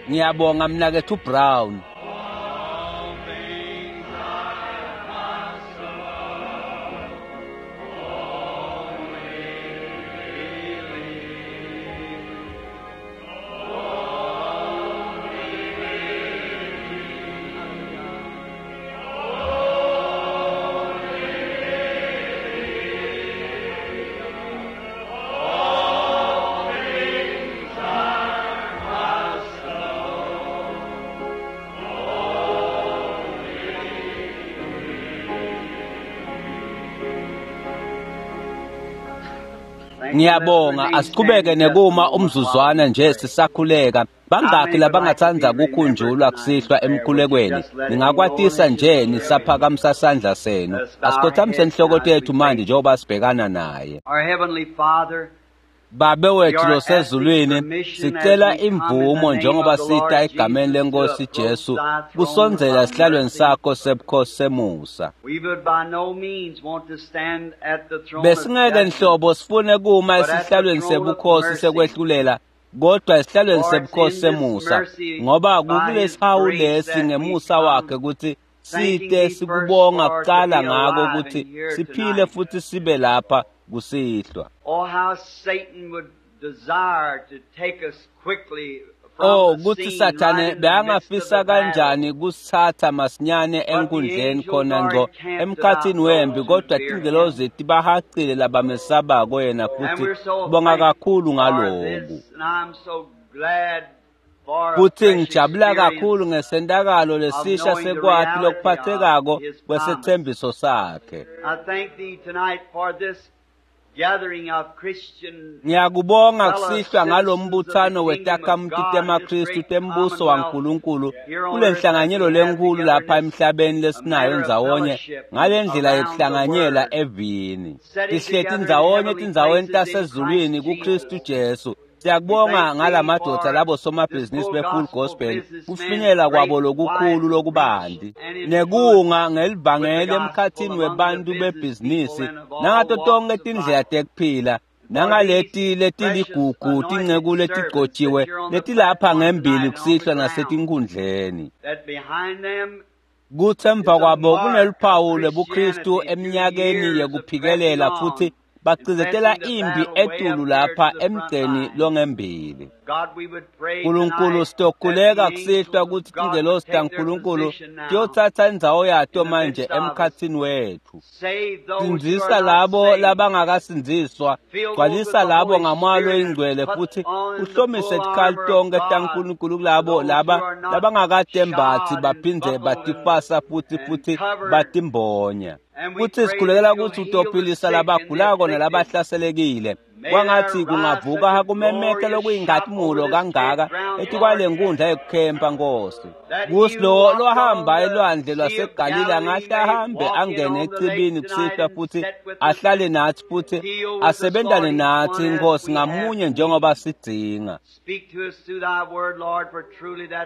Ngiyabonga mnaketfu Brown. Ngiyabonga, asiqhubeke nekuma umzuzwana nje sisakhuleka. Bangaki labangatsandza kukhunjulwa kusihlwa emkhulekweni? Ningakwatisa nje nisaphakamisa sandla senu. Asikhothamise inhloko tethu manje njengoba sibhekana naye. Babe wethu losezulwini, sicela imvumo njengoba sita egameni lenkosi Jesu kusondzela esihlalweni sakho sebukhosi semusa. Besingeke nhlobo sifune kuma esihlalweni sebukhosi sekwehlulela, kodwa esihlalweni sebukhosi semusa, ngoba kukulesihawu lesi ngemusa wakhe ukuthi site sikubonga kucala ngako ukuthi siphile futhi sibe lapha kusihlwa. Oh, kutsi Sathane bekangafisa kanjani kusitsatsa masinyane enkundleni khona ngco emkhatsini wempi, kodwa tingelozi tibahacile labamesabako yena, futhi sibonga kakhulu ngaloku. Futhi ngijabula kakhulu ngesentakalo lesisha sekwati lokuphathekako kwesethembiso sakhe. Ngiyakubonga kusihlwa ngalombuthano wetakhamuti temaKhristu tembuso waNkulunkulu kule nhlanganyelo lenkulu lapha emhlabeni lesinayo ndzawonye ngale ndlela yekuhlanganyela evini. Tihleti ndzawonye etindzaweni tasezulwini kuKhristu Jesu. Siyakubonga ngalamadvodza labo somabhizinisi be-Full Gospel kufinyela kwabo lokukhulu lokubanti nekunga ngelivangeli emkhatsini webantu bebhizinisi nangato tonke tindlela tekuphila nangaleti letiligugu tinceku letigcotjiwe letilapha ngembili kusihlwa nasetinkhundleni. Kutsi emva kwabo kuneluphawu lwebuKhristu eminyakeni yekuphikelela futhi bacindzetela impi etulu lapha emgceni longembili. Nkulunkulu, sitokhuleka kusihlwa kutsi tingelosi taNkulunkulu tiyotsatsa indzawo yato manje emkhatsini wethu. Sindzisa labo labangakasindziswa, gcwalisa labo ngaMoya loyiNgcwele futhi uhlomise tikhali tonkhe taNkulunkulu kulabo laba labangakatembatsi baphindze batifasa futhi batimbonya. Futhi sikhulekela kutsi utophilisa labagulako nalabahlaselekile. Kwangatsi kungavuka kumemeta lokuyinkhatimulo kangaka etikwale nkundla yekukhempa Nkosi. Kusi lo lohamba elwandle lwaseGalile angahle ahambe angene echibini kusihlwa futhi ahlale natsi futhi asebentane natsi Nkosi ngamunye njengoba sidzinga.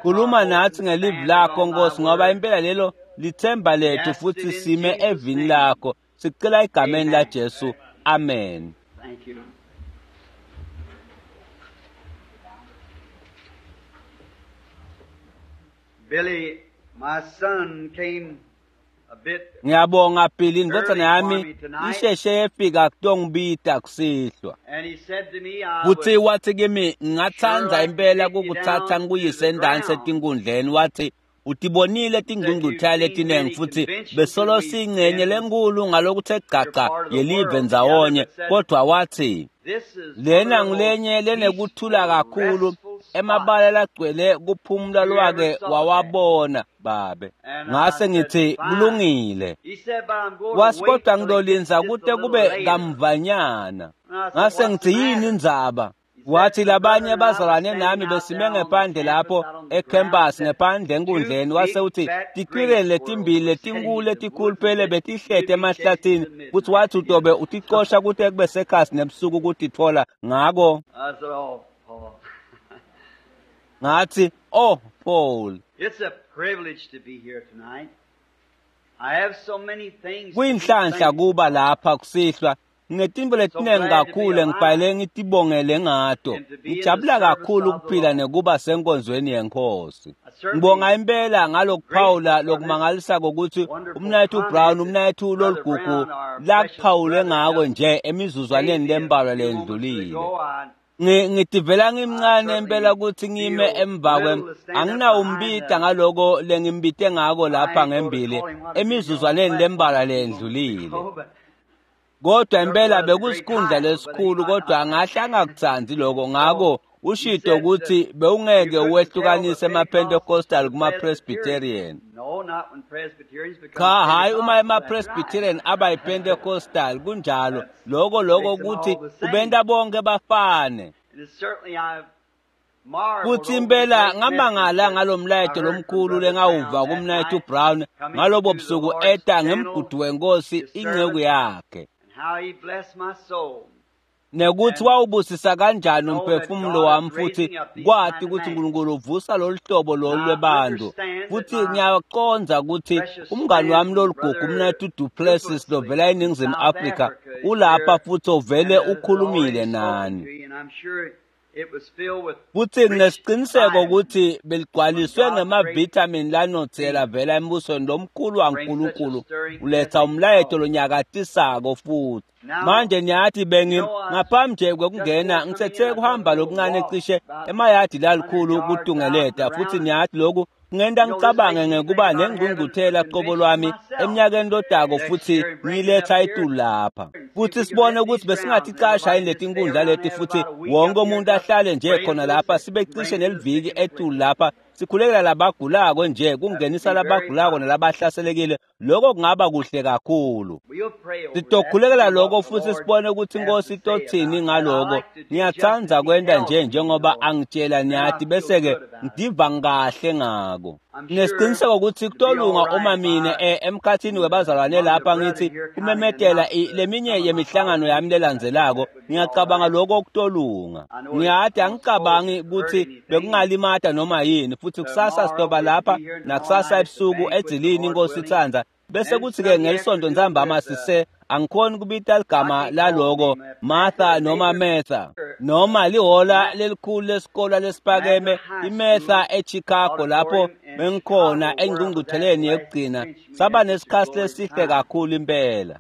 Khuluma natsi ngelivi lakho Nkosi, ngoba impela lelo lithemba lethu futhi sime evini lakho. Sicela egameni la Jesu. Amen. Thank you. Billy, my son, came a bit. Ngiyabonga Billy, indvodzana yami isheshe yefika kutongibita kusihlwa. And he said to me, I Kutsi would wathi kimi ngingatsandza impela kukutsatsa ngikuyise endansi etinkundleni, wathi utibonile tingcungcuthela letinengi futhi besolo siyingcenye lenkulu ngalokuthe gaca yelive ndzawonye, kodwa wathi this is lena one of the ngulenye most lenekuthula peaceful, kakhulu restful spots. emabala lagcwele kuphumula lwake wawabona babe. Ngase ngithi kulungile. He said, but I'm going to Wasi wait kodwa till it gets ngitolinza just a kute little kube later. kamvanyana. And I said, Ngase what's the ngithi yini matter? indzaba? Wathi labanye bazalwane nami besime ngephandle lapho ecampus ngephandle enkundleni, wase uthi tikwireli letimbili letinkulu letikhuluphele betihleti emahlathini, kutsi wathi utobe uticosha kute kube sekhasi nebusuku kutitfola ngako. I said, oh, Paul. Ngathi, oh Paul, It's a privilege to be here tonight. I have so many things to be kuyinhlanhla thankful kuba lapha kusihlwa. Nginetintfo letinengi kakhulu engifanele ngitibongele ngato. Ngijabula kakhulu ukuphila nekuba senkonzweni yenkosi. Ngibonga impela ngalokuphawula lokumangalisako ukuthi umnayethu Brown, umnayethu loligugu lakuphawule ngako nje emizuzwaneni lembalwa lendlulile. Ngitivela ngimncane impela ukuthi ngime emva kwem anginawumbita ngaloko lengimbite ngako lapha ngembili emizuzwaneni lembalwa lendlulile. Kodwa impela bekusikhundla lesikhulu, kodwa angahle angakutsandzi lokho. Ngako ushito ukuthi bewungeke wehlukanise ema-Pentecostal kuma-Presbyterian. Cha, hhayi uma ema-Presbyterian aba yi-Pentecostal, kunjalo. Lokho ukuthi kubenta bonke bafane. Futhi impela ngamangala ngalomlayeto lomkhulu lengawuva kumnayethu Brown ngalobo busuku eta ngemgudu wenkosi inceku yakhe. Nekuthi wawubusisa kanjani umphefumulo wami, futhi kwati ukuthi uNkulunkulu uvusa lolu hlobo lolu lwebantu. Futhi ngiyaqonza ukuthi umngani wami loligugu umnayethu Du Plessis lovela eNingizimu Afrika ulapha futhi ovele ukhulumile nani. Futhi nginesiqiniseko ukuthi beligcwaliswe ngemavithamini lanotsela vela embusweni lomkhulu waNkulunkulu uletha umlayeto lonyakatisako futhi. Manje niyathi bengi ngaphambi nje kwekungena ngisethe kuhamba lokuncane cishe emayadi lalikhulu kutungeleta, futhi niyathi lokhu kungenta ngicabange ngekuba nengqungquthela qobo lwami eminyakeni lodako futhi ngiletha itulu lapha. Futhi sibone ukuthi besingathi casha yini leti nkundla leti, futhi wonke umuntu ahlale nje khona lapha sibe cishe neliviki etulu lapha sikhulekela labagulako nje, kungenisa labagulako nalabahlaselekile. Lokho kungaba kuhle kakhulu. Sitokhulekela lokho futhi sibone ukuthi inkosi itothini ngaloko. Ngiyathanda kwenta nje njengoba angitshela niyathi, bese-ke ngidiva kahle ngako. Nginesiqiniseko ukuthi kutolunga uma mine emkhathini webazalwane lapha ngithi kumemetela leminye yemihlangano yami lelandzelako. Ngiyacabanga lokho kutolunga. Ngiyathi angicabangi ukuthi bekungalimata noma yini, futhi kusasa sitoba lapha nakusasa ebusuku edzilini inkosi itsandza. Bese kuthi-ke ngelisonto ntsambama sise angikhoni kubita ligama laloko Martha noma Metha noma lihola lelikhulu lesikolo lesipakeme iMetha eChicago lapho bengikhona engqungqutheleni yekugcina. Saba nesikhathi lesihle kakhulu impela.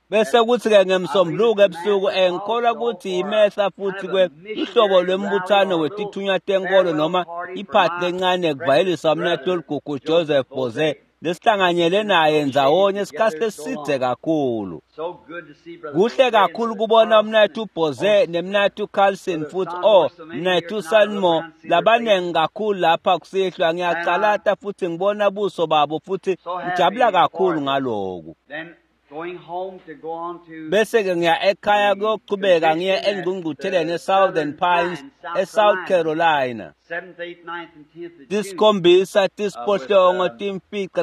Bese kuthi-ke ngemsombuluko ebusuku ngikholwa ukuthi iMetha futhi kwe uhlobo lwembuthano wetithunywa tenkolo noma iphathi lencane kuvayelisa umnethu oligugu Joseph Boze lesihlanganyele naye ndzawonye isikhathi lesidze kakhulu. Kuhle kakhulu kubona umnethu Boze nemnethu Carlson futhi mnethu Sanmo labanengi kakhulu lapha kusihlwa. Ngiyacalata futhi ngibona buso babo futhi ngijabula kakhulu ngaloku. Bese-ke ngiya ekhaya kuyochubeka ngiye engqungqutheleni e-Southern Pines e-South Carolina. 7, 8, 9, 10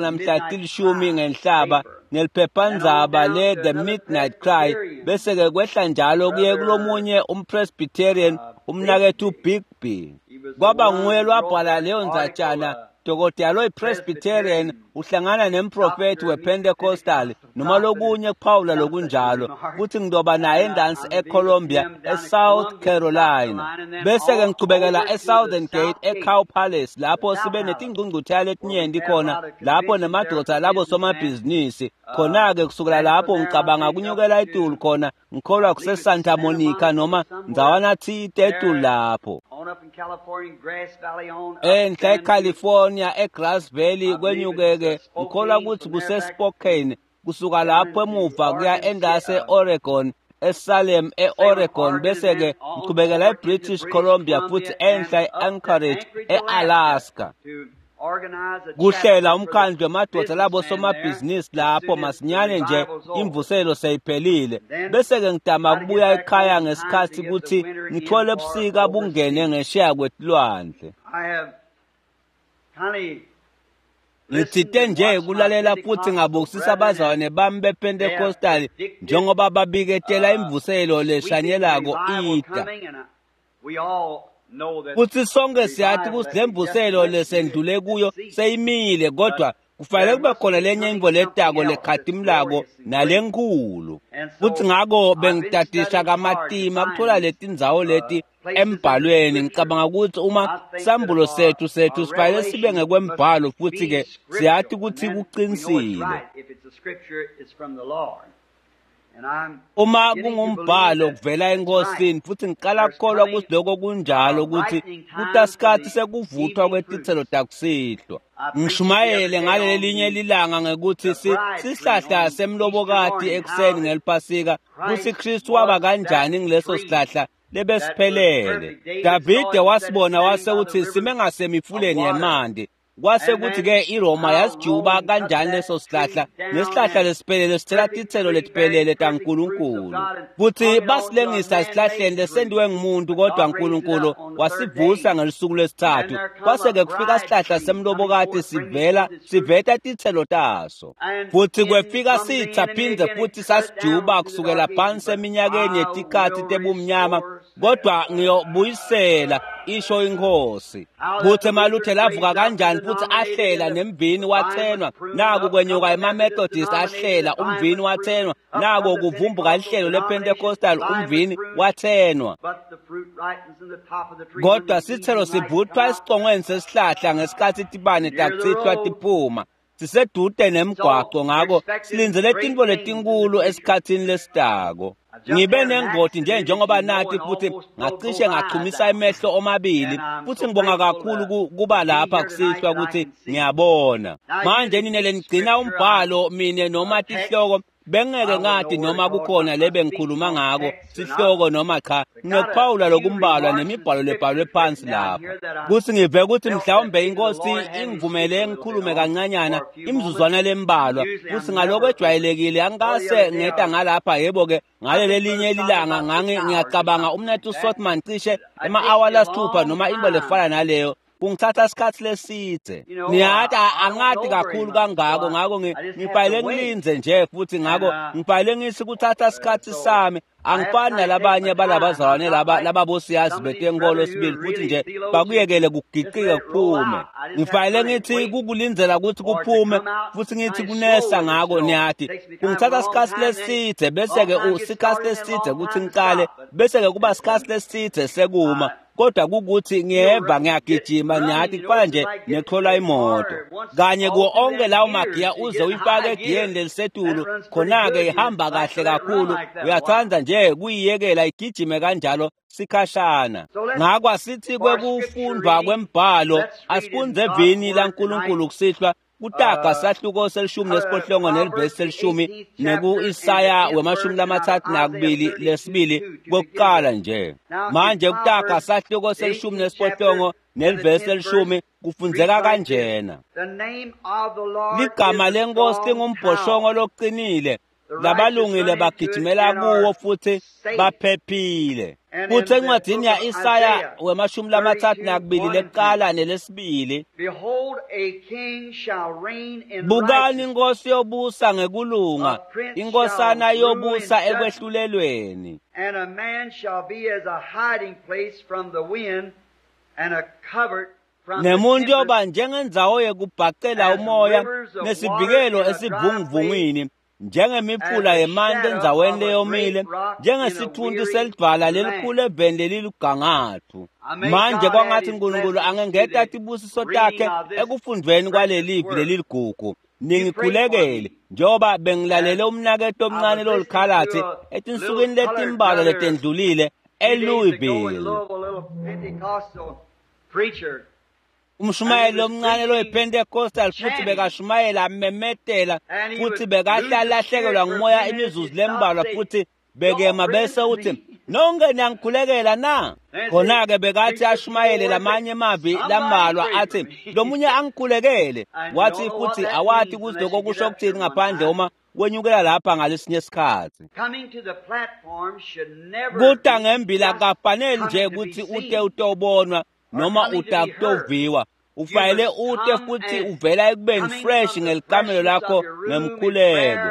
namhla 10 ngenhlaba neliphephandzaba le-The Midnight Cry. Bese-ke kwehla njalo kuye kulomunye umPresbyterian umnakethu Bigby. Kwaba nguye lwabhala leyo ndzatshana. Dokotela loyi-Presbyterian uhlangana nemprofethi wePentecostal noma lokunye kuphawula lokunjalo, futhi ngidoba naye endansi eColumbia eSouth Carolina. Bese-ke ngichubekela eSouthern Gate eCow Palace lapho sibe netingqungquthela letinyenti khona lapho nemadoda labo somabhizinisi. Khona-ke kusukela lapho ngicabanga kunyukela etulu khona ngikholwa kuse-Santa Monica noma ndzawana thite etulu lapho. Enhla eCalifornia eGrass Valley kwenyukeke ngikholwa ukuthi kuseSpokane, kusuka lapho emuva kuya endase e-Oregon eSalem e-Oregon, bese-ke ngichubekela eBritish Columbia futhi enhla e-Anchorage e-Alaska. Kuhlela umkhandlu wemadoda labo somabhizinisi lapho masinyane nje imvuselo seyiphelile. Bese-ke ngidama kubuya ekhaya ngesikhathi ukuthi ngithole ebusika bungene ngesheya kwetilwandle. Ngithinte nje kulalela futhi ngabukisisa abazalwane bami bePentecostal njengoba babiketela imvuselo leshanyelako ida. Futhi sonke siyathi ukuthi le mvuselo lesendlule kuyo seyimile, kodwa Kufanele kube khona lenye intfo letako lekhatimulako nalenkulu. Futsi ngako bengitadisha kamatima kuthola letindzawo leti embhalweni. Ngicabanga kutsi uma sambulo sethu sifanele sibe ngekwembhalo, futsi-ke siyati kutsi kuqinisile. Uma kungumbhalo kuvela eNkosini, futsi ngiqala kukholwa kutsi lokho kunjalo, kutsi kutasikhathi sekuvuthwa kwetitselo takusihlwa. Ngishumayele ngalelinye lilanga ngekuthi sihlahla semlobokati ekuseni ngeliPhasika, kutsi Kristu waba kanjani ngileso sihlahla lebesiphelele. Davide wasibona wase uthi sime ngasemifuleni yemanti. Kwase kuthi-ke iRoma yasijuba kanjani leso sihlahla, nesihlahla lesiphelele sithela titselo letiphelele taNkulunkulu. Futhi basilengisa esihlahleni lesentiwe ngumuntu, kodwa uNkulunkulu wasivusa ngelusuku lwesithathu. Kwase-ke kufika sihlahla semlobokati sivela siveta titselo taso. Futhi kwefika sitha phindze futhi sasijuba kusukela phansi eminyakeni yetikhathi tebumnyama, kodwa ngiyobuyisela, isho iNkhosi. Kuthi emaLuthela avuka kanjani futhi ahlela nemvini wathenwa, naku kwenyuka emaMethodist ahlela umvini wathenwa, nako kuvumbuka lihlelo lePentecostal umvini wathenwa. Kodwa sithelo sivuthwa esicongweni sesihlahla ngesikhathi tibane takusihlwa tiphuma. Sisedude nemgwaco, ngako silindzele tintfo letinkulu esikhatsini lesitako. Ngibe nengoti nje njengoba nathi, futhi ngacishe ngachumisa emehlo omabili, futhi ngibonga kakhulu kuba lapha kusihlwa ukuthi ngiyabona. Manje nine lenigcina umbhalo mine noma tihloko, bengeke ngathi noma kukhona lebe ngikhuluma ngako sihloko noma cha. Nginokuphawula lokumbalwa nemibhalo lebhalwe phansi lapha, kuthi ngive ukuthi mhlawumbe iNkosi ingivumele ngikhulume kancanyana imizuzwana lembalwa, kuthi ngaloko ejwayelekile angikase ngeta ngalapha. Yebo-ke, ngalelelinye lilanga ngiyacabanga umnethu Sotman cishe ema-awa lasithupha noma into lefana naleyo, kungithatha isikhathi lesidze. Niyati angati kakhulu kangako, ngako ngibhayile ngilindze nje, futhi ngako ngibhayile ngithi kuthatha isikhathi sami. Angifani nalabanye balabazalwane laba lababosiyazi betenkolo sibili, futhi nje bakuyekele kugiqike kuphume. Ngifayile ngithi kukulindzela ukuthi kuphume, futhi ngithi kunesa ngako. Niyati kungithatha isikhathi lesidze, bese-ke isikhathi lesidze ukuthi ngiqale, bese-ke kuba isikhathi lesidze sekuma. Kodwa kukuthi ngiyeva ngiyagijima, niyati kufana nje nekuthola imoto kanye kuwo onke lawo magiya uze uyifake egiyeni lelisetulu, khona-ke ihamba kahle kakhulu. Uyathanda nje kuyiyekela igijime kanjalo sikhashana. Ngako asithi kwekufundwa kwembhalo, asifundze evini laNkulunkulu kusihlwa, Kutaga sahluko 18 nelivesi 10 neku-Isaya 32 lesibili kokuqala nje. Manje Kutaga sahluko 18 nelivesi 10 kufundzeka kanjena: Ligama leNkosi lingumbhoshongo loqinile, labalungile bagijimela kuwo futhi baphephile. Kuthi encwadini ya-Isaya 32 lekuqala nelesibili, bukani inkosi yobusa ngekulunga, inkosana yobusa ekwehlulelweni. And a man shall be as a hiding place from the wind and a covert. Nemuntu yoba njengendzawo yekubhacela umoya nesivikelo esivunguvungwini, njengemifula yemanti endzaweni leyomile, njengesithunti selidvwala lelikhulu eveni lelilugangathu. Manje kwangathi uNkulunkulu angengeta tibusiso takhe ekufundvweni kwalelivi leliligugu. Ningikhulekele njengoba bengilalele umnaketfu omncane lolikhalatsi etinsukwini letimbalwa letendlulile eLouisville. Umshumayeli lomncane loyiPentecostal, futhi bekashumayela amemetela, futhi bekahle alahlekelwa ngumoya imizuzu lembalwa, futhi bekema bese uthi, nonke niyangikhulekela na? Khona-ke bekathi ashumayele lamanye emavi lambalwa, athi lomunye angikhulekele. Wathi futhi awati ukuthi lokho kusho kuthini ngaphandle uma wenyukela lapha ngalesinye isikhathi. Kuta ngembila kafanele nje ukuthi ute utobonwa noma utakutoviwa, ufanele ute futhi uvela ekubeni fresh ngelikamelo lakho ngemkhuleko.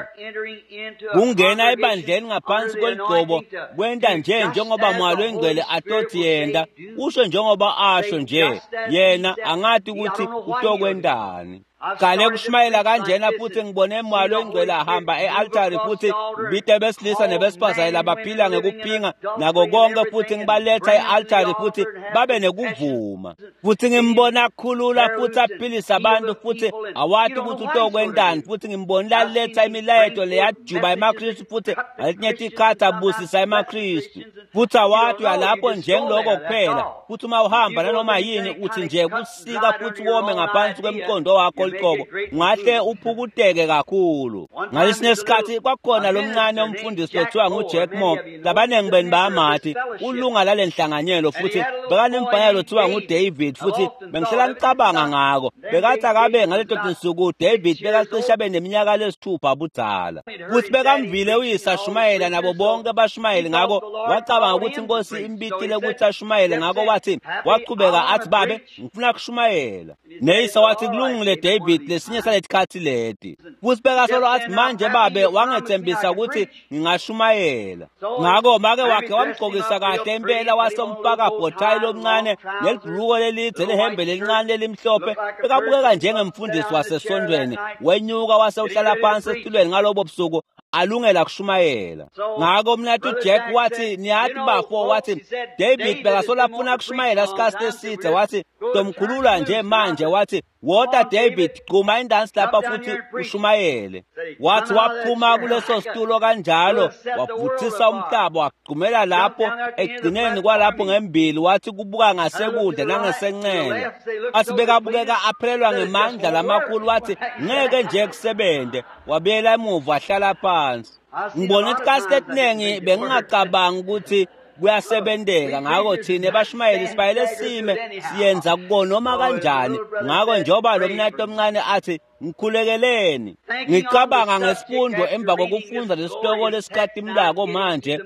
Kungena ebandleni ngaphansi kweligcobo kwenta nje njengoba Moya loyiNgcwele atothi yenta, usho njengoba asho nje yena, angati ukuthi utokwentani. Qale kushumayela kanjena futhi ngibone moya longcwele ahamba e-altari futhi ngibite besilisa nebesifazane labaphila ngekuphinga nako konke futhi ngibaletha e-altari futhi babe nekuvuma futhi ngimbona akhulula futhi aphilisa abantu futhi awati ukuthi utokwentani futhi ngimbonile aletha imilayeto leyajuba emaKristu futhi ngaletinye tikhathi abusisa emaKristu futhi awati uyalapho njengiloko kuphela futhi uma uhamba nanoma yini uthi nje kusika futhi wome ngaphansi kwemqondo wakho liqobo ungahle uphukuteke kakhulu. Ngalesinye isikhathi kwakukhona lomncane umfundisi lothiwa nguJack Moore, labaningi benu bayamathi, ulunga lale nhlanganyelo futhi bekanemfana lothiwa nguDavid futhi bengihlala ngicabanga ngako. Bekathi akabe ngaleto tinsuku David bekacishe abe neminyaka lesithupha budzala futhi bekamvile uyise ashumayela nabo bonke bashumayeli, ngako wacabanga ukuthi inkosi imbitile ukuthi ashumayele, ngako wathi waqhubeka athi babe ngifuna kushumayela. Neyise wathi kulungile David, lesinye saletikhathi leti. Futhi bekasolo athi manje babe wangethembisa ukuthi ngingashumayela. Ngako make wakhe wamgqokisa kahle impela wasemfaka bhothayi lomncane nelibhuluko lelidze lehembe lelincane lelimhlophe, bekabukeka njengemfundisi wasesontweni. Wenyuka wase uhlala phansi esitulweni ngalobo busuku alungela kushumayela. Ngako mnatu Jack wathi niyathi bafo, wathi David bekasola afuna kushumayela isikhathi eside, wathi tomkhulula nje manje, wathi wota David gquma indansi lapha futhi ushumayele. Wathi waphuma kuleso situlo kanjalo wavuthisa umhlaba wagqumela lapho ekugcineni kwalapho ngembili, wathi kubuka ngasekudla nangesenxele, wathi bekabukeka aphelelwa ngemandla lamakhulu, wathi ngeke nje kusebente. Wabuyela emuva wahlala phansi. Ngibona isikhathi esiningi bengingacabangi ukuthi kuyasebenteka, ngako thina bashumayeli sibayele sime siyenza kuko noma kanjani. Ngako njengoba lo mnati omncane athi ngikhulekeleni, ngicabanga ngesifundo emva kokufunda lesihloko lesikatimlako manje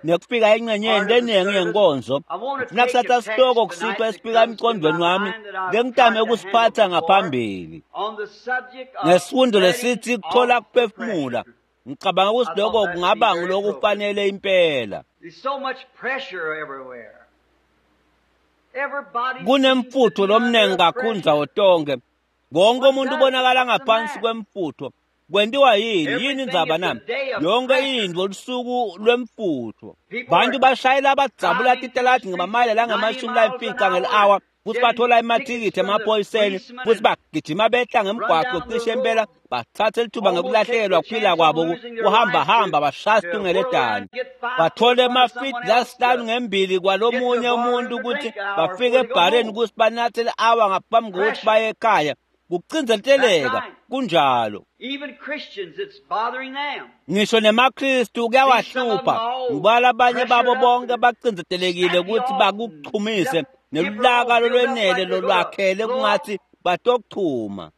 nekufika engxenyeni leningi yenkonzo, ngifuna kusatha sihloko kusitwa esifika emqondweni wami lengitame ukusiphatha ngaphambili ngesifundo lesithi kuthola kuphefumula. Ngicabanga ukuthi lokho kungaba ngulokufanele impela. Kunemfutho lomningi kakhulu ndzawo tonke, wonke umuntu ubonakala ngaphansi kwemfutho. Kwentiwa yini yini indzaba nami? Yonke intfo lusuku lwemfutho. Bantu bashayela badzabula titaladi ngemamayela langamashumi layimfica ngeli-awa futhi bathola emathikithi emaphoyiseni futhi bagijima behla ngemgwaqo cishe impela bathathe lithuba ngekulahlekelwa kuphila kwabo kuhambahamba bashaya situngeledane bathole emafidi lasihlanu ngembili kwalomunye umuntu ukuthi bafike ebhareni ukuthi banathe li-awa ngaphambi kokuthi baye ekhaya. Kucindezeleka kunjalo. Ngisho nemaKristu kuyawahlupha ngoba labanye babo bonke bacindezelekile ukuthi bakuchumise nelulaka lolwenele lolwakhele kungathi batokuchuma.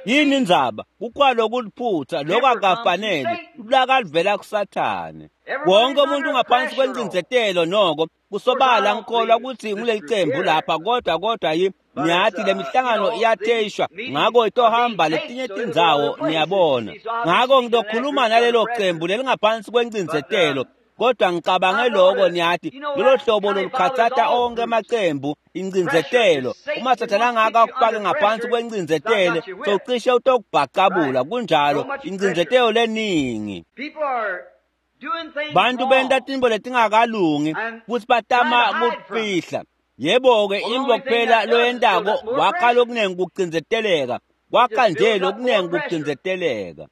Yini indzaba? Kukwalo kuliphutha lokho akafanele, ulaka livela kuSathane. Wonke umuntu ungaphansi kwencindzetelo noko kusobala ngikholwa ukuthi nguleli cembu lapha kodwa niyathi le mihlangano iyatheshwa ngako itohamba letinye tindzawo niyabona. Ngako ngitokhuluma nalelo cembu lelingaphansi kwencindzetelo kodwa ngicabange lokho niyathi lolo hlobo lolukhatsata onke amacembu incindzetelo. Uma Sathane angaka akufake ngaphansi kwencindzetelo socishe utokubhacabula kunjalo incindzetelo leningi. Bantu benta tintfo letingakalungi futhi batama kufihla. Yebo-ke intfo kuphela loyentako wakha lokunengi kucindzeteleka, kwakha nje lokunengi kucindzeteleka.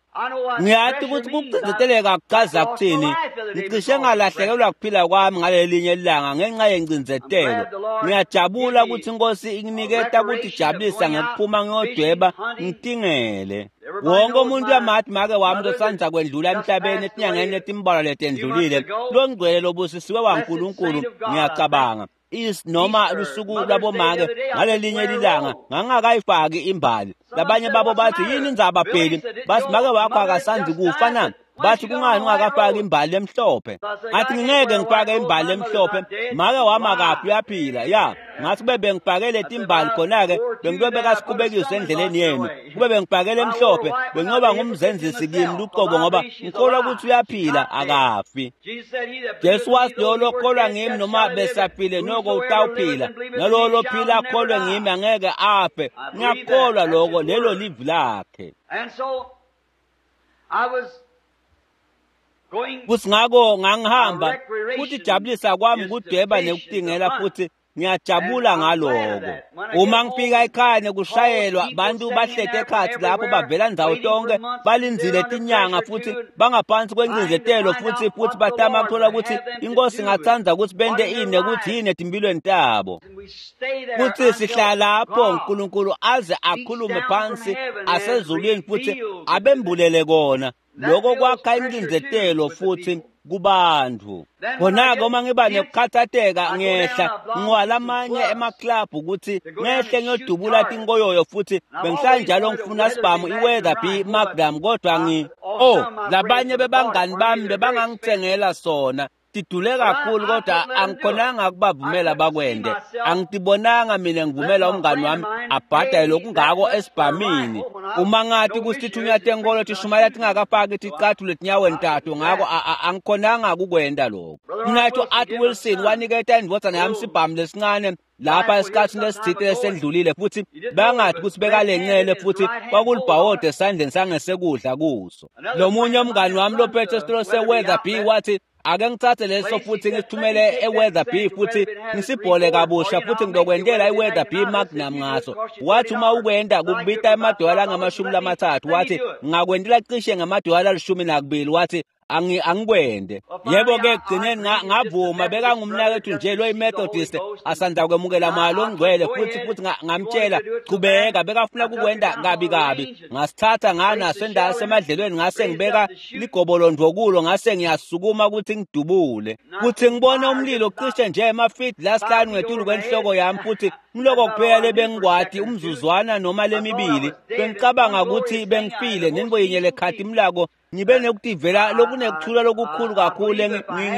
Ngiyathi ukuthi kucindzeteleka kuchaza kuthini. Ngicishe ngalahlekelwa kuphila kwami ngalelinye ilanga ngenxa yencindzetelo. Ngiyajabula ukuthi inkosi inginiketa ukuthi ijabulisa ngekuphuma ngiyodweba ngitingele. Wonke umuntu uyamathi make wami losandza kwendlula emhlabeni etinyangeni letimbalwa letendlulile, longcwele lobusisiwe waNkulunkulu. Ngiyacabanga is noma lusuku lwabomake ngalelinye ilanga ngangakayifaki imbali. Labanye babo bathi yini indzaba Bheli, bathi make wakho akasandi kufa na? Bathi kungani ungakafaki imbali lemhlophe? Ngathi ngingeke ngifake imbali lemhlophe, make wami akafi uyaphila. Ya, ngathi kube bengifakele timbali khona-ke bengiyobe kasikhubekiswe endleleni yenu. Kube bengifakele emhlophe bengiyoba ngumzenzisi kimi luqobo, ngoba ngikholwa ukuthi uyaphila akafi. Jesu wathi lowo lokholwa ngimi noma besafile noko utawuphila, nalowo lophila akholwe ngimi angeke afe. Ngiyakholwa lokho, lelo livi lakhe. Futhi ngakho ngangihamba futhi jabulisa kwami kudweba nekutingela, futhi ngiyajabula ngaloko. Uma ngifika ekhaya nekushayelwa bantu bahlete ekhathi lapho bavela ndzawo tonke balindzile tinyanga futhi bangaphansi kwencindzetelo futhi batama kuthola ukuthi inkosi ingatsandza ukuthi bente ini nekuthi yini etimphilweni tabo. Futhi sihlala lapho uNkulunkulu aze akhulume phansi asezulwini futhi abembulele kona. Lokho kwakha incindzetelo futhi kubantu. Khona-ke uma ngiba nekukhathatheka ngehla ngiwalamanye emaklabhu ukuthi ngehle ngiyodubula tinkoyoyo, futhi bengihlala njalo ngifuna sibhamu i-Weatherby Magnum, kodwa labanye bebangani bami bebangangithengela sona. Tidule kakhulu kodwa angikhonanga ukubavumela bakwende. Angitibonanga mina ngivumela umngani wami abhadale lokungako esibhamini. Uma ngathi kusitithunywa tenkolo tishumayela tingakafaki ticathulo etinyaweni tato, ngako angikhonanga kukwenda lokho. Mnathu Art Wilson waniketa indvodzana yami sibhamu lesincane lapha esikhathini lesithile lesendlulile, futhi bangathi ukuthi bekalencele futhi kwakulibhawode esandleni sangesekudla kuso. Lomunye umngani wami lophethe esitolo se-Weatherby wathi ake ngithathe leso futhi ngisithumele e-Weatherby futhi ngisibhole kabusha futhi ngizokwentela i-Weatherby Magnum ngaso. Wathi uma ukwenda kukubita emadola angama-30, wathi ngakwentela cishe ngamadola 12, wathi angikwende. Yebo-ke ekugcineni ngavuma, bekangumnakethu nje loyi-Methodist asanda kwemukela mali ongcwele, futhi ngamtshela chubeka, bekafuna kukwenda kabi kabi. Ngasithatha nganaso emadlelweni, ngase ngibeka ligobolondvo kulo, ngase ngiyasukuma ukuthi ngidubule. Kuthi ngibone umlilo cishe nje emafidi lasihlanu ngetulu kwenhloko yami, futhi mloko kuphela lebengikwati umzuzwana noma lemibili bengicabanga ukuthi bengifile. Nenbo yinye lekhathi imlako ngibe nekutivela lokunekuthula lokukhulu kakhulu.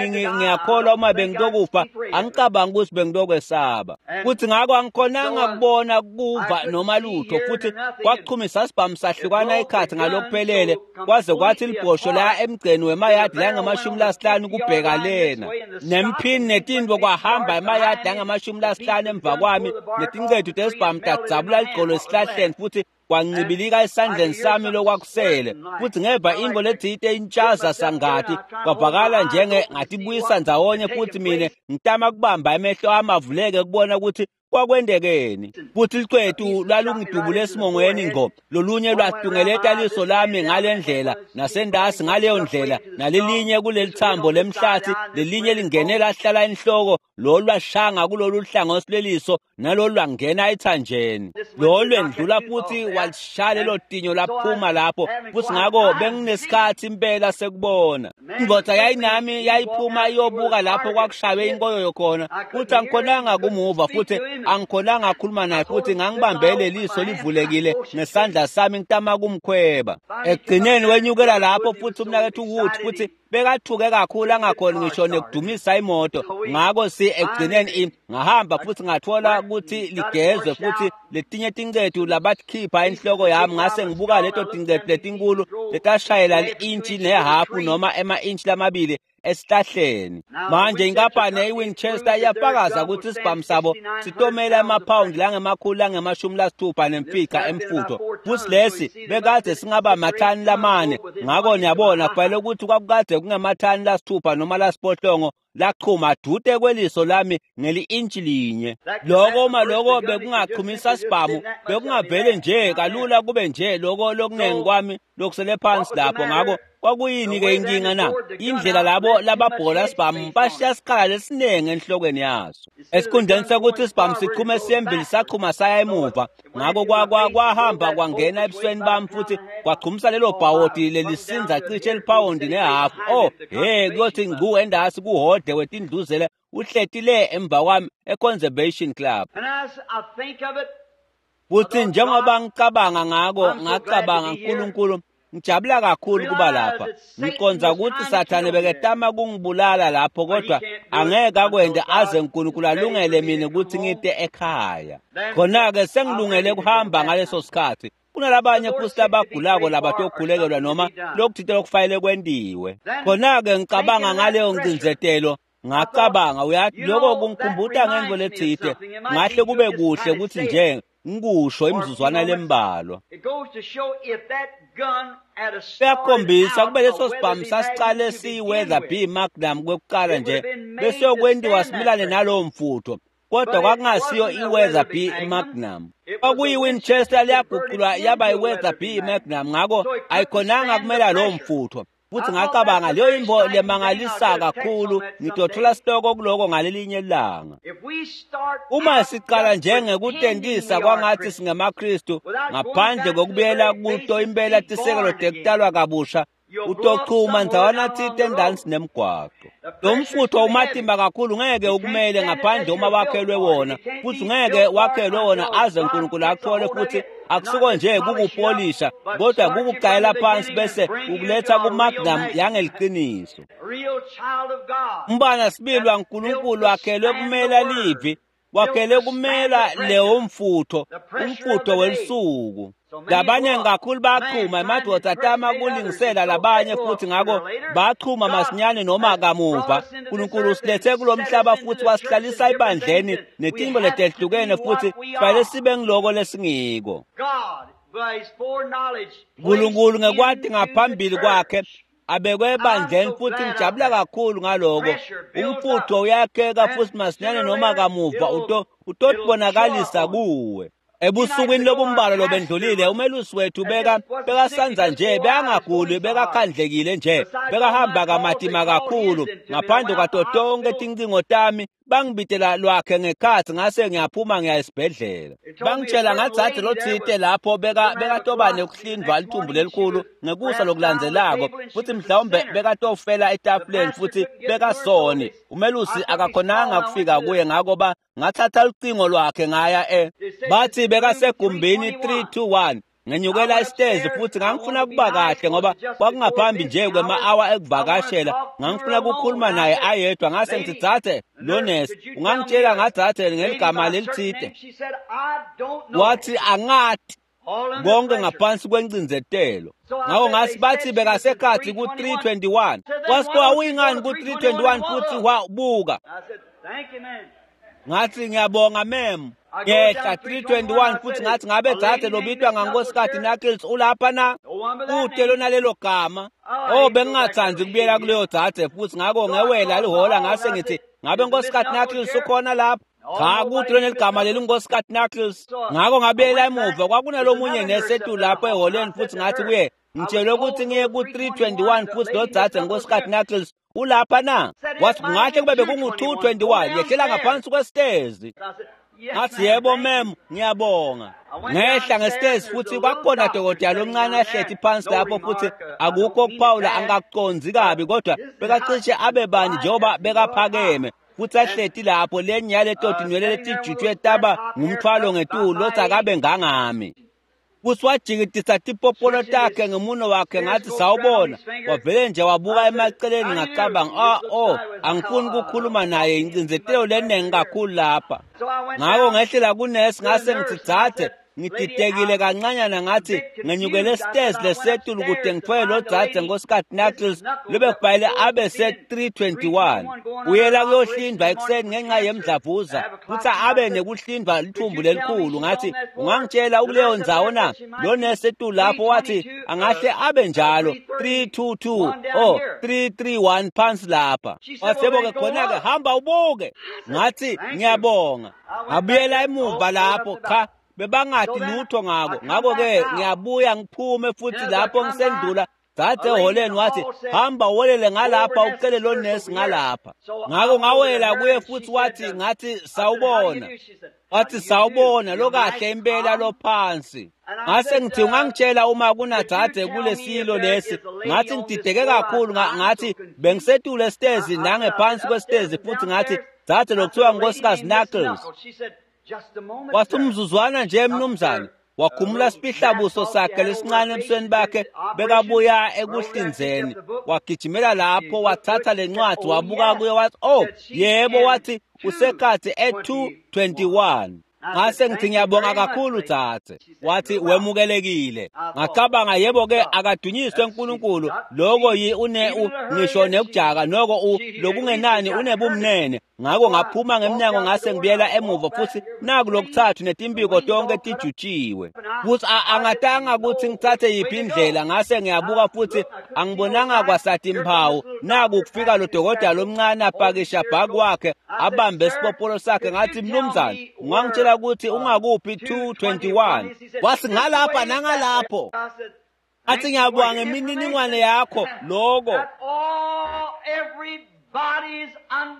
Ngiyakholwa uma bengitokufa angicabanga ukuthi bengitokwesaba. Futhi ngakho angikhonanga kubona kuva noma lutho, futhi kwachumisa sibhamu sahlukana ikhathi ngalokuphelele kwaze kwathi libhosho la emgceni wemayadi langama-50 kubheka lena nemphini netintfo kwahamba emayadi angama-50 emva kwami, netincethu tesibhamu tadzabula ligcolo esihlahleni futhi kwancibilika esandleni sami lokwakusele. Futhi ngeva into lethite intshaza sangathi kwavakala njenge ngatibuyisa ndzawonye, futhi mina ngitama kubamba emehlo ami avuleke kubona ukuthi kwakwendekeni. Futhi licwethu lwalungidubule esimongweni ngqo, lolunye lwatungeleta liso lami ngale ndlela nasendasi ngaleyo ndlela, nalelinye kuleli thambo lemhlathi, lelinye lingene lahlala enhloko, lolu lwashanga kulolu hlangothi lweliso, nalolu lwangena ethanjeni, lolu lwendlula futhi walishaya lelo tinyo laphuma lapho. Futhi ngakho benginesikhathi impela sekubona. Indvodza yayinami yayiphuma iyobuka lapho kwakushaywe inkoyoyo khona, futhi angikhonanga kumuva, futhi angikhonanga akhuluma naye, futhi ngangibambele liso livulekile ngesandla sami ngitama kumkhweba. Ekugcineni wenyukela lapho futhi umnakethu Wood futhi bekathuke kakhulu angakhoni ngisho nekudumisa imoto. Ngakho ekugcineni ngahamba futhi ngathola ukuthi ligezwe futhi letinye tincethu labakhipha enhloko yami, ngase ngibuka leto tincethu letinkulu letashayela li-intshi nehafu noma ema-intshi lamabili esihlahleni. Manje inkampani i-Winchester iyafakaza ukuthi isibhamu sabo sitomela amaphawundi langama-665 emfutho, futhi lesi bekade singaba mathani 4. Ngakho niyabona kufanele ukuthi kwakukade kungamathani 6 noma 6 lachuma dude kweliso lami ngeli-intshi linye. Lokho uma lokho bekungachumisa sibhamu bekungavele nje kalula kube nje lokho lokunengi kwami lokusele phansi lapho. Ngakho kwakuyini-ke inkinga na? Indlela labo lababhola sibhamu bashiya isikhala lesiningi enhlokweni yaso. Esikhundleni sokuthi isibhamu sichume siyembili sachuma saya emuva. Ngakho kwahamba kwangena ebusweni bami futhi kwachumisa lelo bhawodi lelisinza cishe eliphawundi nehafu. Oh, hey, kuyothi ngcu endasi kuhode wetindluzele uhleti le emva kwami e-Conservation Club. Futhi njengoba ngicabanga ngako, ngacabanga, uNkulunkulu, Ngijabula kakhulu kuba lapha. Ngiqondza ukuthi Sathane beketama kungibulala lapho, kodwa angeke akwente aze uNkulunkulu alungele mina ukuthi ngite ekhaya. Khona-ke sengilungele kuhamba ngaleso sikhathi. Kunalabanye futhi labagulako labatokhulekelwa noma lokuthite lokufanele kwentiwe. Khona-ke ngicabanga ngaleyo ngcindzetelo, ngacabanga, uyathi lokho kungikhumbuta ngento letsite, ngahle kube kuhle ukuthi nje ngikusho imizuzwana lembalwa. Kuyakhombisa kube leso sibhamu sasicale siyi-Weatherby Magnum kwekuqala nje bese kwentiwa similane nalowo mfutho, kodwa kwakungasiyo i-Weatherby Magnum. Kwakuyi-Winchester liyaguqulwa yaba i-Weatherby Magnum, ngakho ayikhonanga kumela lowo mfutho. Futhi ngacabanga leyo imbo lemangalisa kakhulu, ngitothola sitoko kuloko ngalelinye ilanga. Uma siqala njengekutentisa kwangathi singemaKristu ngaphandle kokubuyela kuto impela tisekelo tekutalwa kabusha, utochuma ndzawana tsite endansi nemgwaqo. Lo mfutho umatimba kakhulu, ngeke ukumele ngaphandle uma wakhelwe wona, futhi ngeke wakhelwe wona aze uNkulunkulu akuthole. Futhi akusiko nje kukupolisha, kodwa kukuqalela phansi bese ukuletha kumagnum yangeliqiniso. Umbana sibili waNkulunkulu wakhelwe kumela livi, wakhelwe kumela lewo mfutho, umfutho welisuku. Labanye kakhulu bachuma, emadoda atama kulingisela labanye, futhi ngakho bachuma masinyane noma kamuva. uNkulunkulu usilethe kulo mhlaba futhi wasihlalisa ebandleni netinto letehlukene, futhi kufanele sibe ngiloko lesingiko. uNkulunkulu ngekwati ngaphambili kwakhe abekwe ebandleni, futhi ngijabula kakhulu ngaloko. Umfutho uyakheka futhi masinyane noma kamuva utotibonakalisa kuwe. Ebusukwini lobumbalwa lobendlulile, umelusi wethu bekasanza nje, bekangaguli, bekakhandlekile nje, bekahamba kamatima kakhulu. Ngaphandle kwato tonke tincingo tami, bangibitela lwakhe ngekhathi, ngase ngiyaphuma ngiya esibhedlela. Bangitshela ngadzadze lotsite lapho bekatoba nekuhlindvwa lithumbu lelikhulu ngekusa lokulandzelako, futhi mhlawumbe bekatofela etafuleni, futhi bekasoni. Umelusi akakhonanga kufika kuye, ngako ngathatha lucingo lwakhe ngaya bathi bekasegumbini 321. Ngenyukela isitezi futhi ngangifuna kuba kahle ngoba kwakungaphambi nje kwema-awa ekuvakashela. Ngangifuna ukukhuluma naye ayedwa. Ngase ngithi, dzadze lo nesi, ungangitshela ngadzadze ngeligama lelitsite? Wathi, angati. Konke ngaphansi kwencindzetelo. Ngakho ngasi bathi bekasekhathi ku-321. Kwasithiwa uyingani ku-321 futhi wabuka. Ngathi, ngiyabonga mem. Ngehla 321 futhi ngathi, ngabe dzadze lobitwa ngaNkosikazi Knuckles ulapha na? Kude lona lelo gama. Oh, bengingathandi kubuyela kuleyo dzadze futhi, ngakho ngewela lihola ngase ngithi, ngabe Nkosikazi Knuckles ukhona lapha? Cha, kude lona ligama leli Nkosikazi Knuckles. Ngakho ngabuyela emuva, kwakunalomunye nesi etulu lapho eholeni, futhi ngathi kuye, ngitshelwe ukuthi ngiye ku-321 futhi lo dzadze Nkosikazi Knuckles ulapha na? Wathi, kungahle kube bekungu-221, yehlela ngaphansi kwesitezi. Ngathi, yebo mem, ngiyabonga. Ngehla ngesitezi futhi kwakukhona dokotela lomncane ahleti phansi lapho, futhi akukho ukuphawula, angakuconzi kabi, kodwa bekacishe abe bani njengoba bekaphakeme futhi ahleti lapho, lenye yaleto tinwele letijutshwe taba ngumthwalo ngetulu, lothi akabe ngangami. Futhi wajikitisa tipopolo takhe ngemuno wakhe, ngathi, sawubona. Wavele nje wabuka emaceleni, ngacabanga, oh, angifuni ukukhuluma naye, incindzetelo leningi kakhulu lapha. Ngakho ngehlela kunesi, ngase ngithi, dzadze, ngididekile kancanyana, ngathi ngenyukele stairs lesetulu kude ngithwele lo dzadze Nkosikazi Knuckles lobekubhayile abe se-321 uyela kuyohlindwa ekuseni ngenxa yemdlavuza, futhi abe nekuhlindwa lithumbu lelikhulu. Ngathi, ungangitshela ukuleyo ndzawo na? Lo nesi etulu lapho wathi angahle abe njalo 322 oh 331 phansi lapha. Wasebo-ke khona-ke hamba ubuke. Ngathi, ngiyabonga. Ngabuyela emuva lapho, cha, bebangathi lutho ngako. Ngakho-ke ngiyabuya ngiphume futhi lapho ngisendlula dzadze eholeni wathi, hamba uwelele ngalapha ucele lo nesi ngalapha. Ngakho ngawela kuye futhi wathi, ngathi, sawubona. Wathi, sawubona, lokahle impela lophansi. Ngase ngithi, ungangitshela uma kunadzadze kulesilo lesi? Ngathi, ngidideke kakhulu, ngathi bengisetulu esitezi nangephansi kwesitezi, futhi ngathi, dzadze lokuthiwa Nkosikazi Knuckles. Wathi, umzuzwana nje mnumzane. Wakhumula sifihlabuso sakhe lesincane ebusweni bakhe, bekabuya ekuhlinzeni. Wagijimela lapho, wathatha lencwadi, wabuka kuyo, wathi, "Oh, yebo," wathi, "usekhathi e-2:21." Ngase ngithi, "Ngiyabonga kakhulu dzadze." Wathi, "Wemukelekile." Ngacabanga, yebo-ke, akadunyiswe uNkulunkulu. Loko yi une ngisho nekujaka noko lokungenani unebumnene. Ngako ngaphuma ngemnyango ngase ngibuyela emuva futhi naku lokuthathu netimbiko tonke tijutshiwe. Futhi angatanga ukuthi ngithathe yiphi indlela, ngase ngiyabuka futhi angibonanga kwasathi imphawu. Naku kufika lo dokotela lomncane apakisha bhaki wakhe abambe isipopolo sakhe. Ngathi, "Mnumzane, ungangitshela ukuthi ungakuphi 2:21?" Wathi, "Ngalapha nangalapho." Athi, "Ngiyabonga ngemininingwane yakho lokho."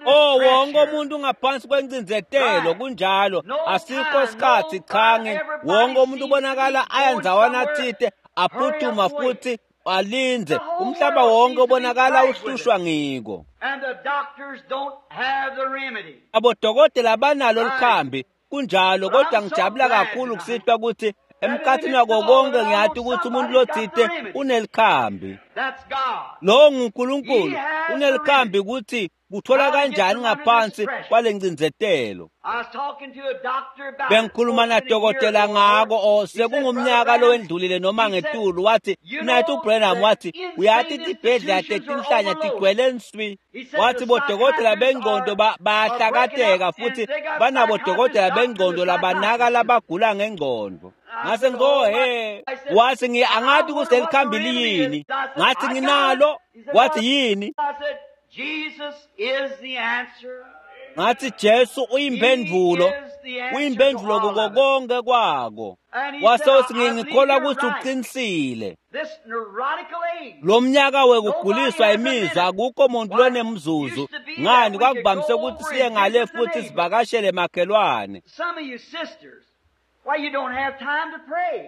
Oh, wonke umuntu ngaphansi kwencindzetelo, kunjalo. Asikho isikhathi, cha, wonke umuntu ubonakala aya ndzawana thite, aphuthuma futhi alinze. Umhlaba wonke ubonakala uhlushwa ngiko. Abodokotela banalo likhambi, kunjalo, kodwa ngijabula kakhulu kusihlwa ukuthi emkhathini wako konke ngiyati ukuthi umuntu lothite unelikhambi. Lowo nguNkulunkulu, unelikhambi ukuthi kuthola kanjani ngaphansi kwale ncindzetelo. Bengikhuluma nadokotela ngako sekungumnyaka lowendlulile noma ngetulu. Wathi, "Mnathu Branham," wathi, "uyathi tibhedlela tetinhlanya tigcwele nswi." Wathi, "Bodokotela bengqondo bayahlakateka futhi banabodokotela bengqondo labanaka labagula ngengqondo." Ngase ngo he, wathi, "Angathi ukuthi lelikhambi liyini." Ngathi, "Nginalo." Wathi, "Yini?" Ngathi, "Jesu uyimphendvulo, uyimphendvulo kuko konke kwako." Wase uthi, "Ngikholwa ukuthi uqinisile. Lo mnyaka wekuguliswa imizwa, akukho muntu lonemzuzu. Ngani, kwakuvamise ukuthi siye ngale futhi sivakashele makhelwane.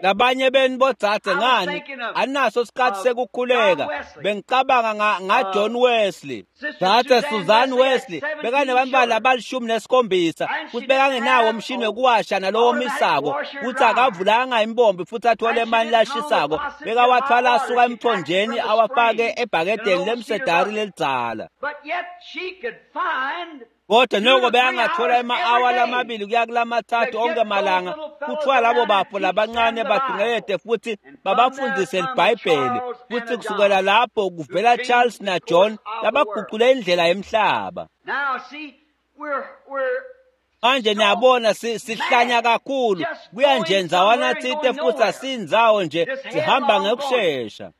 Labanye beni bodzadze, ngani, anaso isikhathi sekukhuleka. Bengicabanga nga John Wesley. Dzadze Susan Wesley bekanebantwana abali-17 futhi bekangenawo umshini wekuwasha nalowomisako, futhi akavulanga imbombi futhi athole emani lashisako. Bekawathwala asuka emthonjeni awafake ebhakedeni lemsedari lelidzala. Kodwa noko beyangathola ema-awa lamabili kuya kulamathathu onke malanga kuthiwa labo bafo labancane badungelede futhi babafundise libhayibheli, futhi kusukela lapho kuvela Charles na John labagucule indlela yemhlaba. Manje niyabona, sihlanya kakhulu, kuya nje ndzawana tsite futhi asiyindzawo nje, sihamba ngekushesha.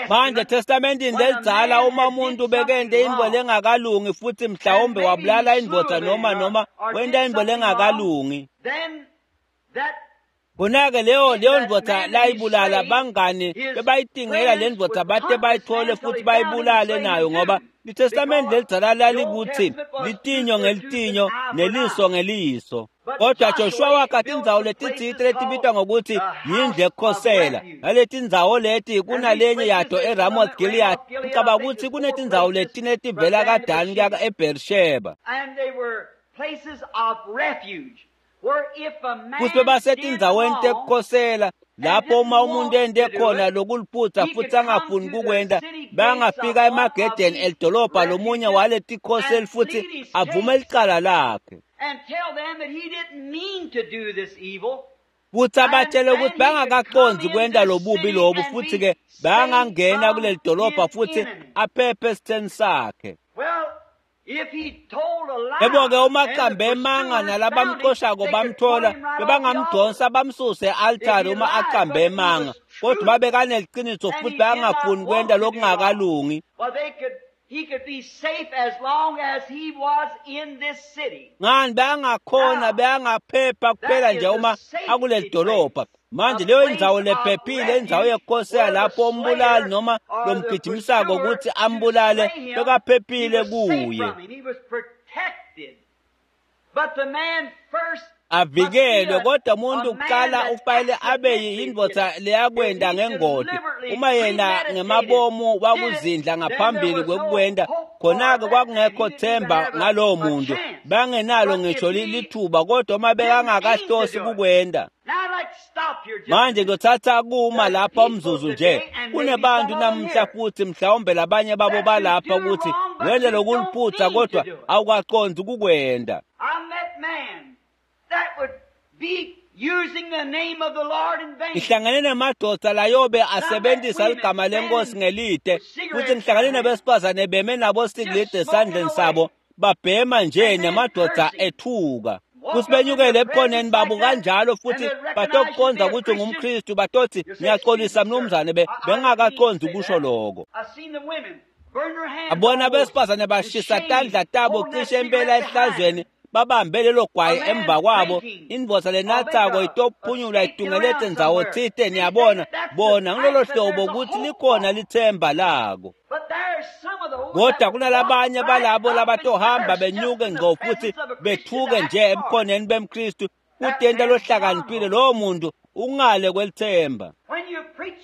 Manje testamentini lelidzala, uma umuntu bekente intfo lengakalungi futhi mhlawumbe wabulala indvodza noma wenta intfo lengakalungi, khona-ke leyo ndvodza layibulala, bangani bebayitingela le ndvodza bate bayithole futhi bayibulale nayo, ngoba litestamenti lelidzala lalikuthi litinyo ngelitinyo neliso ngeliso. Kodwa Joshua wakha tindzawo letitsite letibitwa ngokuthi yindlu ekukhosela. Naleti ndzawo leti kunalenye yato eRamoth Gilead. Ngicabanga ukuthi kunetindzawo letine letivela kaDani kuya eBeersheba. Futhi bebasetindzaweni tekukhosela lapho uma umuntu ente khona lokuliphutha futhi angafuni kukwenta, bangafika emagedeni elidolobha lomunye waletikhoseli futhi avume licala lakhe, futhi abatshele ukuthi bangakaqondzi kwenta lobubi lobu, futhi-ke bangangena kuleli dolobha futhi aphephe esitheni sakhe. Yebo-ke, uma aqambe emanga nalabamxoshako bamthola, bebangamdonsa bamsuse e-altari uma aqambe emanga. Kodwa babekaneliqiniso futhi bangafuni kwenta lokungakalungi, ngani, bayangakhona, bayangaphepha kuphela nje uma akuleli dolobha. Manje leyo indzawo lephephile, indzawo yekukhosela lapho umbulali noma lomgijimisako ukuthi ambulale bekaphephile kuye. Avikelwe, kodwa umuntu kuqala ufanele abe yindvodza leyakwenda ngengoti. Uma yena ngemabomu wakuzindla ngaphambili kwekukwenda, khona-ke kwakungekho themba ngalowo muntu, bangenalo ngisho lithuba, kodwa uma bekangakahlosi kukwenda. Manje ngizothatha kuma lapha umzuzu nje. Kunebantu namuhla futhi mhlawumbe labanye babo balapha ukuthi wele lokuliphutha kodwa awukaqondi ukukwenda. Ngihlangane namadoda layobe asebenzisa ligama lenkosi ngelide, futhi ngihlangane nabesifazane beme nabo sigilide esandleni sabo babhema nje namadoda ethuka. Futhi benyukele ebukhoneni babo kanjalo, futhi batokuqonda ukuthi ungumKristu, batothi ngiyaxolisa mnumzane, bengingakaqondi ukusho lokho. Abona abesifazane bashisa tandla tabo cishe impela ehlazweni, babambe lelo gwayi emva kwabo. Indvodza lenathako itophunyula itungelete ndzawo tsite, niyabona bona ngilolo hlobo ukuthi likhona lithemba lako. Kodwa kunalabanye balabo labatohamba benyuke ngco futhi bethuke nje ebukhoneni bemKristu, kutenta lohlakaniphile lowo muntu ungale kwelithemba.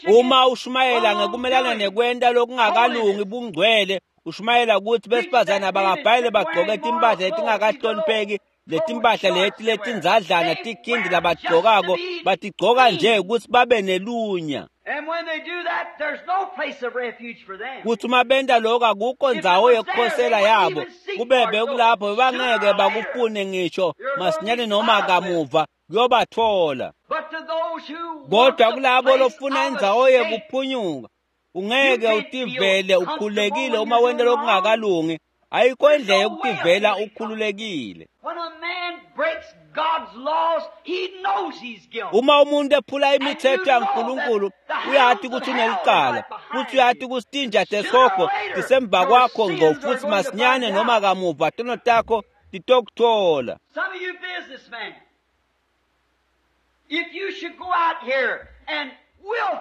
Uma ushumayela ngekumelana nekwenta lokungakalungi bungcwele, ushumayela ukuthi besifazane abakabhayile bagqoke timpahla letingakahlonipheki, letimpahla leti letindzadlana tikhindi labagqokako batigcoka nje ukuthi babe nelunya. Kuthi uma benta lokho akukho ndzawo yokukhosela yabo, kube bekulapho bangeke bakufune ngisho masinyane noma kamuva kuyobathola. Kodwa kulabo lofuna indzawo yekuphunyuka, ungeke utivele ukhululekile uma wenta lokungakalungi. Ayikho indlela yokutivela ukhululekile. Uma umuntu ephula imithetho yaNkulunkulu, uyati ukuthi unelicala, futhi uyati ukuthi tinja tesihogo tisemva kwakho ngco, futhi masinyane noma kamuva tono takho titokuthola.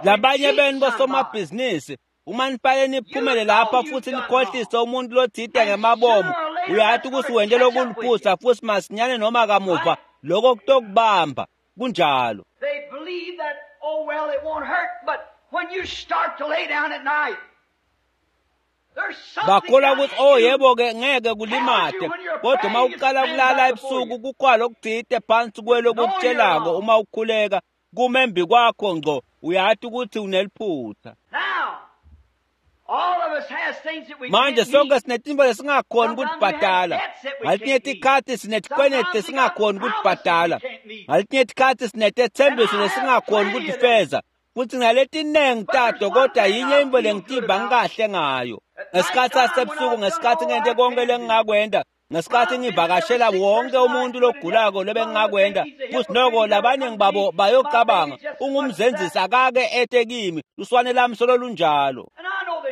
Labanye benu bosomabhizinisi, uma nifanele niphumele lapha futhi nikhohlise umuntu lothide ngemabomu, uyati ukuthi wente lokuliphutha, futhi masinyane noma kamuva lokho kutokubamba. Kunjalo. Bakholwa ukuthi oh yebo-ke ngeke kulimate, kodwa uma uqala kulala ebusuku kukhona lokuthide phansi kwelokukutshelako uma ukhuleka kumembi kwakho ngco, uyati ukuthi uneliphutha. Manje sonke sinetimbo lesingakhoni ukutibhadala. Ngaletinye tikhathi sinetikweleti lesingakhoni ukutibhadala. Ngaletinye tikhathi sinetethembiso lesingakhoni ukutifeza. Futhi ngaletinengi tato, kodwa yinye into lengitiva ngikahle ngayo. Ngesikhathi sasebusuku, ngesikhathi ngente konke lengingakwenda, ngesikhathi ngivakashela wonke umuntu logulako lobengingakwenda, futhi noko labaningi babo bayocabanga ungumzenzisi akake ete kimi, luswane lami solo lunjalo.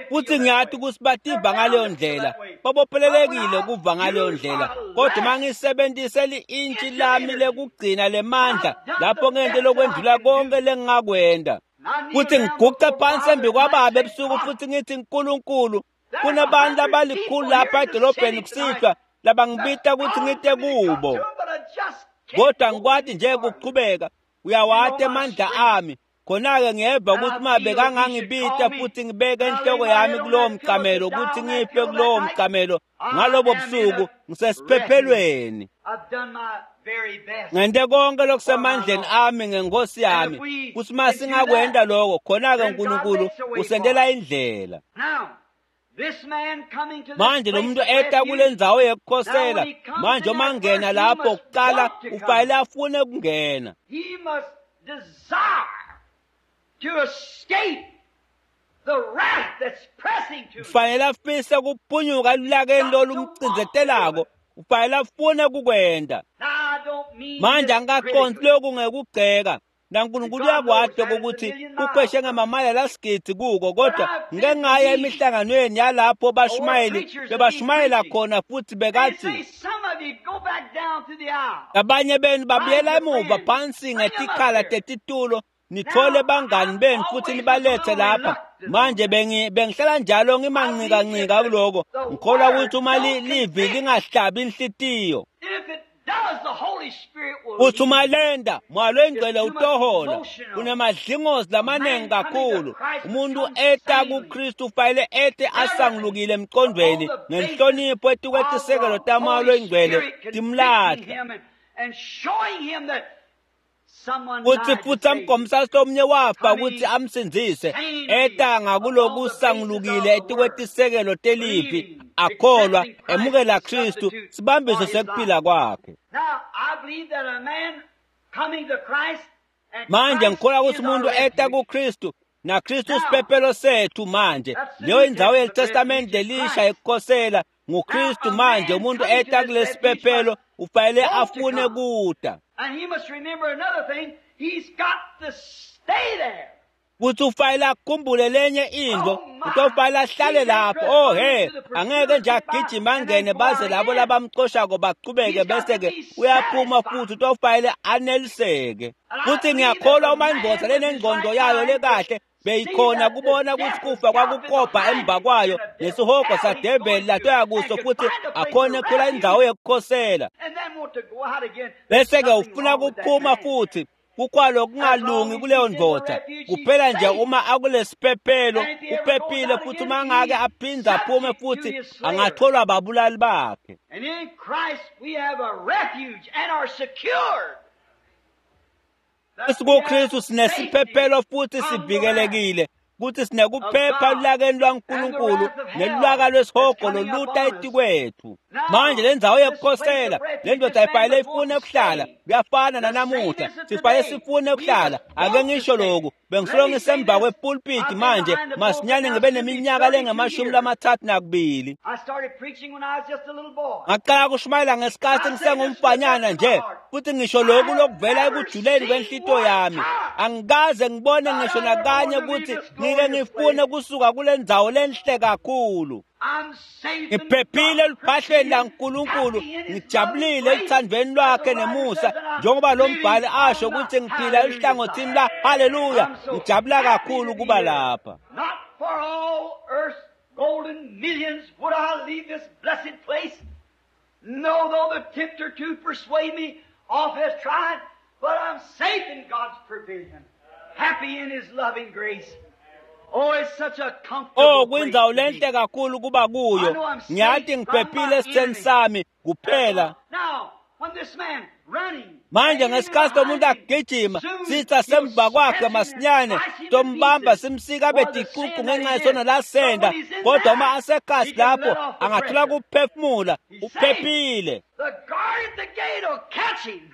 Futhi ngiyathi ukuthi bativa ngaleyo ndlela, babophelelekile kuva ngaleyo ndlela, kodwa uma ngisebenzise li-intshi lami lekugcina lemandla lapho ngente lokwendlula konke lengingakwenda, futhi ngiguqe phansi embi kwababa ebusuku futhi ngithi Nkulunkulu, kunabantu abalikhulu lapha edolobheni kusihlwa labangibita ukuthi ngite kubo, kodwa ngikwati nje kuqhubeka. Uyawati amandla ami. Khona-ke ngiyeva ukuthi uma bekangangibita futhi ngibeke inhloko yami kulowo mcamelo ukuthi ngife kulowo mcamelo ngalobo busuku, ngisesiphephelweni. Ngente konke lokusemandleni ami ngenkosi yami. Kuthi uma singakwenta lokho, khona-ke uNkulunkulu usentela indlela. Manje lo muntu eta kule ndzawo yekukhosela, manje uma ngena lapho kuqala ufanele afune kungena. Ufanele afise kuphunyuka elulakeni lolumcindzetelako, ufanele afune kukwenda. Manje angikaqondi lokhu ngekugceka, naNkulunkulu uyakwati ukuthi kukhweshe ngamamayela lasigidi kuko, kodwa ngike ngaya emihlanganweni yalapho bashumayeli bebashumayela khona futhi bekathi abanye benu babuyela emuva phansi ngetikhala tetitulo, nithole bangani benu futhi nibalethe lapha. Manje bengihlala njalo ngimanqikanqika kuloko, ngikholwa ukuthi uma livi lingahlabi inhlitiyo, Uthi umalenda Moya loyingcwele utohola kunemadlingozi lamanengi kakhulu. Umuntu eta kuKristu ufanele ete asangulukile emqondweni ngenhlonipho etikwetisekelo taMoya loyingcwele timlahla. Kuthi futhi amgomisa lomnye wafa ukuthi amsindzise eta ngakulokusangulukile etikwetisekelo telivi akholwa emukela Kristu sibambiso sekuphila kwakhe. Manje ngikholwa ukuthi umuntu eta kuKristu naKristu siphephelo sethu. Manje leyo indzawo yeliTestamente lelisha ekukhosela nguKristu. Manje umuntu eta kulesiphephelo ufanele afune kuta. Kuthi ufanele akhumbule lenye into, utofanele ahlale lapho. Oh he, angeke nje agijime angene baze labo labamcoshako baqhubeke bese-ke uyaphuma futhi utofanele aneliseke. Futhi ngiyakholwa uma indvodza lenengqondo yayo lekahle beyikhona kubona ukuthi kufa kwakukobha emva kwayo nesihogo sadeveli latoya kuso futhi akhone kuthola indzawo yokukhosela. Bese-ke ufuna kuphuma futhi kukwalo kungalungi kuleyo ndvodza. Kuphela nje uma akulesiphephelo uphephile futhi uma ngake aphinde aphume futhi angatholwa ababulali bakhe. SikuKristu sinesiphephelo futhi sivikelekile kuthi sinekuphepha elulakeni lwaNkulunkulu nelulaka lwesihogo loluta etikwethu. Manje le ndzawo yokukhosela le ndoda ayifanele ifune ukuhlala. Kuyafana nanamuhla, sifanele sifune ukuhlala. Ake ngisho lokhu, bengisolo ngisemva kwepulpiti manje masinyane ngibe neminyaka lengama-32. Ngaqala kushumayela ngesikhathi ngisengumfanyana nje futhi ngisho lokhu lokuvela ekujuleni kwenhlito yami. Angikaze ngibone ngisho nakanye ukuthi ngike ngifune kusuka kule ndzawo lenhle kakhulu. Ngiphephile eluphahleni laNkulunkulu, ngijabulile eluthandweni lwakhe nemusa, njengoba lo mbhali asho ukuthi ngiphila eluhlangothini la. Haleluya, ngijabula kakhulu kuba lapha. No, though the tempter to persuade me off has tried, but I'm safe in God's provision, happy in His loving grace. Oh, it's such a comfortable Oh, kwindzawo lenhle kakhulu kuba kuyo. Ngiyathi ngiphephile esitheni sami kuphela. Now, when this man running, Manje ngesikhathi umuntu agijima sitha semva kwakhe masinyane tombamba simsika abe ticucu ngenxa yesono lasenda, kodwa uma asekhasi lapho angathola kuphefumula uphephile. the guard at the gate will catch him.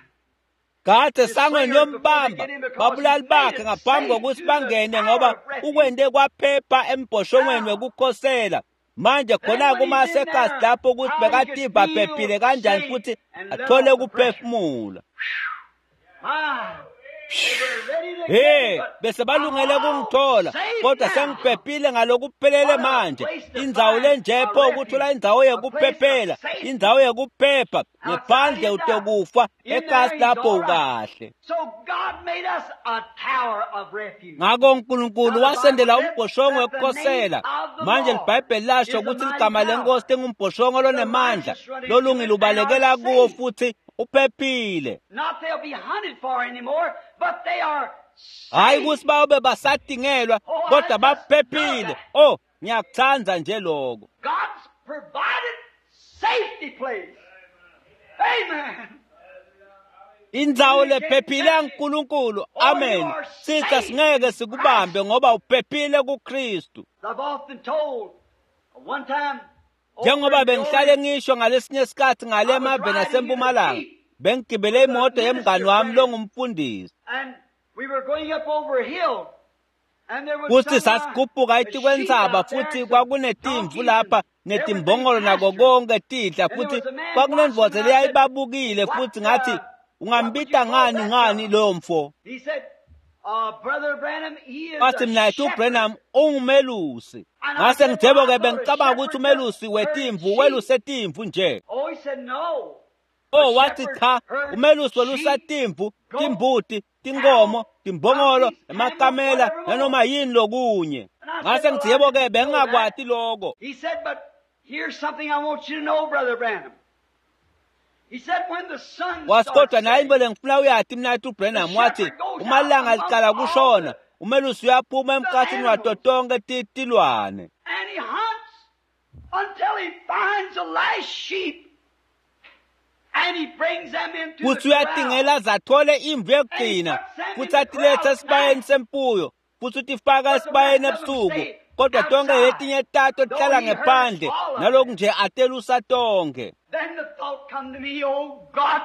Kade sangweni yombamba babulali bakhe ngaphambi kokuthi bangene ngoba ukwende kwaphepha embhoshongweni wekukhosela. Manje khona kuma asekhasi lapho ukuthi bekativa phephile kanjani futhi athole ukuphefumula. My, they were ready to He, get him, but bese balungele kungithola kodwa sengiphephile ngalokuphelele manje. Indzawo lenjepho ukuthola indzawo yekuphephela, indzawo yekuphepha ngephandle utokufa ekhasi lapho ukahle. So God made us a tower of refuge. Ngakho uNkulunkulu wasendela umbhoshongo wekukhosela. Manje liBhayibheli lasho ukuthi ligama lenkosi lingumbhoshongo lonemandla, lolungile ubalekela kuwo futhi uphephile. Not they'll be hunted for anymore, but they are Hayi safe. ukuthi bayobe basadingelwa kodwa baphephile. Oh, ngiyakuthanda nje lokho. God's provided safety place. Amen. Indzawo lephephile yaNkulunkulu. Amen. Sitha singeke sikubambe ngoba uphephile kuKristu. I've often told one time Njengoba bengihlale ngisho ngalesinye isikhathi ngale emaveni asempumalanga, bengigibele imoto yemngani wami longumfundisi. and we were going up over a hill and there was Kuthi some, sasikhuphuka sheep etikwentsaba out there futhi and some kwakunetimvu donkeys lapha and netimbongolo everything nako pastured. konke tidla And there futhi was a man kwakunendvodza watching, and I said, leyayibabukile "What, futhi ngathi what would you ungambita call ngani that ngani fellow?" loyo mfo. He said, Brother Branham, he is Wathi a mina yithi shepherd. uBrenham ungumelusi. And I Ngase said, well, ngithebo I ke thought a bengicabanga ukuthi shepherd umelusi just herd wetimvu sheep. weluse timvu nje. Oh, he said, no. Oh A wathi shepherd cha, herds umelusi welusa sheep, timvu, goats, timbuti, tinkomo, cattle, timbongolo, donkeys, camels, emakamela whatever nanoma more. yini lokunye. And I said, Ngase well, ngithi I yebo ke didn't know that. bengingakwati lokho. He said, but here's something I want you to know, Brother Branham. Wathi kodwa naye into lengifuna uyati mnathu Branham, wathi uma ilanga liqala kushona umelusi uyaphuma emkhathini wato tonke tilwane. And he hunts until he finds the last sheep. And he brings them into Futhi the corral. uyatingela zathole imvu yekugcina futhi atilethe esibayeni semfuyo futhi utifaka esibayeni ebusuku, kodwa tonke letinye tato tihlala ngephandle naloku nje atelusa tonke. Then the thought come to me, oh God,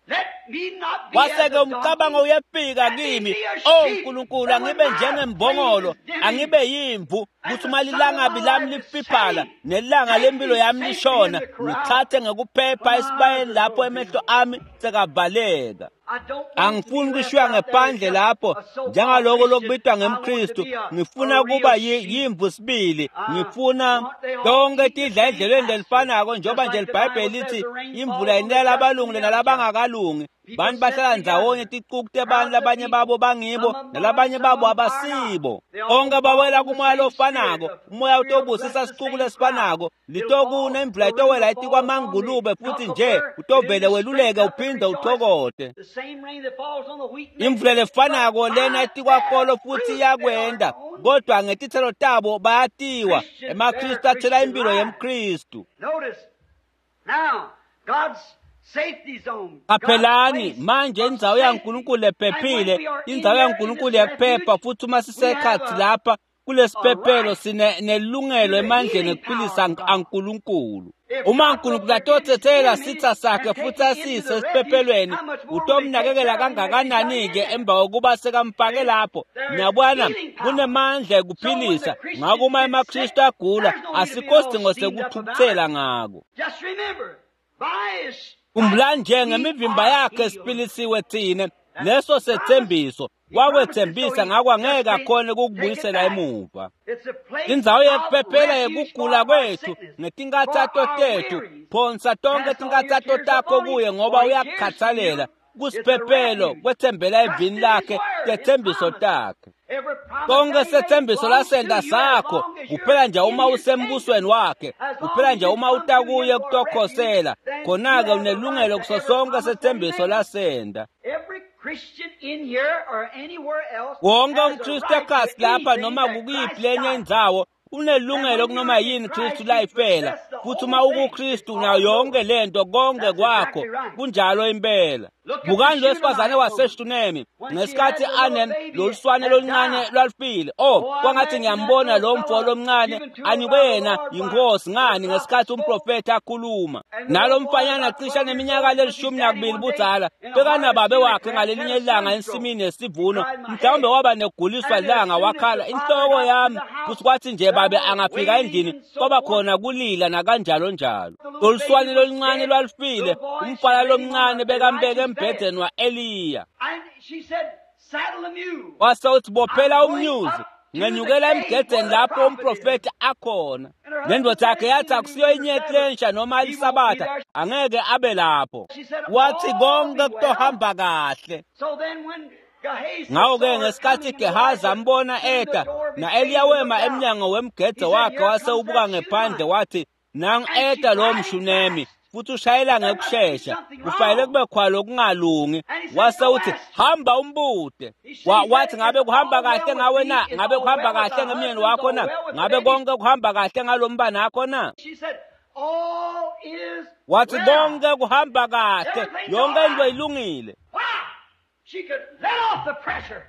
let me not be as Kwase-ke a umcabango donkey. uyefika kimi, o Nkulunkulu, angibe njengembongolo, angibe yimvu, kuthi uma lilangabi lami lifiphala nelanga lempilo yami lishona, ngithathe ngekuphepha esibayeni lapho emehlo ami sekavaleka. I don't want to Angifuni be left kushiywa out there ngephandle as lapho a so-called njengaloko Christian. lokubitwa I want to ngemKristu, be a ngifuna real kuba sheep. yimvu sibili. I Ngifuna want they all tonke eat the tidla same edlelweni pasture. lelifanako, njengoba Just nje like the Bible liBhayibheli says lithi the rain falls imvula on the inela just and abalungile the unjust. nalabangakalungi. People Bantu sit bahlala ndzawonye together, ticuku tebantu, crowds of labanye people. babo bangibo Some of them are, nalabanye some babo of them are not. abasibo. They all Bonke fall bawela in the kumoya same spirit. lofanako, The umoya Spirit will utobusisa bless the sicuku same crowd. lesifanako, It'll litokuna fall, imvula the rain itowela will fall upon the etikwamangulube futhi nje cucumber, it'll utovele be weluleke straight up and uphinde rejoice. uthokote. The same rain that falls on the wheat makes Imvula it, but lefanako lena by their etikwakolo futhi fruit they are iyakwenda, known. kodwa ngetitselo tabo bayatiwa. Christians bear EmaKristu athela Christian impilo lives. yemKristu. Notice now God's safety zone, God's Qaphelani place manje of indzawo safety. yaNkulunkulu And when lephephile, we are in indzawo there in yaNkulunkulu this yekuphepha, refuge, futhi uma we have sisekhatsi lapha kulesiphephelo a right sinelungelo to the emandleni healing ekuphilisa power of God. aNkulunkulu. If Uma God will uNkulunkulu forgive his atotsetsela enemy sitha sakhe and take futhi him into asise the refuge, esiphephelweni, how much more will he take utomnakekela care of him if he's got in kangakanani-ke there? emva kokuba sekamfake See? lapho. There is Niyabona, healing power. kunemandla So when the ekuphilisa. Ngakho Christians uma get sick, emaKristu agula, there's no need to be asikho all sidingo steamed up about it. sekuthukuthela ngako. Just remember, by his Khumbula stripes nje we ngemivimba are yakhe healed. siphilisiwe thine. That's Leso the promise. sethembiso He promised it, so wakwethembisa, he ngakho just angeke can't akhone take it ukukubuyisela back. emuva. It's a place Indzawo of yekuphephela refuge for yekugula our kwethu sickness, for ngetinkathato our tethu. wearies. Phonsa tonke Cast all your tinkathato cares takho upon him, kuye ngoba for he cares for you. uyakukhathalela. It's a Kusiphephelo refuge. kwethembela Trust evini in his lakhe, word, his tethembiso promise. takhe. Every promise Konke that he made sethembiso belongs to lasenda you as sakho, long as you're kuphela nje in uma his usembusweni kingdom. wakhe, As long kuphela as nje you uma come to uta him kuye for refuge, kutokhosela, then you khona-ke have the right unelungelo to kuso every sonke promise that he sethembiso made. lasenda. Every Christian in here or anywhere else Wonke has a umKristu right to ekhasi lapha anything noma that kukuyiphi Christ lenye died for. indzawo And unelungelo when kunoma you're in yini Christ, Kristu you layifela. possess the Futhi uma whole thing. It's ukuKristu all unayo yonke yours. lento, konke That's kwakho. exactly right. Kunjalo impela. Look at the Bukani lo wesifazane Shunammite woman. waseShunemi When she had ngesikhathi the little ane baby loluswane that loluncane died. lwalufile. Oh, Oh, I kwangathi imagine that ngiyambona little lo mfo fellow lomncane given to her anikwe by the yena Lord by yinkosi the ngani prophet ngesikhathi spoke. umprofethi akhuluma. And the Nalo little boy mfanyana about cishe 12 years neminyaka old with his lelishumi daddy nakubili one day budzala in a harvest bekanababe field wakhe had ngalelinye a ilanga sunstroke. ensimini yesivuno, Cried, my mhlawumbe head. waba neguliswa And as lilanga soon as wakhala the father inhloko got to yami. the house, Futhi kwathi nje there babe were angafika wailing endlini and so kwaba forth. khona kulila nakanjalo njalo. The little Loluswane baby was loluncane dead. lwalufile, Little boy, she umfana laid him on lomncane bekambeke Elijah's bed. embhedeni wa-Eliya. And she said, Saddle the mule. Wase uthi bophela I'm going umnyuzi, up to the ngenyukela cave where emgedeni the lapho prophet is. umprofethi akhona. And her husband Nendoda said, yakhe It's yathi in the akusiyo new year inyeti Sabbath. lensha noma He won't be lisabatha, there. angeke abe lapho. She said, Wathi All konke be well. kutohamba kahle. So then when Gehazi Ngakho-ke saw her ngesikhathi coming, and Gehazi Elijah ambona stood in the eta, door of his na-Eliya cave and wema looked out, emnyango he wemgede said, wakhe Here wase comes ubuka that ngephandle Shunammite. wathi, nangu And she's eta lo riding mShunemi fast. futhi ushayela There must be ngekushesha, something kufanele wrong. kube khona okungalungi. And he said, Wase Go uthi ask her. hamba umbute. He she said, Wathi ngabe It's kuhamba all well kahle with ngawe me, na? it's Ngabe all kuhamba well with kahle thy ngemyeni husband, it's wakho all na? well with the Ngabe baby. konke kuhamba kahle ngalo mbanakho na? She said, All is Wathi well. konke kuhamba kahle, Everything's all yonke into right. ilungile. Why? She could let off the pressure.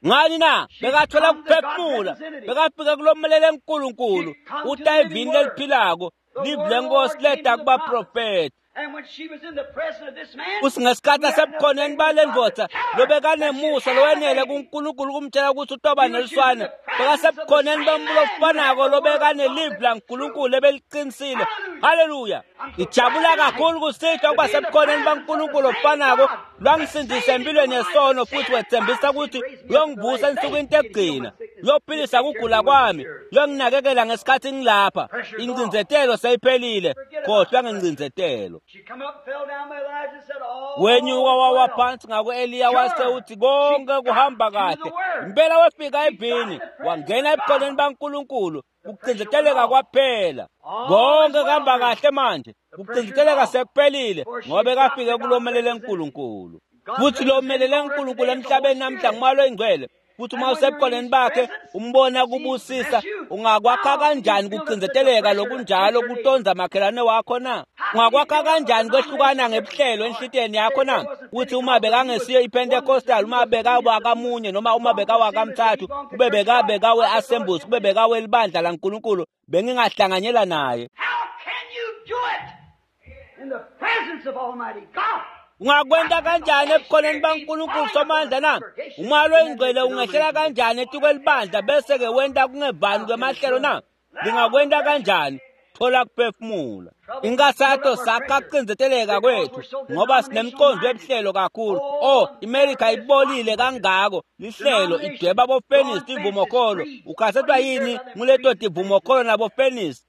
Ngani na? She'd Bekathola come to God's kuphefumula, representative. bekafika kulommelele uNkulunkulu, She'd come to uta the living evini word. leliphilako, The live word of the lenkosi Lord came leta to the prophet. kubaprofethi. And when she was in the presence of this man Futhi ngesikhathi who had enough asebukhoneni faith with bale God to ndvodza tell her that she'd lobekanemusa have a lowenele baby. kuNkulunkulu kumtshela ukuthi utoba She was in neluswane, the presence of the bekasebukhoneni same bembulo man who had obufanako the word of God lobekanelivi that was true. laNkulunkulu lebeliqinisile. Hallelujah. Haleluya! I'm so glad Ngijabula tonight kakhulu kusihlwa to ukuba be in the sebukhoneni presence of the baNkulunkulu same obufanako God that lwangisindisa saved me from empilweni a life of yesono sin futhi and wethembisa promised he'd ukuthi raise me up at the uyongivusa last day. ensukwini He'd heal my tekugcina, sickness. He'd uyophilisa take care of kugula me when I'm kwami, cured. uyonginakekela ngesikhathi ngilapha. Pressure's off. Ingcindzetelo seyiphelile, Forget about khohlwa the pressure. ngengcindzetelo. She come up, fell down by Elijah and said, All Wenyuka is wawa well. phansi ngaku-Eliya wase Sure. uthi She konke got kuhamba to the kahle. word. Impela wefika She got evini, the presence wangena of ebukhoneni God. baNkulunkulu, Kucindzeteleka kwaphela. Konke kuhamba kahle manje. Kucindzeteleka sekuphelile ngoba kafike kulomelele uNkulunkulu. Futhi lomelele uNkulunkulu emhlabeni namhla ngumoya oyingcwele. Futhi uma usebukhoneni bakhe umbona kubusisa, ungakwakha kanjani kucindzeteleka lokunjalo kutonza makhelwane wakho na? Ungakwakha kanjani kwehlukana ngebuhlelo enhlitiyweni yakho na? Uthi uma bekangesiyo iPentecostal, uma bekawakamunye noma uma bekawakamthathu, kube bekawe-Assemblies, kube bekawelibandla laNkulunkulu, bengingahlanganyela naye. How can you do it in the presence of Almighty God? Ungakwenta kanjani ebukhoneni baNkulunkulu somandla na? Umoya loyingcwele ungehlela kanjani etikwelibandla bese-ke wenta kungevani kwemahlelo na? Lingakwenta kanjani? Thola kuphefumula. Inkasato sakha kucindzeteleka kwethu ngoba sinemqondo webuhlelo kakhulu. Oh, iMelika ibolile kangako lihlelo idweba bofenisi tivumokholo. Ukhasetwa yini nguleto tivumokholo nabofenisi?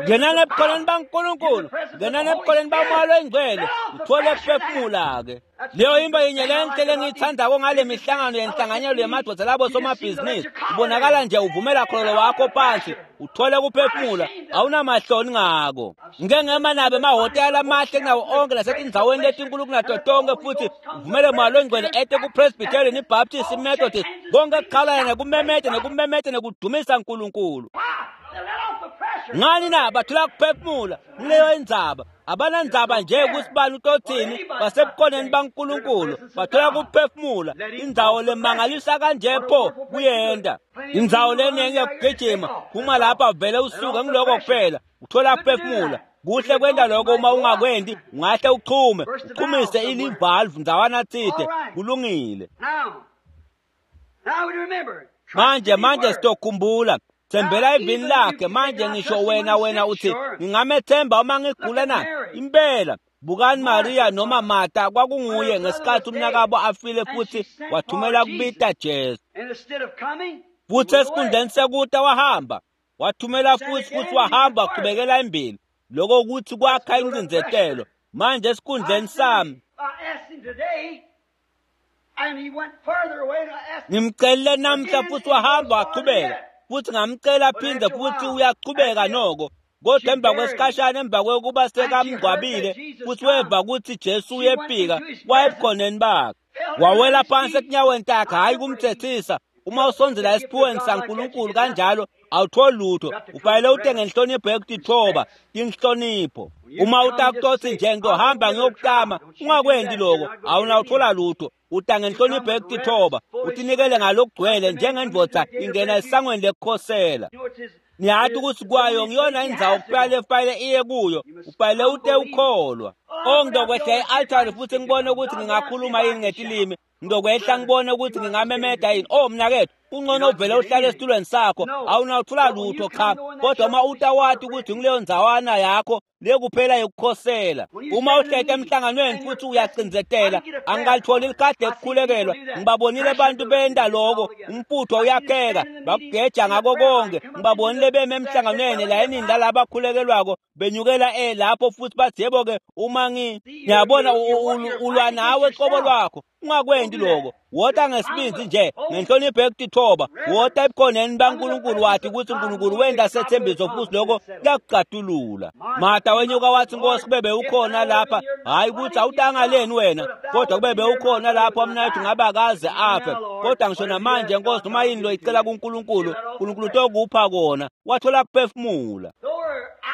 Ngenani ebukhoneni baNkulunkulu, ngenani ebukhoneni baMoya loyingcwele, uthole kuphefumula-ke. Leyo into yinye lenhle lengiyithandako ngale mihlangano yenhlanganyelo yemadvodza labo somabhizinisi. Ubonakala nje uvumela khololo wakho phansi, uthole kuphefumula, awunamahloni ngako. Ngike ngema nabo emahhotela amahle kunawo onke nasetindzaweni letinkulu kunato tonke futhi uvumele Moya loyingcwele ete ku-Presbyterian, iBaptist, iMethodist, konke kuqhalana nekumemeta nekumemeta nekudumisa uNkulunkulu. Why? They let off the pressure. Ngani na bathola kuphefumula kuleyo indzaba. Abanandzaba nje ukuthi bani utothini, basebukhoneni baNkulunkulu bathola kuphefumula. Indzawo lemangalisa kanje pho kuyenta indzawo lenengi yekugijima. Phuma lapha vele usuke ngiloko kuphela uthola kuphefumula. Kuhle kwenta lokho, uma ungakwendi ungahle uchume uchumise ilivalve ndzawana tsite. Kulungile. Now, now we remember. Trust Manje in His manje word. sitokhumbula thembela ivini lakhe. Manje ngisho wena uthi ngingamethemba uma ngigula na? Impela. Bukani Maria noma Martha kwakunguye ngesikhathi umnakabo afile futhi wathumela kubita Jesu. And instead of coming, he Futhi went away. esikhundleni sekuta wahamba, wathumela futhi wahamba waqhubekela embili. Lokho ukuthi kwakha incindzetelo. Manje esikhundleni sami I asked him today, and he went further away, and I asked him, ngimcelile namhla futhi wahamba waqhubeka, futhi ngamcela phinde futhi uyaqhubeka noko. Kodwa emva kwesikhashana, emva kwekuba sekamngcwabile futhi weva ukuthi Jesu uyefika, wayebukhoneni bakhe, wawela phansi etinyaweni takhe. Hhayi kumthethisa. Uma usondzela esiphiweni saNkulunkulu kanjalo awutholi lutho. Ufanele ute ngenhlonipho yekutithoba, inhlonipho. Uma utakutothi nje ngizohamba ngiyokutama, ungakwendi loko, awunawuthola lutho. Uta ngenhlonipho yekutithoba, utinikele ngalokugcwele njengendvodza ingena esangweni lekukhosela. you know, it's his, Ngiyathi ukuthi kwayo ngiyona indzawo kufanele fanele iye kuyo, ufanele ute ukholwa. Oh, ngizokwehla e-altari futhi ngibone ukuthi ngingakhuluma yini ngetilimi. Ngizokwehla ngibone ukuthi ngingamemeda yini. Oh mnakethu, kungcono uvele uhlale esitulweni sakho, awunawuthola lutho cha. Kodwa uma utawati ukuthi nguleyo ndzawana yakho le kuphela yokukhosela. Uma uhlete emhlanganweni futhi uyacindzetela, angikalitholi likhadi ekukhulekelwa. Ngibabonile abantu benta loko, umfutho uyakheka, bakugeja ngako konke. Ngibabonile beme emhlanganweni layinini lalaba abakhulekelwako benyukela lapho futhi bathi yebo-ke uma ngiyabona ulwa nawe qobo lwakho. Ungakwendi lokho. Wota ngesibindi nje ngenhlonipho yekutithoba. Wota ebukhoneni baNkulunkulu wathi ukuthi uNkulunkulu wenta sethembiso futhi lokho kuyakucatulula. Martha wenyuka wathi Nkosi kube bewukhona lapha, hhayi ukuthi awutangaleni wena, kodwa kube bewukhona lapha mnayethu ngabe akaze afe. Kodwa ngisho namanje Nkosi noma yini loyicela kuNkulunkulu, uNkulunkulu utokupha kona. Wathola kuphefumula.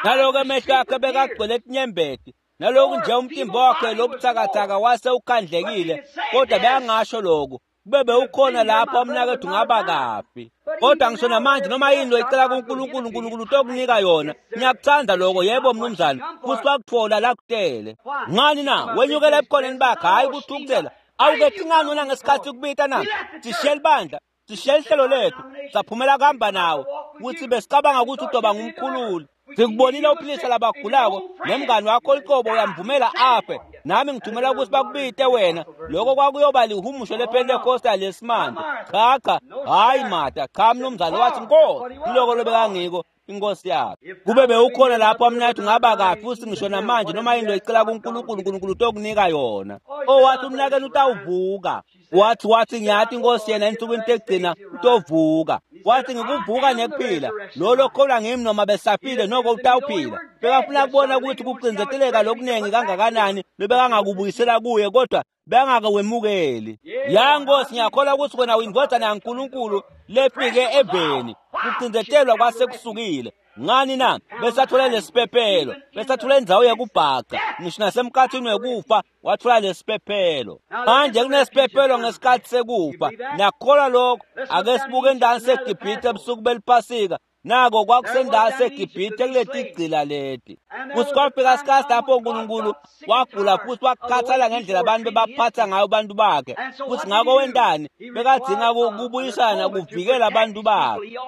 Naloko emehlo akhe bekagcwele tinyembeti. Naloku nje umtimba wakhe lobuthakathaka wase ukhandlekile, kodwa beyangasho lokho. Kube bewukhona lapha umnakethu ngaba kafi. Kodwa ngisho namanje noma yini loyicela kuNkulunkulu, uNkulunkulu utokunika yona. Ngiyakuthanda lokho, yebo mnumzane. Futhi wakuthola la kutele. Ngani na? Wenyukela ebukhoneni bakhe, hhayi ukuthukuthela. Awukethi ngani wena ngesikhathi kubita na? Sishiye libandla, sishiye lihlelo lethu, saphumela kuhamba nawe. Ukuthi besicabanga ukuthi utoba ngumkhululi. Sikubonile uphilisa labagulako nemngani wakho liqobo uyamvumela afe. Nami ngithumela ukuthi bakubite wena. Lokho kwakuyoba lihumusho lePentecostal lesimanje. Cha cha, hayi Martha, cha mnumzane. Wathi Nkosi, kuloko lobekangiko inkosi yakhe. Kube bewukhona lapho mnathu ngaba kafi futhi ngisho namanje noma yini loyicela kuNkulunkulu, uNkulunkulu utokunika yona. Oh wathi umnakenu utawuvuka. Wathi ngiyathi inkosi yena ensukwini tekugcina utovuka. Wathi ngikuvuka nekuphila, lo lokholwa ngimi noma besafile noko utawuphila. Bekafuna kubona ukuthi kucinzeteleka lokunengi kangakanani lobekangakubuyisela kuye, kodwa bengakawemukeli. Ya Nkosi, ngiyakholwa ukuthi wena uyindvodzana yaNkulunkulu lefike eveni. Kucinzetelwa kwasekusukile. Ngani na? Besathola lesiphephelo, besathola indzawo yekubhaca, ngisho nasemkhathini wekufa wathola lesiphephelo. Manje kunesiphephelo ngesikhathi sekufa. Nakholwa lokho. Ake sibuke endaweni seGibhithe ebusuku beliphasika. Nako kwakusendawo seGibhithe kuletigcila leti. Futhi kwafika isikhathi lapho uNkulunkulu wagula futhi wakukhathala ngendlela abantu bebaphatha ngayo abantu bakhe. Futhi ngakho wentani? Bekadzinga kubuyisana kuvikela abantu bakhe.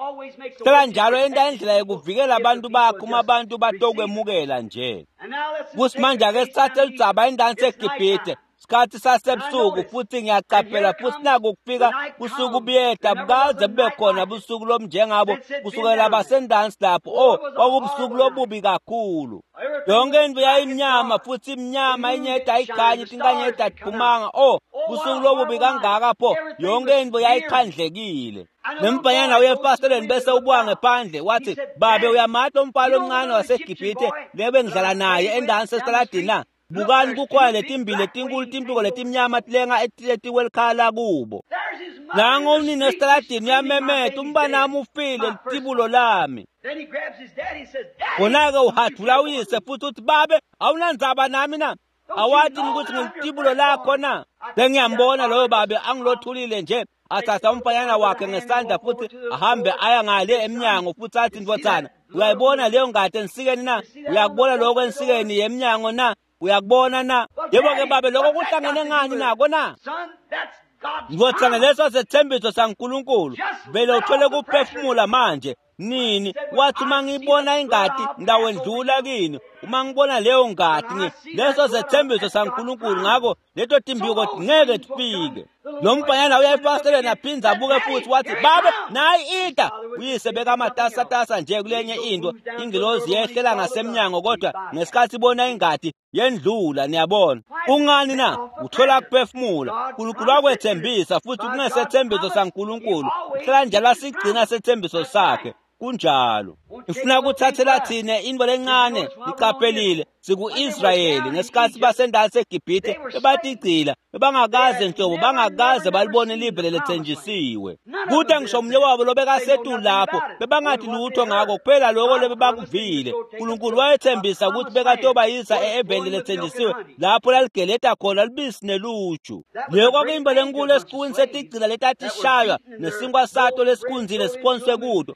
Hlala njalo enta indlela yokuvikela abantu bakhe uma abantu batokwemukela nje. Futhi manje ake sithathe ludzaba endaweni seGibhithe. Sikhathi sasebusuku futhi ngiyaqaphela futhi naku kufika busuku buyeda, bukaze bube khona busuku lobunjengabo kusukela basendansi lapho. Oh, kwakubusuku lobubi kakhulu. Yonke into yayimnyama futhi imnyama, inyeda ayikhanyi, inkanyezi ayiphumanga. Oh, busuku lobubi kangaka pho, yonke into yayikhandlekile. Nemfanyana uye efasiteleni bese ubuka ngephandle wathi, babe uyamati umfana omncane waseGibhithe lebe ngidlala naye endansi esitaladini na? Bukani kukhona letimbili letinkulu timphiko letimnyama tilenga etikwelikhaya kubo. Nango unina esitaladini uyamemeta, umntanami ufile, litibulo lami. Khona-ke uhadvula uyise futhi uthi, babe awunandzaba nami na? Awati ukuthi ngilitibulo lakho na? Sengiyambona loyo babe angilothulile nje, athatha umfanyana wakhe ngesandla futhi ahambe aya ngale emnyango futhi athi, ndvodzana, uyayibona leyo ngadi ensikeni na? Uyakubona lokho ensikeni yemnyango na? Uyakubona na? Yebo-ke babe, lokho kuhlangene ngani nako na? Ndvodzana, leso sethembiso saNkulunkulu. Vele uthole kuphefumula manje. Nini? Wathi uma ngibona ingadi ngitawendlula kini. Uma ngibona leyo ngadi, leso sethembiso saNkulunkulu. Ngakho leto timbiko ngeke tifike. Lo mfanyana uya efasiteleni aphindze abuke futhi wathi, babe nayi ita. Uyise bekamatasatasa nje kulenye into, ingilozi yehlela ngasemnyango, kodwa ngesikhathi ibona ingadi yendlula. Niyabona kungani na? Uthola kuphefumula. uNkulunkulu wakwethembisa futhi kungesethembiso saNkulunkulu. Uhlala njalo asigcina sethembiso sakhe. Kunjalo. Ifuna ukuthathela thina into lencane. Niqaphelile siku-Israyeli ngesikhathi basendawo seGibhithe bebatigcila, bebangakaze nhlobo, bangakaze balibone live lelethenjisiwe. Kude ngisho omunye wabo lobekasetulu lapho bebangathi lutho ngako, kuphela lokho lebebakuvile. uNkulunkulu wayethembisa ukuthi bekatobayisa e-eveni lelethenjisiwe lapho laligeleta khona lubisi neluju. Leyo kwakuyimbo lenkulu esiqwini setigcila letatishaywa nesinkwa sato lesikunzile siphonswe kuto,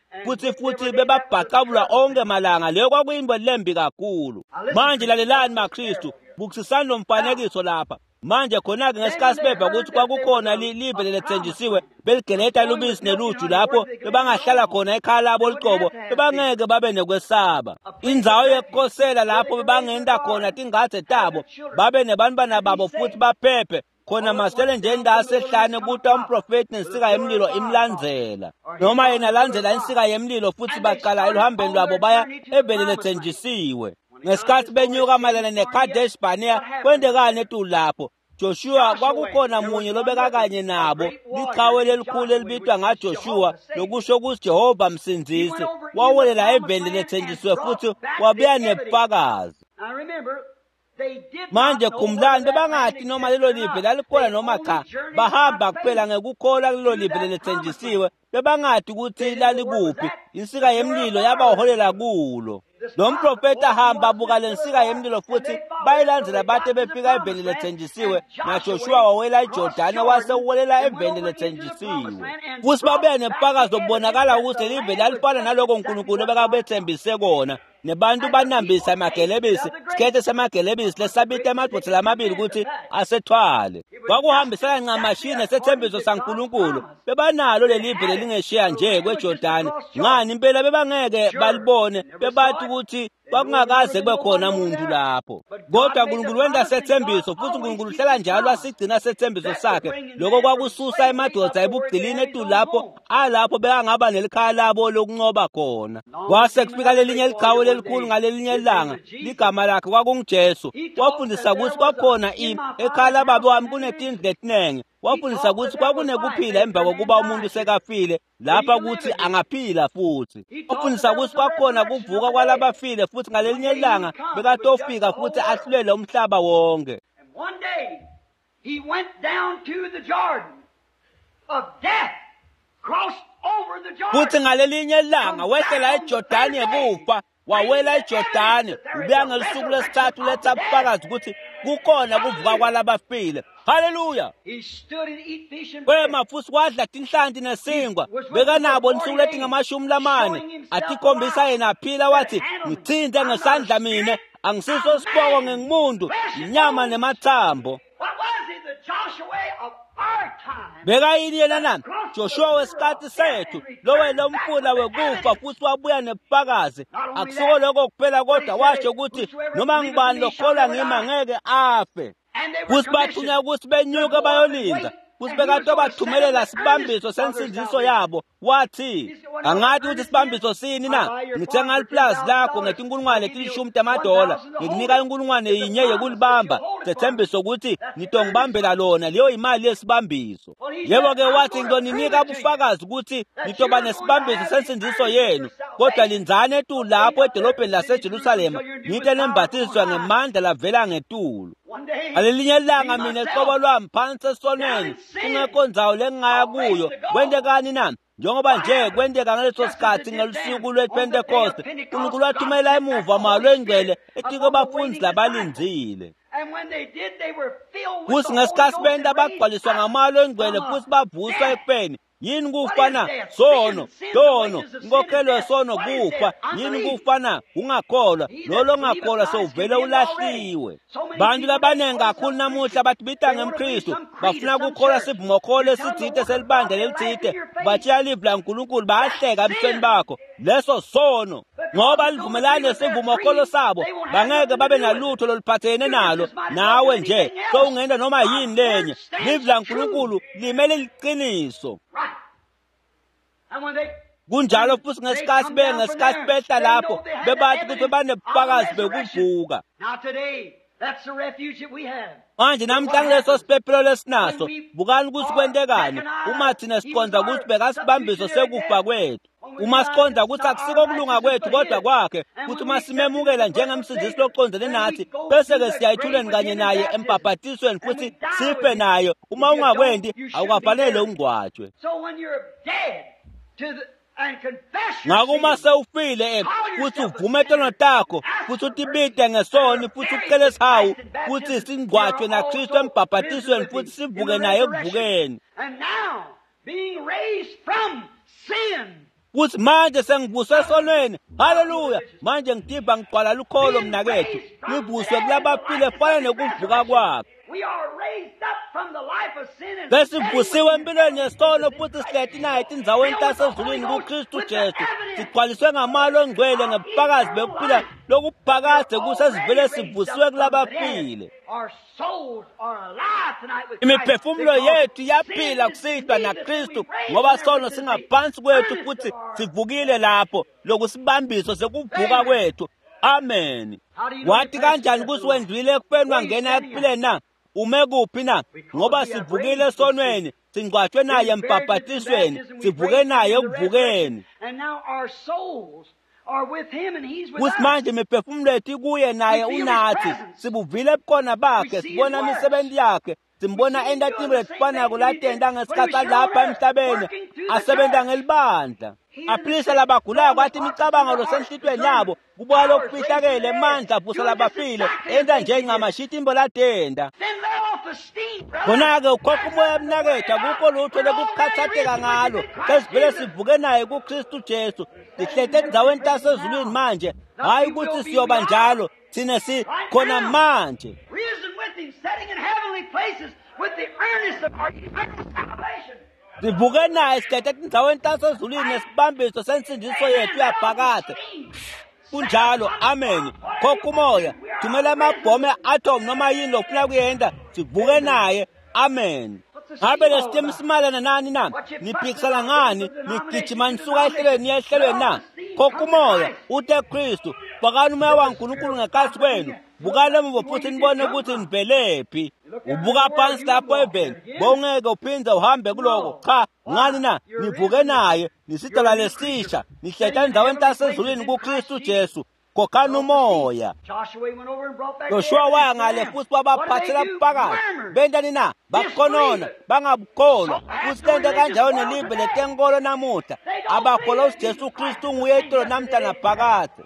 futhi bebabhacabulwa onke malanga. Leyo kwakuyimbo lembi kakhulu. Manje lalelani maKristu, bukisisani lo mfanekiso lapha. Manje khona-ke ngesikhathi beva ukuthi kwakukhona live lelethenjisiwe beligeleta lubisi neluju lapho bebangahlala khona ekhaya labo licobo, bebangeke babe nekwesaba. Indzawo yekukhosela lapho bebangenta khona tingadze tabo, babe nebantwana babo futhi baphephe. Khona masele nje indawo sehlane kuta umprofeti nensika yemlilo imlandzela, noma yena landzela insika yemlilo, futhi baqala eluhambeni lwabo baya eveni lethenjisiwe. Ngesikhathi benyuka mayelana neKadesh Barnea, kwentekani etulu lapho? Joshua kwakukhona munye lobekakanye nabo, liqhawe lelikhulu elibitwa ngaJoshua, lokusho ukuthi Jehova msindzisi. Wawelela eveni lethenjisiwe futhi wabuya nebufakazi. Manje khumbulani, bebangathi noma lelo live lalikhona noma cha, bahamba kuphela ngekukholwa kulelo live lelethenjisiwe. Bebangathi ukuthi lalikuphi. Insika yemlilo yabaholela kulo. Lo mprofeti ahamba abuka lensika yemlilo futhi bayilandzela bate befika eveni lethenjisiwe. NaJoshua wawela iJordani wase uwelela eveni lethenjisiwe. Futhi babe nebufakazi obubonakala ukuthi lelive lalifana naloko uNkulunkulu obekabethembise kona. Nebantu banambisa emagelebisi, sikhethe semagelebisi lesabita emadvodza lamabili ukuthi asethwale. Kwakuhambisana ncamashi nesethembiso saNkulunkulu. Bebanalo lelive lelingeshiya nje kweJordani. Ngani impela bebangeke balibone, bebathi ukuthi kwakungakaze kube khona muntu lapho. Kodwa uNkulunkulu wenta sethembiso futhi uNkulunkulu uhlala njalo asigcina sethembiso sakhe. Lokho kwakususa emadoda ebugcilini etulu lapho alapho bekangaba nelikhaya labo lokunqoba khona. Kwase kufika lelinye liqhawe lelikhulu ngalelinye ilanga, ligama lakhe kwakunguJesu. Wafundisa ukuthi kwakhona ekhaya lababa wami kunetindlu letiningi. Wafundisa ukuthi kwakunekuphila emva kokuba umuntu sekafile, lapha ukuthi angaphila futhi. Wafundisa ukuthi kwakhona kuvuka kwalabafile futhi ngalelinye ilanga bekatofika futhi ahlulele umhlaba wonke. And one day he went down to the Jordan of death, crossed over the Jordan. Futhi ngalelinye ilanga wehlela eJordani yekufa, wawela eJordani, ubuya ngelisuku lesithathu letha ubufakazi ukuthi kukhona kuvuka kwalabafile. Haleluya! He stood and eat fish and bread. Wema futhi wadla tinhlanti nesinkwa, bekanabo insuku letingamashumi lamane, atikhombisa yena aphila, wathi ngithinte ngesandla mina, angisiso sipoko ngingumuntu, inyama nemathambo. What was he? The Joshua of our time. Bekayini yena na? Joshua wesikhathi sethu, lowela umfula wekufa futhi wabuya nebufakazi. Akusiko lokho kuphela kodwa washo ukuthi noma ngubani lokholwa ngimi angeke afe. And they were Futhi bathunywa commissioned ukuthi benyuke bayolinda, futhi bekatobathumelela sibambiso sensindiso yabo. Wathi, angathi ukuthi sibambiso sini na? Ngithenga liplazi lakho ngetinkulungwane letilishumi tamadola, ngikunika inkulungwane yinye yokulibamba, sethembiso ukuthi ngitongibambela lona, leyo imali yesibambiso. Yebo-ke wathi ngizoninika ubufakazi ukuthi nitoba nesibambiso sensindiso yenu, kodwa lindzani etulu lapho edolobheni laseJerusalema, nite nembathiswa ngemandla lavela ngetulu. One day, Ngalelinye ilanga me mina myself, qobo lwami phansi esonweni, kungekho ndzawo lengingaya kuyo. Kwentekani na? Njengoba nje kwenteka ngaleso sikhathi ngelusuku lwePentecost, uNkulunkulu wathumela emuva moya lwengcwele etiko bafundi labalindzile. And when they did, they were filled with Futhi the Holy ngesikhathi Ghost benta and raised bagcwaliswa up ngamoya lwengcwele from futhi bavuswa death. ekufeni. Yini kufa na? What is death? Sono, Sin, sin, the sono, wages of sin is inkokhelo death. yesono What is kufa. death? Yini Unbelief. kufa na? Ungakholwa. He Lo that longakholwa believeth sewuvele Christ is ulahliwe. already. So many Bantu people labaningi that kakhulu call namuhla themselves batibita Christians, they want to believe ngemKristu, some creed bafuna of some kukholwa church. sivumokholo You tell them the esitsite word of selibandla God, they laugh lelitsite, in your face. batshiya livi laNkulunkulu bayahleka That's ebusweni sin. bakho. Leso sono. Ngoba Because they don't livumelane agree with their nesivumokholo creed, sabo, they won't have bangeke nothing to babe do with it. nalutho loluphathelene You nalo. just might as well do Nawe nje anything else. sowungenta noma God's yini word lenye. stands Livi true. laNkulunkulu limele liqiniso. Right. And when they Kunjalo when futhi they ngesikhathi come down from ngesikhathi there, behla they lapho know they had the bebathi ukuthi evidence of the banebufakazi resurrection. bekuvuka. Now today, that's the refuge that we have. Manje But what namhlanje leso happens siphephelo when lesinaso, we bukani ukuthi are kwentekani uma recognized thina he was siqonda our ukuthi bekasibambiso substitutionary sekufa death, kwethu. when we Uma realize siqonda it's ukuthi not our akusiko kulunga righteousness kwethu but kodwa his, kwakhe, and kuthi when uma we accept him as simemukela the personal njengemsindisi Savior, loqondene then we nathi, go bese through ke the siya grave ethuneni with kanye him in naye baptism, embhabhatisweni and we futhi die with sife him. naye. Uma If you don't, ungakwenti, you shouldn't be awukafanele buried. ungcwatshwe. So when you're dead to the, and confess your Ngakho uma sins, sewufile call futhi yourself a uvume tono sinner, takho, ask futhi for mercy, utibite and ngesoni, are futhi buried ucele with isihawu, Christ in futhi baptism, singcwatshwe you're naKristu also risen embhabhatisweni, with futhi him in the sivuke naye resurrection. ekuvukeni. And now, being raised from sin, Futhi manje sengivuswe esonweni. Haleluya! religious, Manje ngitiva ngigcwala lukholo being mnakethu. raised from Ngivuswe dead in the kulabafile likeness fana of his nekuvuka resurrection. kwakhe. We are raised up from the life of sin and standing with Sesivusiwe him empilweni in yesono places in futhi Christ sihleti naye Jesus, etindzaweni filled with the Holy tasezulwini Ghost, kuKristu with the Jesu. evidence Sigcwaliswe ngamalo ongcwele of ngebufakazi eternal bekuphila life. lokuphakade We're kusesivele already raised sivusiwe up from the dead. kulabafile. Our souls are alive tonight with Christ Imiphefumulo because yethu sin iyaphila is kusihlwa beneath us and naKristu we've raised ngoba there sono which is the singaphansi kwethu earnest futhi of our sivukile death. lapho lokusibambiso sekuvuka Amen. kwethu. Amen. How do you know you Wathi passed the kanjani test of ukuthi the Lord? wendlulile ekufeni Where are you wangena standing at? ekuphileni na? Ume kuphi na? Because Ngoba we have sivukile raised from sin. esonweni, singcwatshwe naye Been buried with in embhabhatisweni, baptism, we've sivuke raised with naye him in the resurrection, ekuvukeni. and now our souls are with him and he's with Kuthi us. manje imiphefumulo yethu ikuye We naye feel his unathi. presence. Sibuvile ebukhona We bakhe, see his sibona works. imisebenzi yakhe, We simbona see him enta doing tintfo the same letifanako things that he did latenta when he was ngesikhathi here on alapha earth, emhlabeni, working through the asebenta church, ngelibandla. healing the Aphilisa sick, labagulako, throwing the athi foxes in imicabango their hearts, losenhlitiyweni discerning yabo, kubuka powers raising lokufihlakele the dead, emandla avusa doing just labafile, exactly the enta things he nje did. ncamashi tintfo latenta. Then let off the steam, brother. Khona-ke ukhokha There's umoya nothing to worry mnakethu, about. akukho lutho We're already lokukhathatheka risen with him ngalo. in Christ Sesivele Jesus. sivuke naye kuKristu Jesu. Standing Sihleti in heavenly endzaweni places tasezulwini now. manje. Not Hhayi we ukuthi will be, we siyoba are. njalo, thina si Right khona now. manje. Risen with him, sitting in heavenly places with the earnest of our eternal salvation. Sivuke naye sihleti etindzaweni tasezulwini Right? nesibambiso sensindiso Amen. yethu Let off the yaphakade. steam. Set Kunjalo, upon amen. God, whatever Khokha you want to umoya, do. We are thumela risen amabhomu with him. e-atom noma yini lofuna kuyenta, sivuke Amen. naye. Amen. What's the Ngabe steam all lesitimu about? simalana nani na? What you fussing Niphikisana about? Going ngani? from Nigijima denomination to nisuka ehlelweni denomination. niya Let ehlelweni off na? the steam. Khokha Come to umoya, Christ. ute Kristu. Fakani umoya waNkulunkulu ngekhatsi kwenu, bukani emuva futhi nibone ukuthi nivelephi. Ubuka phansi lapho eveni, bowungeke uphinde uhambe kuloko. Cha, ngani na? Nivuke naye, nisidalwa lesisha, nihleta endzaweni tasezulwini kuKristu Jesu. Khokhani umoya. Joshua waya ngale futhi wabaphathela bufakazi. Bentani na? Bakhonona, bangabukholwa. Futhi lento kanjalo nelive letenkolo namuhla. Abakholwa ukuthi Jesu Kristu nguye itolo namhla naphakadze.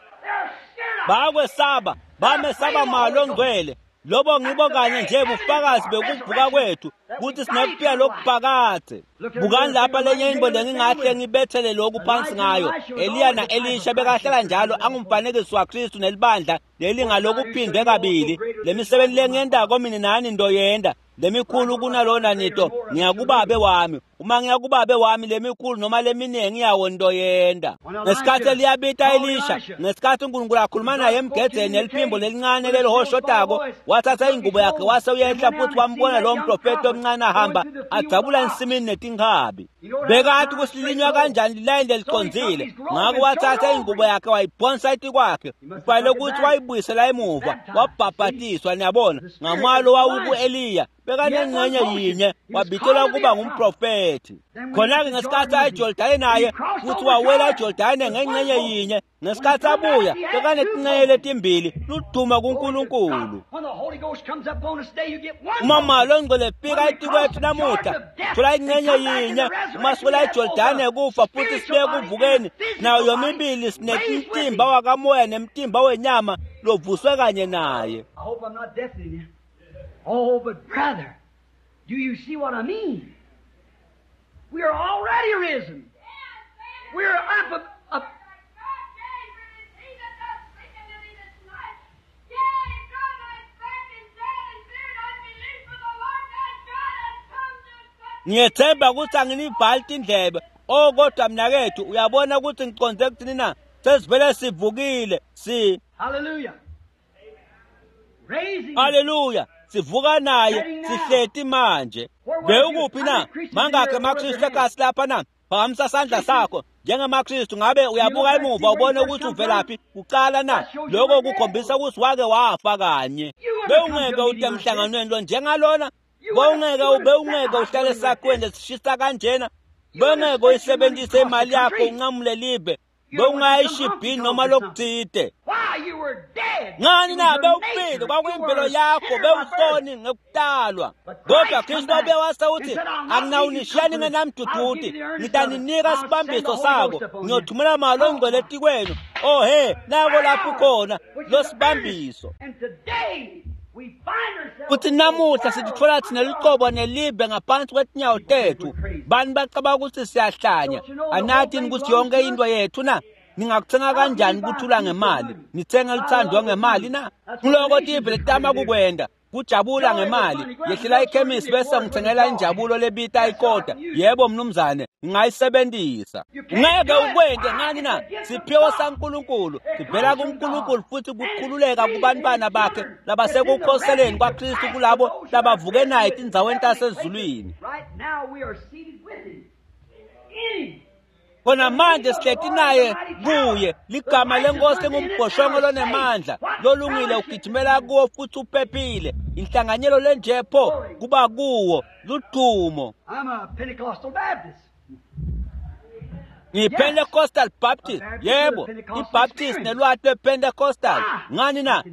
Bayakwesaba, bamesaba malo ongcwele. Lobo ngibo kanye nje bufakazi bekuvuka kwethu ukuthi sinekuphila lokuphakadze. Bukani lapha lenye into lengingahle ngibethele lokhu phansi ngayo. Eliya na-Elisha bekahlala njalo angumfanekiso waKristu nelibandla lelingalokuphindwe kabili. Lemisebenzi lengiyentako mina nani ndoyenda lemikhulu kunalona nito ngiyakubabe wami. Uma ngiyakubabe wami lemikhulu noma leminingi yawo ndoyenda. Ngesikhathi eliyabita Elisha, ngesikhathi uNkulunkulu akhuluma naye emgedzeni neliphimbo lelincane lelihoshotako, wathatha ingubo yakhe wase uyehla futhi wambona lowo mprofeti omncane ahamba adzabula ensimini netinkabi. Bekathi kusilinywa kanjani lilayini lelicondzile, ngakho wathatha ingubo yakhe wayiphonsa etikwakhe. Kufanele ukuthi wayibuyisela emuva, wabhabhatiswa niyabona ngamalo wawuku-Eliya. Bekanengxenye yinye, wabitelwa ukuba ngumprofethi. Khona-ke ngesikhathi ayeJordani naye futhi wawela eJordani ngengxenye yinye. Ngesikhathi abuya bekanetinxenye letimbili, luduma kuNkulunkulu. Uma malo ongcwele efika etikwethu namuhla, thola ingxenye yinye. Uma siwela eJordani kufa futhi sibuye kuvukeni, nayo yomibili sinemtimba wakamoya nemtimba wenyama lovuswe kanye naye. Oh, but brother, do you see what I mean? We are already risen. We are up, up. Ngiyethemba ukuthi anginibhali tindlebe. Oh, kodwa mnakethu uyabona ukuthi ngiconze kuthini na? Sesivele sivukile. Si. Hallelujah. Hallelujah. Sivuka naye, sihleti manje. Bewukuphi na? Mangakhe amaKristu ekasi lapha na? Phakamisa sandla sakho njengamaKristu. Ngabe uyabuka emuva ubone ukuthi uvelaphi kuqala na? Lokho kukhombisa ukuthi wake wafa kanye. Bewungeke ute emhlanganweni lo njengalona. Bewungeke uhlale esakhiweni lesishisa kanjena. Bewungeke uyisebenzise imali yakho unqamule live. Bewungayishibhini noma lokuthide. Ngani na? Bewufile, kwakuyimvelo yakho, bewusoni ngekutalwa. Kodwa Kristu wabuye wase uthi, anginawunishiyani ngenamduduti, ngitaninika sibambiso sako, ngiyothumela malo ongcwele etikwenu. Oh he, nako lapho khona lo sibambiso. Futhi namuhla sititfola thina lucobo nelive ngaphansi kwetinyawo tethu. Bani bacabanga ukuthi siyahlanya. Anathi ukuthi yonke into yethu na? Ningakuthenga kanjani kuthula ngemali? Nithenga luthando ngemali na? Kuloko tive letama kukwenda kujabula ngemali. Yehlela ikhemisi bese ngithengela injabulo lebita ikota. Yebo mnumzane, ngingayisebenzisa. Ngeke ukwente ngani na? Siphiwo saNkulunkulu sivela kuNkulunkulu futhi kukhululeka kubantwana bakhe labasekukhoseleni kwaKristu kulabo labavuke naye etindzaweni tasezulwini. Khona manje sihleti naye kuye. Ligama lenkosi ngumbhoshongo lonemandla lolungile, ugijimela kuwo futhi uphephile. Inhlanganyelo lenjepho kuba kuwo ludumo. I'm a Pentecostal Baptist. Ngiyi-Pentecostal Baptist. Yebo, iBaptist nelwati lwePentecostal. Ngani na?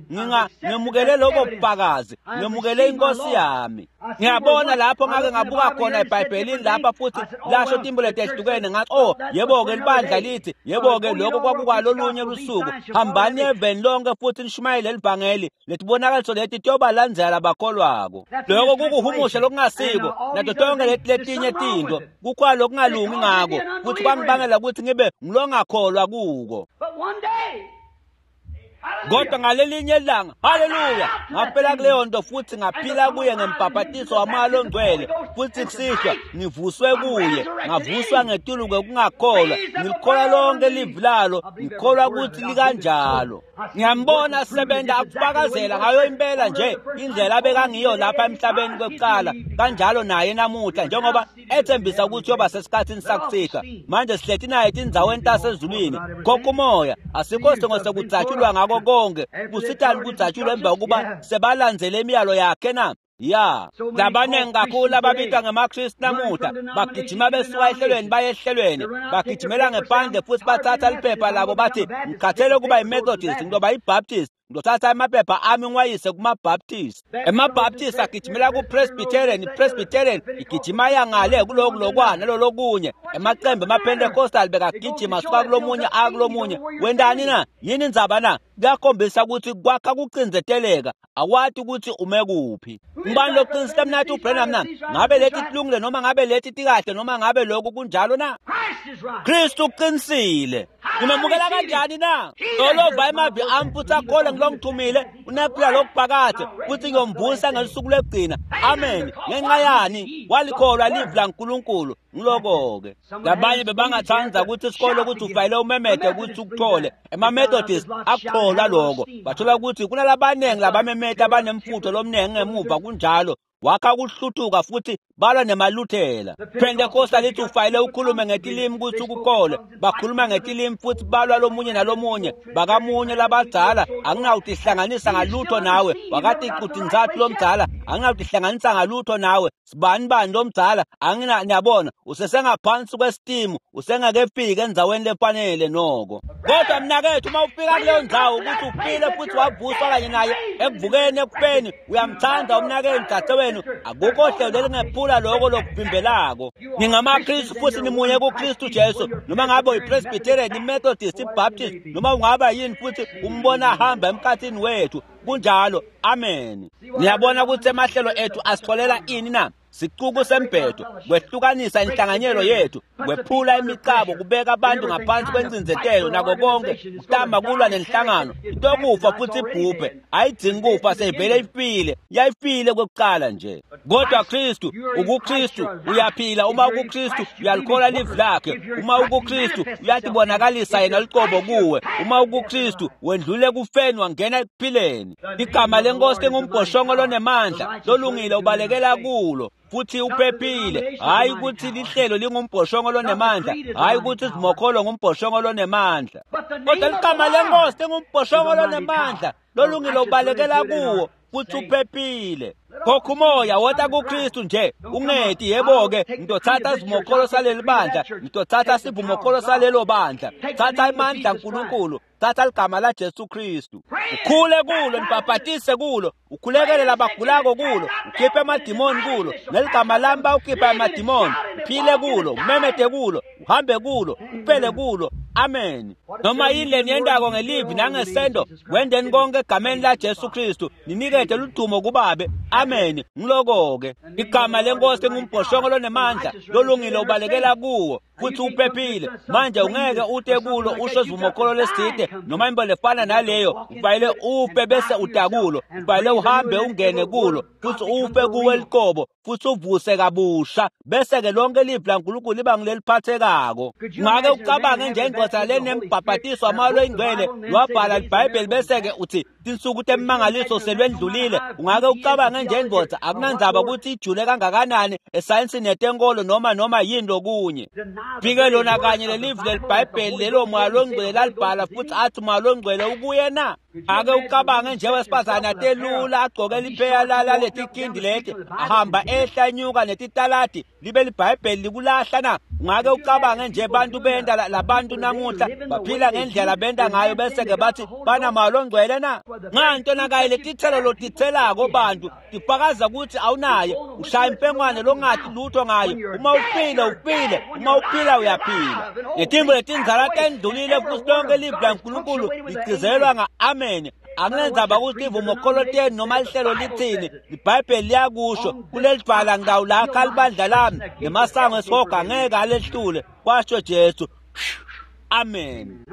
Ngemukele lobo bufakazi, ngemukele inkosi yami. Ngiyabona lapho ngake ngabuka khona eBhayibhelini lapha futhi lasho timbo letehlukene. Ngathi, oh yebo-ke libandla lithi, yebo-ke lokho kwakukwalolunye lusuku. Hambani eveni lonke futhi nishumayele livangeli, letibonakaliso leti tiyobalandzela labakholwako. Lokho kukuhumusha lokungasiko nato tonke leti letinye tintfo. Kukhona lokungalungi ngako futhi kwangibangela ukuthi ngibe ngilongakholwa kuko. Kodwa ngalelinye ilanga, haleluya, ngaphela kuleyo nto futhi ngaphila kuye ngembhabhatiso wamoya ongcwele, futhi kusihlwa ngivuswe kuye, ngavuswa ngetulu kwekungakholwa. Ngikholwa lonke livi lalo, ngikholwa ukuthi likanjalo. Ngiyambona asebenza akufakazela ngayo impela nje indlela abekangiyo lapha emhlabeni kwekuqala, kanjalo naye namuhla njengoba ethembisa ukuthi yoba sesikhathini sakusihlwa. Manje sihleti naye etindzaweni tasezulwini. Khokha umoya, asikho sidingo sekudzatshulwa ngako nako konke kusitani kudzatshulwa emva kokuba sebalandzele imiyalo yakhe na? Ya, labaningi kakhulu ababitwa ngemaKristu namuhla bagijima besuka ehlelweni baye ehlelweni, bagijimela ngephandle futhi bathatha liphepha labo bathi ngikhathele ukuba yiMethodist, ngizoba yiBaptist, ngizothatha amaphepha ami ngiwayise kumaBaptist. EmaBaptist agijimela kuPresbyterian, iPresbyterian igijima yangale kuloku lokwa nalolokunye. Emacembe emaPentecostal bekagijima suka kulomunye akulomunye. Wendani na? Yini indzaba na? Kuyakhombisa ukuthi kwakha kucindzeteleka, akwati ukuthi ume kuphi. Ngubani loqinisile mnathi uBranham na? Ngabe leti tilungile noma ngabe leti tikahle noma ngabe lokhu kunjalo na? Kristu uqinisile. Ngimemukela kanjani na? Lolova emavi ami futhi akholwe ngilongithumile unephila lokuphakade futhi ngiyomvusa ngelusuku lwekugcina. Amen. Ngenxa yani? Walikholwa livi laNkulunkulu. Ngiloko-ke labanye bebangathanda ukuthi isikole ukuthi ufayele umemede ukuthi ukuthole. Ema-Methodist akukholwa lokho, bathola ukuthi kunalabaningi labamemede abanemfutho lomningi ngemuva kunjalo wakha ukuhluthuka futhi balwa nemaluthela. Pentecostal lithi ufayele ukhulume ngetilimi ukuthi ukukholwe, bakhuluma ngetilimi futhi balwa lomunye nalomunye bakamunye labadzala. Anginawutihlanganisa ngalutho nawe wakati kutinzathu lomdzala, anginawutihlanganisa ngalutho nawe sibani bani lomdzala. Angina, niyabona usesengaphansi kwesitimu, usengakefiki endzaweni lefanele noko. Kodwa mnakethu uma ufika kuleyo ndzawo ukuthi ufile futhi wavuswa kanye naye ekuvukeni ekufeni, uyamthanda umnakenu dadewenu, akukho hlelo lelingephula lokho lokuvimbelako. NingamaKristu futhi nimunye kuKristu Jesu. Noma ngabe uyiPresbyterian, iMethodist, iBaptist, noma ungaba yini, futhi umbona ahamba emkhathini wethu. Kunjalo. Amen. Niyabona ukuthi emahlelo ethu asitholela ini na? Sicuku sembhedo, kwehlukanisa inhlanganyelo yethu, kwephula imicabo, kubeka abantu ngaphansi kwencindzetelo nako konke, kutama kulwa nenhlangano. Itokufa futhi ibhubhe, ayidzingi kufa, seyivele ifile, yayifile kwekuqala nje. Kodwa Kristu, ukuKristu uyaphila. Uma ukuKristu uyalikholwa livi lakhe. Uma ukuKristu uyatibonakalisa yena luqobo kuwe. Uma ukuKristu wendlule kufeni wangena ekuphileni. Igama lenkosi lingumbhoshongo lonemandla, lolungile ubalekela kulo futhi uphephile. Hayi ukuthi lihlelo lingumbhoshongo lonemandla, hayi ukuthi izimokholo ngumbhoshongo lonemandla, kodwa ligama lenkosi lingumbhoshongo lonemandla, lolungile ubalekela kuwo futhi uphephile. Khokha umoya wota kuKristu nje, ungeti yebo-ke ngitothatha isivumokholo saleli bandla, ngitothatha isivumokholo salelo bandla. Thatha amandla aNkulunkulu, thatha ligama la Jesu Kristu, ukhule kulo, nibhabhatise kulo, ukhulekele labagulako kulo, ukhiphe amadimoni kulo, neligama lami bawukhipha amadimoni. Uphile kulo, umemede kulo, uhambe kulo, uphele kulo. Amen. Noma yini leniyentako ngelivi nangesendo, wendeni konke egameni la Jesu Kristu, ninikete ludumo kubabe. Amen. Ngiloko-ke igama lenkosi lingumbhoshongo lonemandla, lolungile ubalekela kuwo futhi uphephile. Manje ungeke ute kulo usho isivumokholo leside noma into lefana naleyo, ufanele ufe bese utakulo, ufanele uhambe ungene kulo futhi ufe kuwe liqobo futhi uvuse kabusha, bese-ke lonke livi laNkulunkulu liba ngileliphathekako. Ungake ucabange nje indoda lenembhabhatiso amalo ingcwele lwabhala iBhayibheli bese-ke uthi tinsuku temimangaliso selwendlulile. Ungake ucabange nje indoda, akunandzaba ukuthi ijule kangakanani esayensini yetenkolo noma yini lokunye, fike lona kanye lelivi leliBhayibheli lelo moya longcwele lalibhala futhi athi moya longcwele ukuye na? Ake ucabange nje wesifazane atelula agcoke lipheya laletikindi leti, ahamba ehla enyuka netitaladi libe liBhayibheli likulahla na? Ungake ucabange nje bantu benta labantu namuhla baphila ngendlela benta ngayo bese-ke bathi banamoya longcwele na? Nganto nakaye letithelo lotithelako bantu tifakaza ukuthi awunaye, ushaya impengwane longathi lutho ngayo. Uma ufile ufile, uma uphila uyaphila. Letimbo letindzala tendlulile futhi lonke livi laNkulunkulu ligcizelelwa nga-amen. Akunendzaba ukuthi ivumokholo tenu noma lihlelo lithini, iBhayibheli liyakusho kulelidvwala ngitawulakha libandla lami, nemasango esihogo angeke alehlule, kwasho Jesu. Amen.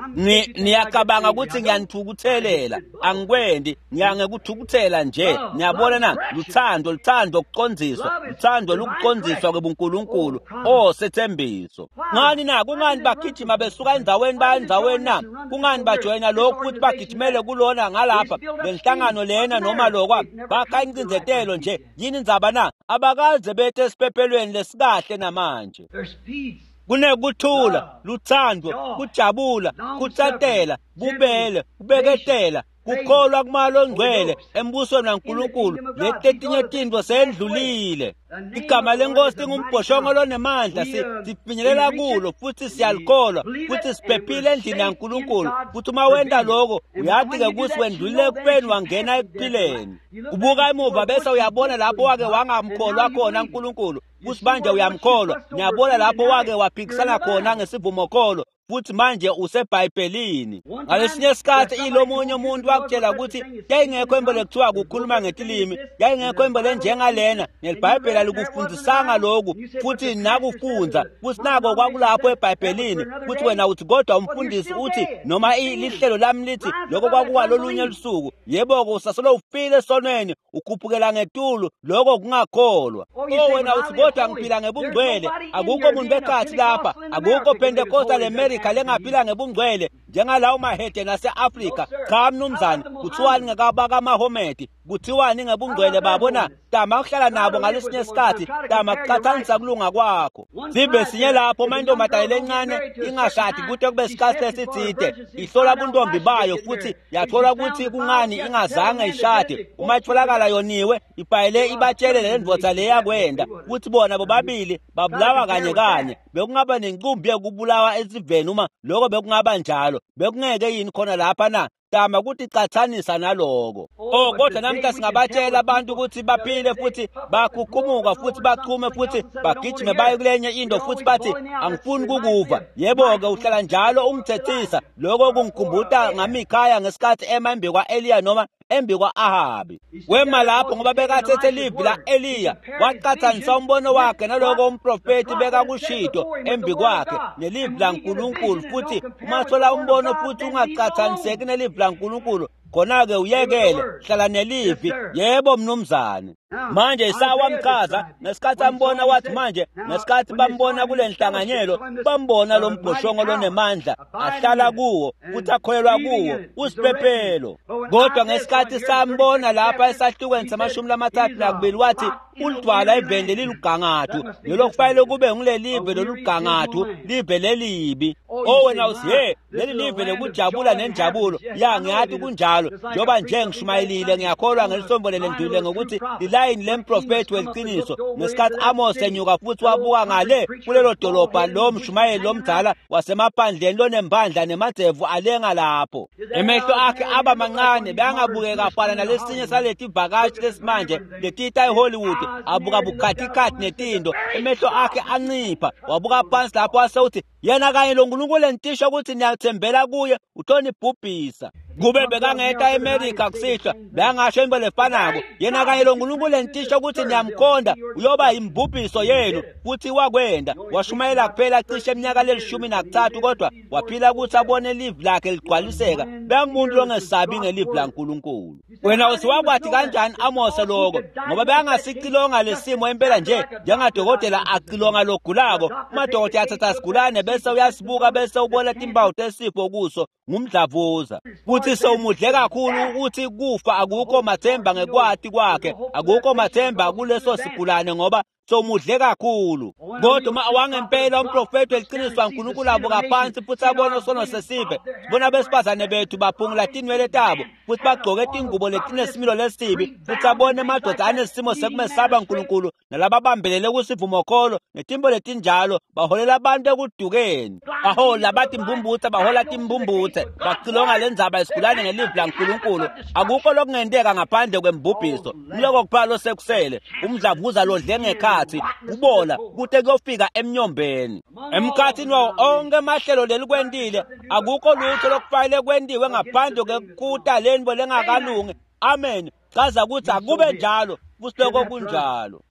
Niyacabanga ukuthi ngiyanithukuthelela, angikwendi, ngiyangekuthukuthela nje. Niyabona na? Luthando, luthando ukuqondziswa, luthando lukuqondziswa kwebuNkulunkulu. Oh, sethembiso. Ngani na? Kungani bagijima besuka endzaweni baya endzaweni na? Kungani bajoyina lokhu futhi bagijimele kulona ngalapha lenhlangano lena noma lokwa? Bakha incindzetelo nje. Yini indzaba na? Abakaze bethe esiphephelweni lesikahle namanje. There's peace. Kunekuthula, luthando, kujabula, kutsatela, bubele, kubeketela, kukholwa kumalo ongcwele embusweni waNkulunkulu. Letinye tintfo sendlulile. Igama lenkosi lingumbhoshongo lonemandla, sifinyelela kulo futhi siyalikholwa futhi siphephile endlini yaNkulunkulu. Futhi uma wenta lokho uyati-ke ukuthi wendlulile ekufeni wangena ekuphileni. Ubuka emuva bese uyabona lapho wake wangamkholwa khona uNkulunkulu, futhi manje uyamkholwa. Niyabona lapho wake waphikisana khona ngesivumokholo, futhi manje useBhayibhelini. Ngalesinye isikhathi ilomunye umuntu wakutshela ukuthi yayingekho into lekuthiwa kukhuluma ngetilimi, yayingekho into lenjengalena, neliBhayibheli alikufundisanga lokhu futhi nakufundza, futhi nako kwakulapho eBhayibhelini. Futhi wena uthi kodwa umfundisi uthi noma lihlelo lami lithi lokho kwakuwalolunye lusuku. Yebo-ke, usasolo ufile esonweni, ukhuphukela ngetulu, lokho kungakholwa. O wena uthi kodwa ngiphila ngebungcwele, akukho muntu bekhathi lapha, akukho Pentecostal eMelika lengaphila ngebungcwele njengalawo mahede nase-Afrika. Cha mnumzane, kuthiwani ngekabakaMahomedi? Kuthiwani ngebungcwele babo na? Tama kuhlala nabo ngalesinye isikhathi, tama kuqathanisa kulunga kwakho. Sibe sinye lapho uma intombazane lencane ingashadi kude kube isikhathi esithide, ihlola buntombi bayo futhi yathola ukuthi kungani ingazange ishade. Uma itholakala yoniwe, ibhayile ibatshele le ndvodza le yakwenda ukuthi bona bobabili babulawa kanye kanye. Bekungaba nenqumbi yokubulawa esiveni uma lokho bekungaba njalo. Bekungeke yini khona lapha na? Tama ukuthi cathanisa naloko. Oh, kodwa namhla singabatshela abantu ukuthi baphile futhi bakhukhumuka futhi bachume futhi bagijime baye kulenye into futhi bathi angifuni kukuva. Yebo-ke, uhlala njalo ungithethisa. Lokho kungikhumbuta ngaMikhaya ngesikhathi ema embi kwa-Eliya noma embi kwa-Ahabi. Wema lapho ngoba bekathethe livi la-Eliya, waqathanisa umbono wakhe naloko umprofethi bekakushito embi kwakhe nelivi laNkulunkulu. Futhi uma thola umbono futhi ungaqathaniseki nelivi laNkulunkulu, khona-ke uyekele, hlala nelivi. Yebo mnumzane. Manje Isaya wamchaza ngesikhathi ambona, wathi manje ngesikhathi bambona kule nhlanganyelo, bambona lo mbhoshongo lonemandla ahlala kuwo futhi akholelwa kuwo, usiphephelo. Kodwa ngesikhathi sambona lapha esahlukweni sama-32 wathi ulidwala eveni lelilugangathu, lelo kufanele kube ngulelive lolugangathu, live lelibi. O wena uthi he, leli live lekujabula nenjabulo. Ya, ngiyathi kunjalo, njengoba nje ngishumayelile, ngiyakholwa ngelisonto lelendlulile ngokuthi lilayini lemprofethi weliqiniso. Ngesikhathi Amos enyuka futhi wabuka ngale kulelo dolobha, lo mshumayeli lomdala wasemaphandleni lonembandla nemadzevu alenga lapho, emehlo akhe aba mancane, beyangabukeka afana nalesinye saleti vakashi lesimanje letita eHollywood, abuka bukhathikhathi netindo, emehlo akhe ancipha. Wabuka phansi lapho wase uthi yena kanye lo Nkulunkulu entisho ukuthi niyathembela kuye utonibhubhisa. Kube bekangeta eMelika kusihlwa, bekangasho into lefanako. Yena kanye lo Nkulunkulu entisho ukuthi niyamkhonda uyoba imbhubhiso yenu. Futhi wakwenda, washumayela kuphela cishe eminyaka le-13, kodwa waphila ukuthi abone livi lakhe ligcwaliseka. Bekangumuntu longesabi ngelivi laNkulunkulu. Wena uthi wakwathi kanjani Amose lokho? Ngoba bekangasicilonga lesimo impela nje njengadokotela acilonga logulako. Umadokotela athatha sigulane bese uyasibuka bese ubona timpawu tesifo kuso ngumdlavuza. Futhi sewumudle kakhulu ukuthi kufa akukho mathemba ngekwati kwakhe, akukho mathemba kuleso sigulane ngoba sewumudle kakhulu. Kodwa uma wangempela umprofethi weliqiniso waNkulunkulu abuka phansi futhi abone sono sesive, sibona besifazane bethu baphungula tinwele tabo futhi bagcoke tingubo letinesimilo lesibi, futhi abone emadoda anesimo sekumesaba uNkulunkulu nalababambelele kusivumokholo netimbo letinjalo, baholela abantu ekudukeni. Bahola bathi mbumbuthe, bahola timbumbuthe, bacilonga lendzaba isigulane ngelivi laNkulunkulu. Akukho lokungenteka ngaphandle kwembubhiso. Mloko kuphela losekusele, umdlavuza lodle ngekhathi, kubola kute kuyofika emnyombeni. Emkhathini wawo onke amahlelo lelikwentile, akukho lutho lokufanele kwentiwe ngaphandle kwekukuta lento lengakalungi. Amen. Chaza ukuthi akube njalo, futhi lokho kunjalo.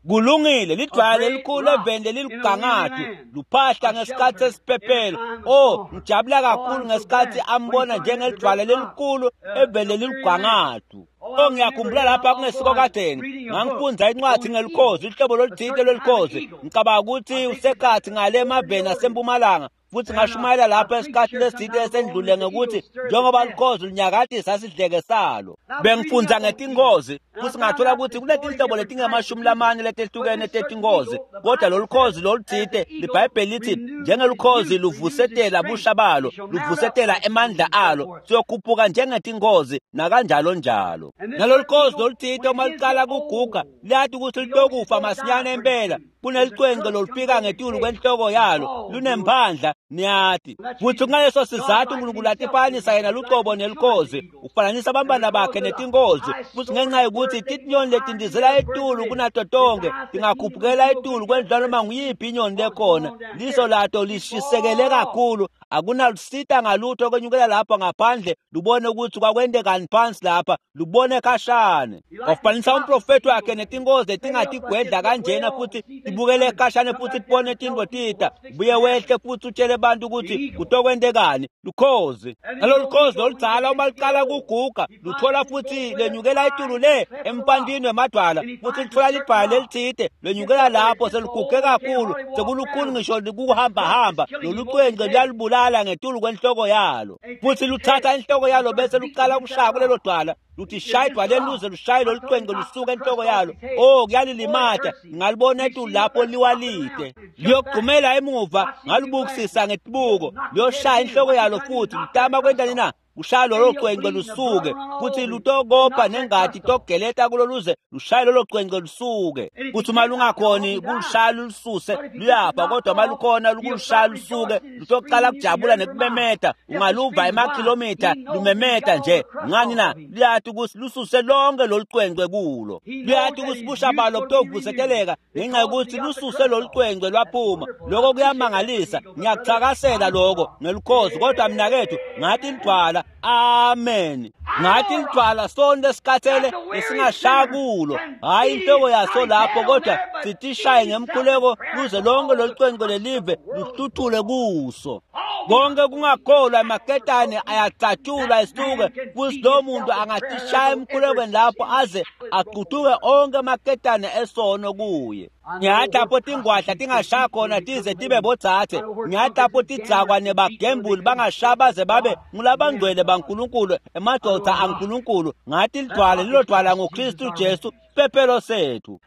Kulungile, lidwala lelikhulu eveni lelilugangathu luphahla ngesikhathi sesiphephelo. Oh, ngijabula kakhulu ngesikhathi ambona njengelidwala lelikhulu eveni lelilugangathu. Oh, ngiyakhumbula lapha kungesiko kadeni ngangifunda incwadi ngelikhozi, uhlobo loluthile lwelikhozi. Ngicabanga ukuthi usekhathi ngale emaveni asempumalanga. Futhi ngashumayela lapha esikhathi leside esendlule ngokuthi njengoba lukhozi lunyakatisa sidleke salo. Bengifundza ngetingozi futhi ngathola ukuthi kunetinhlobo letingamashumi letehlukene tetingozi, kodwa lolu khozi loluthite liBhayibheli lithi njengelukhozi luvusetela busha balo, luvusetela emandla alo, siyokhuphuka njengetingozi nakanjalo njalo. Nalolu khozi loluthite uma luqala kuguga liyathi ukuthi litokufa masinyane impela. Kunelicwengce lolufika ngetulu kwenhloko yalo, lunemphandla niyati. Futhi kungaleso sizathu uNkulunkulu atifanisa yena lucobo nelukhozi, ufananisa abantwana bakhe netingozi. Futhi ngenxa yokuthi tinyoni letindizela etulu kunato tonke tingakhuphukela etulu kwendlula noma nguyiphi inyoni lekhona, liso lato lishisekele kakhulu, akunalusita ngalutho kwenyukela lapha ngaphandle lubone ukuthi kwakwendekani phansi lapha, lubone khashane. Wafanisa umprofethi wakhe netingozi letingatigwedla kanjena futhi tibukele khashane futhi tibone tintfo tita, buye wehle futhi utshele abantu ukuthi kutokwendekani. Lukhozi nalolu khozi loludzala uma luqala kuguga luthola futhi lenyukela etulu le empantwini wemadwala, futhi lithola libhala lelithite lenyukela lapho seliguge kakhulu, sekulukhulu ngisho kuhambahamba. Lolu cwengce luyalibulala ngetulu kwenhloko yalo, futhi luthatha inhloko yalo bese luqala ukushaya kulelo dwala, luthi shaya idwaleni luze lushaye lolu cwengce lusuke enhloko yalo. Oh, kuyalilimata. Ngalibona etulu lapho liwalide, liyogqumela emuva, ngalubukisisa ngetibuko, liyoshaya inhloko yalo futhi litama kwentani na? Kushaya lolo cwengce lusuke, futhi lutokopha nengati togeleta kulo luze lushaye lolo cwengce lusuke. Kuthi uma lungakhoni kulushaya lulususe luyafa, kodwa uma lukhona lukulushaya lusuke lutoqala kujabula nekumemeta. Ungaluva emakhilomitha lumemeta nje. Ngani na? Luyati ukuthi lususe lonke lolu cwengce kulo, luyati ukuthi busha balo butovuseteleka ngenxa yokuthi lususe lolu cwengce lwaphuma. Lokho kuyamangalisa, ngiyakuthakasela lokho ngelukhozi, kodwa mina kethu ngathi lidwala. Amen. Ngathi lidwala sonke lesikhathele lesingashaya kulo, hayi inhloko yaso lapho, kodwa sitishaye ngemkhuleko luze lonke lolu cwengce lelive luhluthule kuso. Konke kungakholwa emaketane ayacatshulwa esuke, futhi lo muntu angatishaya emkhulekweni lapho aze aquthuke onke amaketane esono kuye. Ngiyathi lapho tingwadla tingashaya khona tize tibe bodzadze, ngiyathi lapho tidzakwa nebagembuli bangashaya baze babe ngulabangcwele baNkulunkulu, emadoda aNkulunkulu. Ngathi lidwala lilo dwala ngoKristu Jesu siphephelo sethu.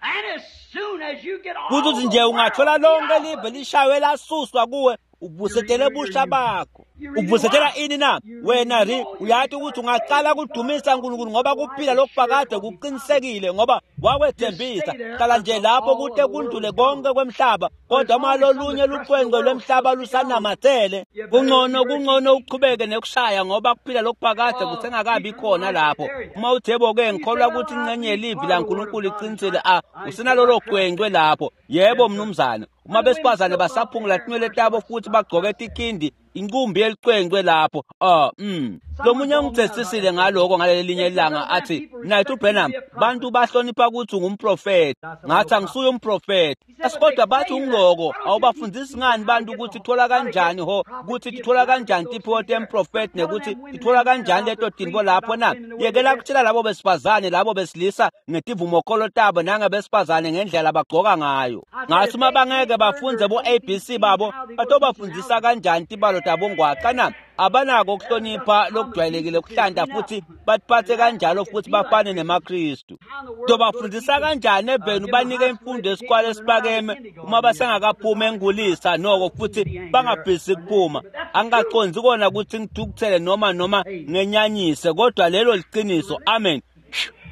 Kuthi nje ungathola lonke live lishaywe lasuswa kuwe, uvusetele busha bakho. Uvusetela ini na? Wena ri uyathi ukuthi ungaqala kudumisa uNkulunkulu ngoba kuphila lokuphakade kuqinisekile, ngoba wakwethembisa. Hlala nje lapho kute kundlule konke kwemhlaba, kodwa uma lolunye lucwengce lwemhlaba lusanamathele, kungcono uqhubeke nekushaya ngoba kuphila lokuphakade kusengakabi khona lapho. Uma uthebo-ke ngikholwa ukuthi ingxenye yelivi laNkulunkulu iqinisile, usenalolo cwengcwe lapho. Yebo mnumzane. Uma besifazane basaphungula tinwele tabo futhi bagqoke tikhindi, inkumbi yelicwengcwe lapho. Lomunye ungithethisile ngaloko ngalelinye ilanga, athi Mnayethu Branham, bantu bahlonipha ukuthi ungumprofeti. Ngathi angisuye umprofeti. Asikodwa bathi ungiloko, awubafundisi ngani bantu ukuthi thola kanjani ho, ukuthi tithola kanjani tiphiwo temprofeti nekuthi tithola kanjani leto tintfo lapho na? Yekela kutshela labo besifazane labo besilisa ngetivumokholo tabo nangebesifazane ngendlela abagcoka ngayo. Ngathi uma bangeke bafunze bo ABC babo, batobafundisa kanjani tibalo tabo ngwaqa na? Abanako ukuhlonipha lokujwayelekile kuhlanda futhi batiphathe kanjalo futhi bafane nemaKristu. Tobafundisa kanjani eveni ubanike imfundo esikwale esiphakeme uma basengakaphumi engulisa noko futhi bangafisi kuphuma? Angingaconzi kona ukuthi ngithukuthele noma ngenyanyise, kodwa lelo liqiniso. Amen.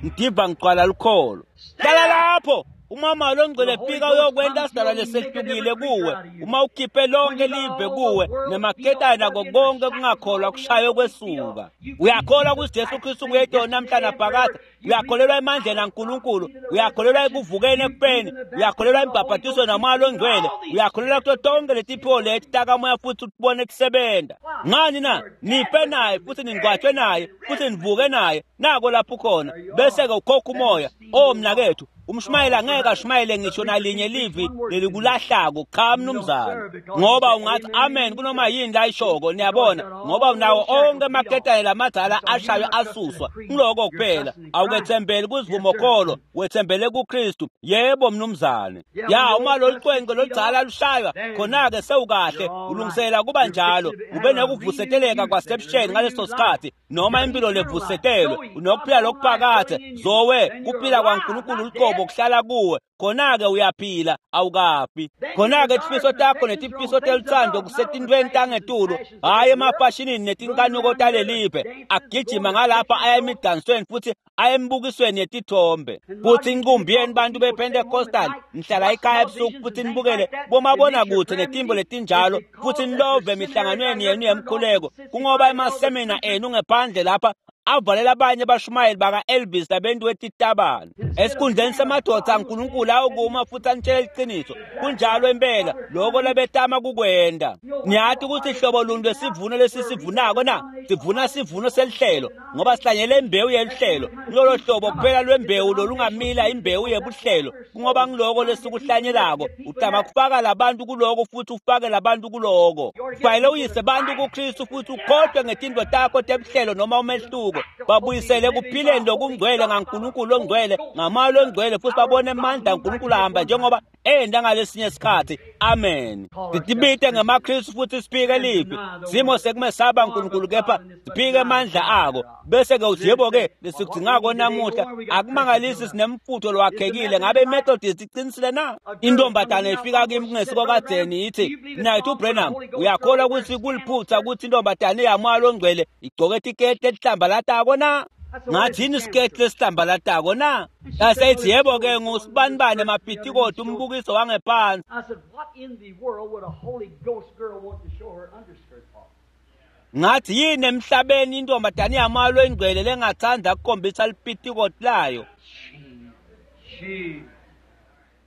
Ngidiva ngigcwala lukholo. Hlala lapho. Umama longcwele fika uyokwenta sidalwa lesehlukile kuwe, uma ukhiphe lonke live kuwe nemaketane nako konke kungakholwa kushaywe kwesuka. Uyakholwa ukuthi Jesu Kristu nguyedwa namhla naphakade? Uyakholelwa emandleni aNkulunkulu? Uyakholelwa ekuvukeni ekufeni? Uyakholelwa embhabhatisweni namoya longcwele? Uyakholelwa kuto tonke letiphiwo leti takamoya futhi utibone kusebenta? Ngani na? Nife naye futhi ningcwatshwe naye futhi nivuke naye. Nako lapho khona bese-ke ukhokha umoya. Oh mnakethu, Umshumayeli angeke ashumayele ngisho nalinye livi lelikulahlako. Cha mnumzane, ngoba ungathi amen kunoma yini layishoko, niyabona, ngoba unawo onke amaketane lamadzala ashaywe asuswa. Ngiloko kuphela. Awukethembeli kuzivumokholo, wethembele kuKristu. Yebo mnumzane. Ya, uma lolu cwenco loludzala lushaywa, khona-ke sewukahle, ulungisela kuba njalo, ube nekuvuseteleka kwasebusheni ngaleso sikhathi, noma impilo levusetelwe, unokuphila lokuphakade, zowe kuphila kwaNkulunkulu luqobo kuhlala kuwe, khona-ke uyaphila, awukafi. Khona-ke tifiso takho netifiso teluthando kusetintweni tangetulu, hhayi emafashinini netinkanuko talelive, agijima ngalapha aya emidansweni futhi aya embukisweni yetithombe. Futhi inkumbi yenu bantu bePentecostal nihlala ekhaya ebusuku futhi nibukele bomabonakude netimbo letinjalo, futhi nilove emihlanganweni yenu yemkhuleko, kungoba emasemina enu ngephandle lapha avalela abanye abashumayeli baka-Elvis labantu wetitabane. Esikhundleni semadoda aNkulunkulu awukuma futhi anitshele iqiniso. Kunjalo impela lokho labetama kukwenda. Niyati ukuthi hlobo luni lwesivuno lesisivunako na? Sivuna sivuno selihlelo, ngoba sihlanyele imbewu yelihlelo. Kulolo hlobo kuphela lwembewu lolungamila imbewu yebuhlelo, kungoba ngiloko lesikuhlanyelako. Utama kufaka labantu kuloko futhi ufake labantu kuloko. Kufanele uyise bantu kuKristu futhi ukhohlwe ngetinto takho tebuhlelo noma umehluko. Babuyisele kuphileni lokungcwele ngaNkulunkulu ongcwele, ngamoya longcwele, futhi babone amandla aNkulunkulu ahamba njengoba enda ngalesinye isikhathi. Amen. Sitibite ngemaKristu futhi siphike livi. Simo sekumesaba uNkulunkulu kepha siphike amandla ako. Bese-ke uthi yebo-ke lesikudingako namuhla akumangalisi sinemfutho lowakhekile. Ngabe iMethodist iqinisile na? Intombazane ifika kimi kungesiko kadzeni ithi, "Mnaketfu Branham, uyakholwa ukuthi kuliphutha ukuthi intombazane yamoya longcwele igcoke tiketi lehlambalatako na?" Ngathi yini isiketi lesihlambalatako na? Yaseyithi yebo-ke ngusibanibani emapitikoti umbukiso wangephansi. I said, what in the world would a Holy Ghost girl want to show her underskirt for? Ngathi yini emhlabeni intombazane yamoya longcwele lengathanda ukukhombisa lipitikoti layo? She.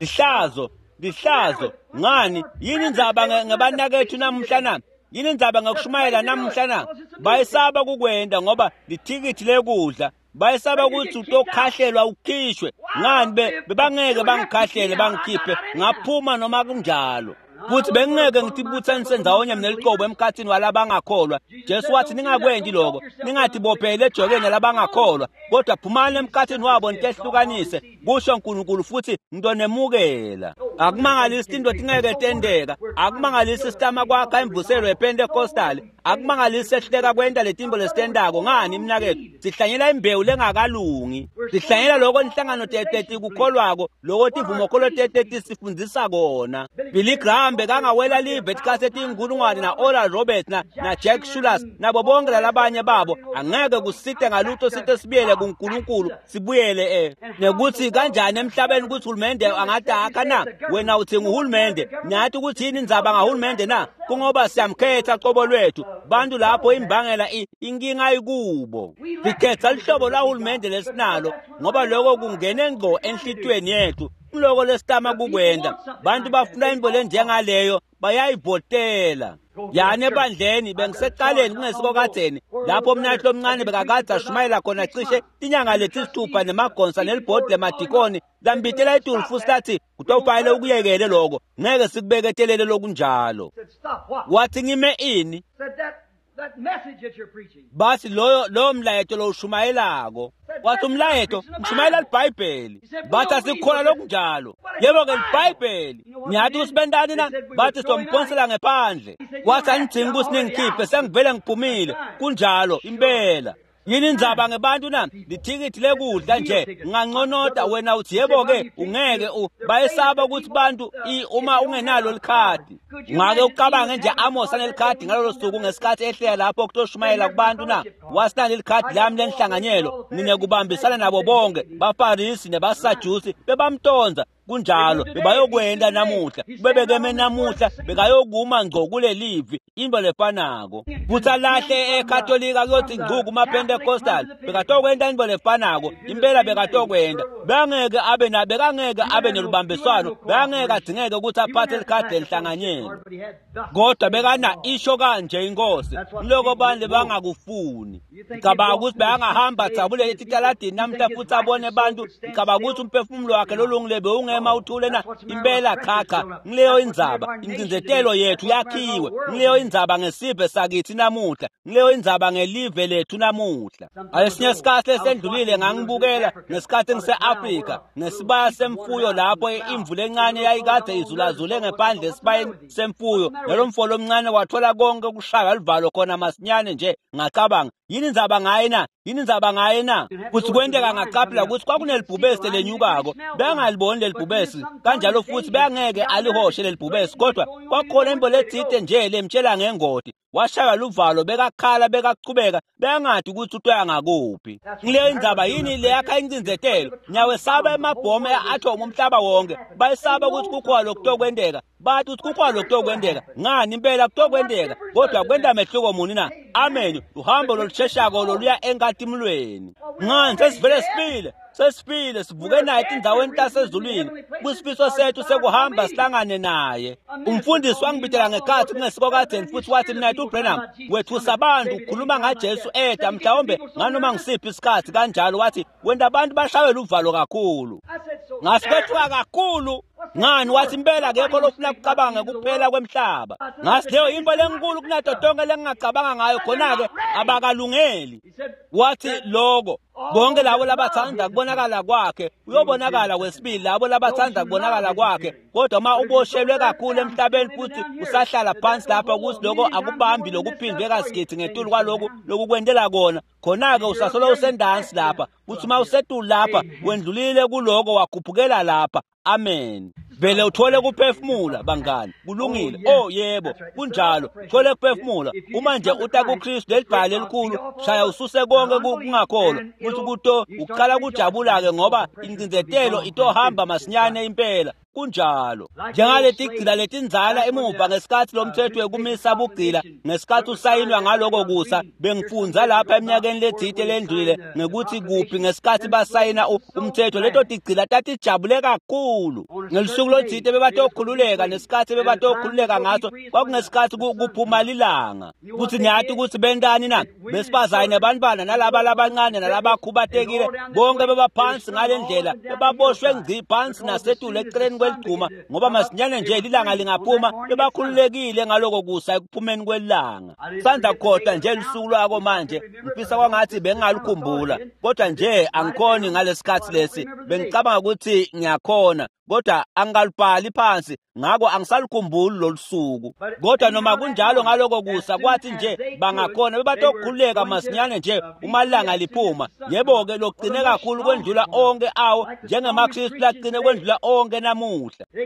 Lihlazo, lihlazo. Ngani? Yini indzaba ngebanakethu namuhla na? Yini indzaba ngokushumayela namuhla na? Bayesaba kukwenda ngoba lithikithi lekudla. Bayesaba ukuthi utokhahlelwa ukhishwe. Ngani bebangeke bangikhahlele bangikhiphe, ngaphuma noma kunjalo. Futhi bengingeke ngitibuthanise ndawonye neliqobo emkhathini walabangakholwa. Jesu wathi ningakwendi lokho, ningatibopheleli ejokeni labangakholwa, kodwa phumani emkhathini wabo nitehlukanise, kusho uNkulunkulu, futhi ngitonemukela. Akumangalisi tinto tingeke tenteka, akumangalisi sitama kwakha imvuselo yePentecostal, akumangalisi sehluleka kwenta letimbo lesitentako. Ngani mnaketfu? Sihlanyela imbewu lengakalungi, sihlanyela lokho inhlangano tetikukholwako, lokho tivumokholo tetisifundzisa kona. Billy Graham bekangawela live etikhathi etinkulungwane na Oral Roberts na Jack Shulas nabo bonke lalabanye babo, angeke kusite ngalutho site sibuyele kuNkulunkulu, sibuyele nekuthi kanjani emhlabeni ukuthi uhulumende angadakha na? Wena uthi nguhulumende, niyathi ukuthi yini indzaba ngahulumende na? Kungoba siyamkhetha qobo lwethu. Bantu lapho imbangela inkinga ikubo. Sikhetha lihlobo lwahulumende lesinalo ngoba lokho kungene ngqo enhlitiyweni yethu. Kuloko lesitama kukwenda. Bantu bafuna into lenjengaleyo bayayivotela. Yani ebandleni bengiseqaleni kungesiko kadzeni lapho umnaketfu lomncane bekakade ashumayela khona cishe tinyanga letisithupha nemagonsa nelibhodi lemadikoni lambitela etulu futhi lathi kutofanele ukuyekele lokho, ngeke sikubeketelele lokunjalo. Said, stop what? Wathi ngime ini? Said that message that you're preaching. Bathi loyo mlayeto lowushumayelako. Wathi umlayeto ngishumayela liBhayibheli. Bathi asikukholwa lokunjalo. Yebo-ke liBhayibheli. Niyathi ukuthi bentani na? Bathi sizomphonsela ngephandle. Wathi anidzingi ukuthi ningikhiphe, sengivele ngiphumile. Kunjalo impela. Yini indzaba ngebantu na? Lithikithi lekudla nje. Nganconota wena uthi yebo-ke ungeke bayesaba ukuthi bantu uma ungenalo likhadi. Ungake ucabange nje Amos anelikhadi ngalolo suku ngesikhathi ehlela lapho kutoshumayela kubantu na? Wasinalo likhadi lami lenhlanganyelo, mina kubambisana nabo bonke, baFarisi nebaSadusi bebamtonza. Kunjalo bebayokwenda namuhla, bebekeme namuhla, bekayokuma ngco kulelivi into lefanako. Futhi alahle eKatolika kuyothi ngcu kumaPentecostal, bekatokwenta into lefanako, impela bekatokwenta. Bangeke abe nabe kangeke abe nelubambiswano, bangeke adzingeke ukuthi aphathe likhadi lenhlanganyelo. Kodwa bekana isho kanje inkosi, ngiloko bantu bangakufuni. Ngicabanga ukuthi bangahamba dzabule etitaladini namhla futhi abone bantu. Ngicabanga ukuthi umphefumulo wakhe lolungile bewungema uthule na impela. Cha cha, ngileyo indzaba. Incindzetelo yethu yakhiwe. Ngileyo indzaba ngesive sakithi namuhla. Ngileyo indzaba ngelive lethu namuhla. Alesinye isikhathi esendlulile ngangibukela ngesikhathi ngise-Afrika ngesibaya semfuyo lapho imvu lencane yayikade izulazule ngephandle esibayeni semfuyo. Nalo mfolo omncane wathola konke ukushaywa livalo khona masinyane nje. Ngacabanga, yini indzaba ngaye na? Yini indzaba ngaye na? Kuthi kwenteka ngacaphela ukuthi kwakunelibhubesi lenyukako. Bengaliboni lelibhubesi kanjalo futhi bengeke alihoshe lelibhubesi, kodwa kwakhona into letsite nje lemtshela ngengoti. Washaywa luvalo, bekakhala, bekachubeka, bengadi ukuthi utoya ngakuphi. Ngileyo indzaba. Yini leyakha incindzetelo? Ngiyawesaba emabhomu e-atom umhlaba wonke. Bayisaba ukuthi kukhona lokutokwenteka. Bathi ukuthi kukhona lokutokwenteka. Ngani impela kutokwenteka, kodwa kwenta mehluko muni na? Amen. Uhambo lolusheshako loluya enkatimulweni. Ngani sesivele sifile, sesifile, sivuke naye etindzaweni tasezulwini. Kusifiso sethu sekuhamba sihlangane naye. Umfundisi wangibitela ngekhathi kungesiko kadzeni futhi wathi, "Mnethu uBranham, wethusa abantu ukhuluma ngaJesu eda mhlawumbe nganoma ngisiphi isikhathi kanjalo." Wathi, "Wenta abantu bashaywe luvalo kakhulu." Ngasi kwethuka kakhulu. Ngani? Wathi, "Impela akekho lofuna kucabanga kuphela kwemhlaba." Ngasi leyo into lenkulu kunato tonke lengingacabanga ngayo. Khona-ke abakalungeli. Wathi loko bonke labo labathanda kubonakala kwakhe uyobonakala kwesibili, labo labathanda kubonakala kwakhe. Kodwa uma uboshelwe kakhulu emhlabeni futhi usahlala phansi lapha ukuthi lokho akubambi lokuphindwe kasigidi ngetulu kwaloku lokukwentela kona, khona-ke usasolo usendansi lapha. Kuthi uma usetulu lapha, wendlulile kuloko wakhuphukela lapha. Amen. Vele uthole kuphefumula, bangani. Kulungile. Oh yebo, kunjalo. Thole kuphefumula. Uma nje uta kuKristu, lelibhali elikhulu, shaya ususe konke kungakholwa. Kuthi kuto uqala kujabula-ke ngoba incindzetelo itohamba masinyane impela. Kunjalo. Njengaleti gcila letindzala emuva ngesikhathi lomthetho wekumisa bugcila ngesikhathi usayinwa ngaloko kusa. Bengifundza lapha eminyakeni letsite lendlulile ngekuthi kuphi ngesikhathi basayina umthetho, leto tigcila tatijabule kakhulu ngelusuku lotsite bebatokhululeka. Nesikhathi bebatokhululeka ngaso kwakungesikhathi kuphuma lilanga. Kuthi niyati ukuthi bentani na? Besifazane nebantwana nalaba labancane nalabakhubatekile bonke bebaphansi ngale ndlela, bebaboshwe ngci phansi nasetulu eceleni kweligcuma, ngoba masinyane nje lilanga lingaphuma bebakhululekile ngaloko kusa ekuphumeni kwelanga. Sanda khohlwa nje lusuku lwako manje. Ngifisa kwangathi bengingalukhumbula, kodwa nje angikhoni ngalesikhathi lesi. Bengicabanga ukuthi ngiyakhona, kodwa angikalubhali phansi, ngako angisalukhumbuli lolu suku. Kodwa noma kunjalo ngaloko kusa, kwathi nje bangakhona bebatokhululeka masinyane nje uma ilanga liphuma. Yebo-ke, lokugcine kakhulu kwendlula onke awo, njengemaKristu lagcine kwendlula onke namuhla,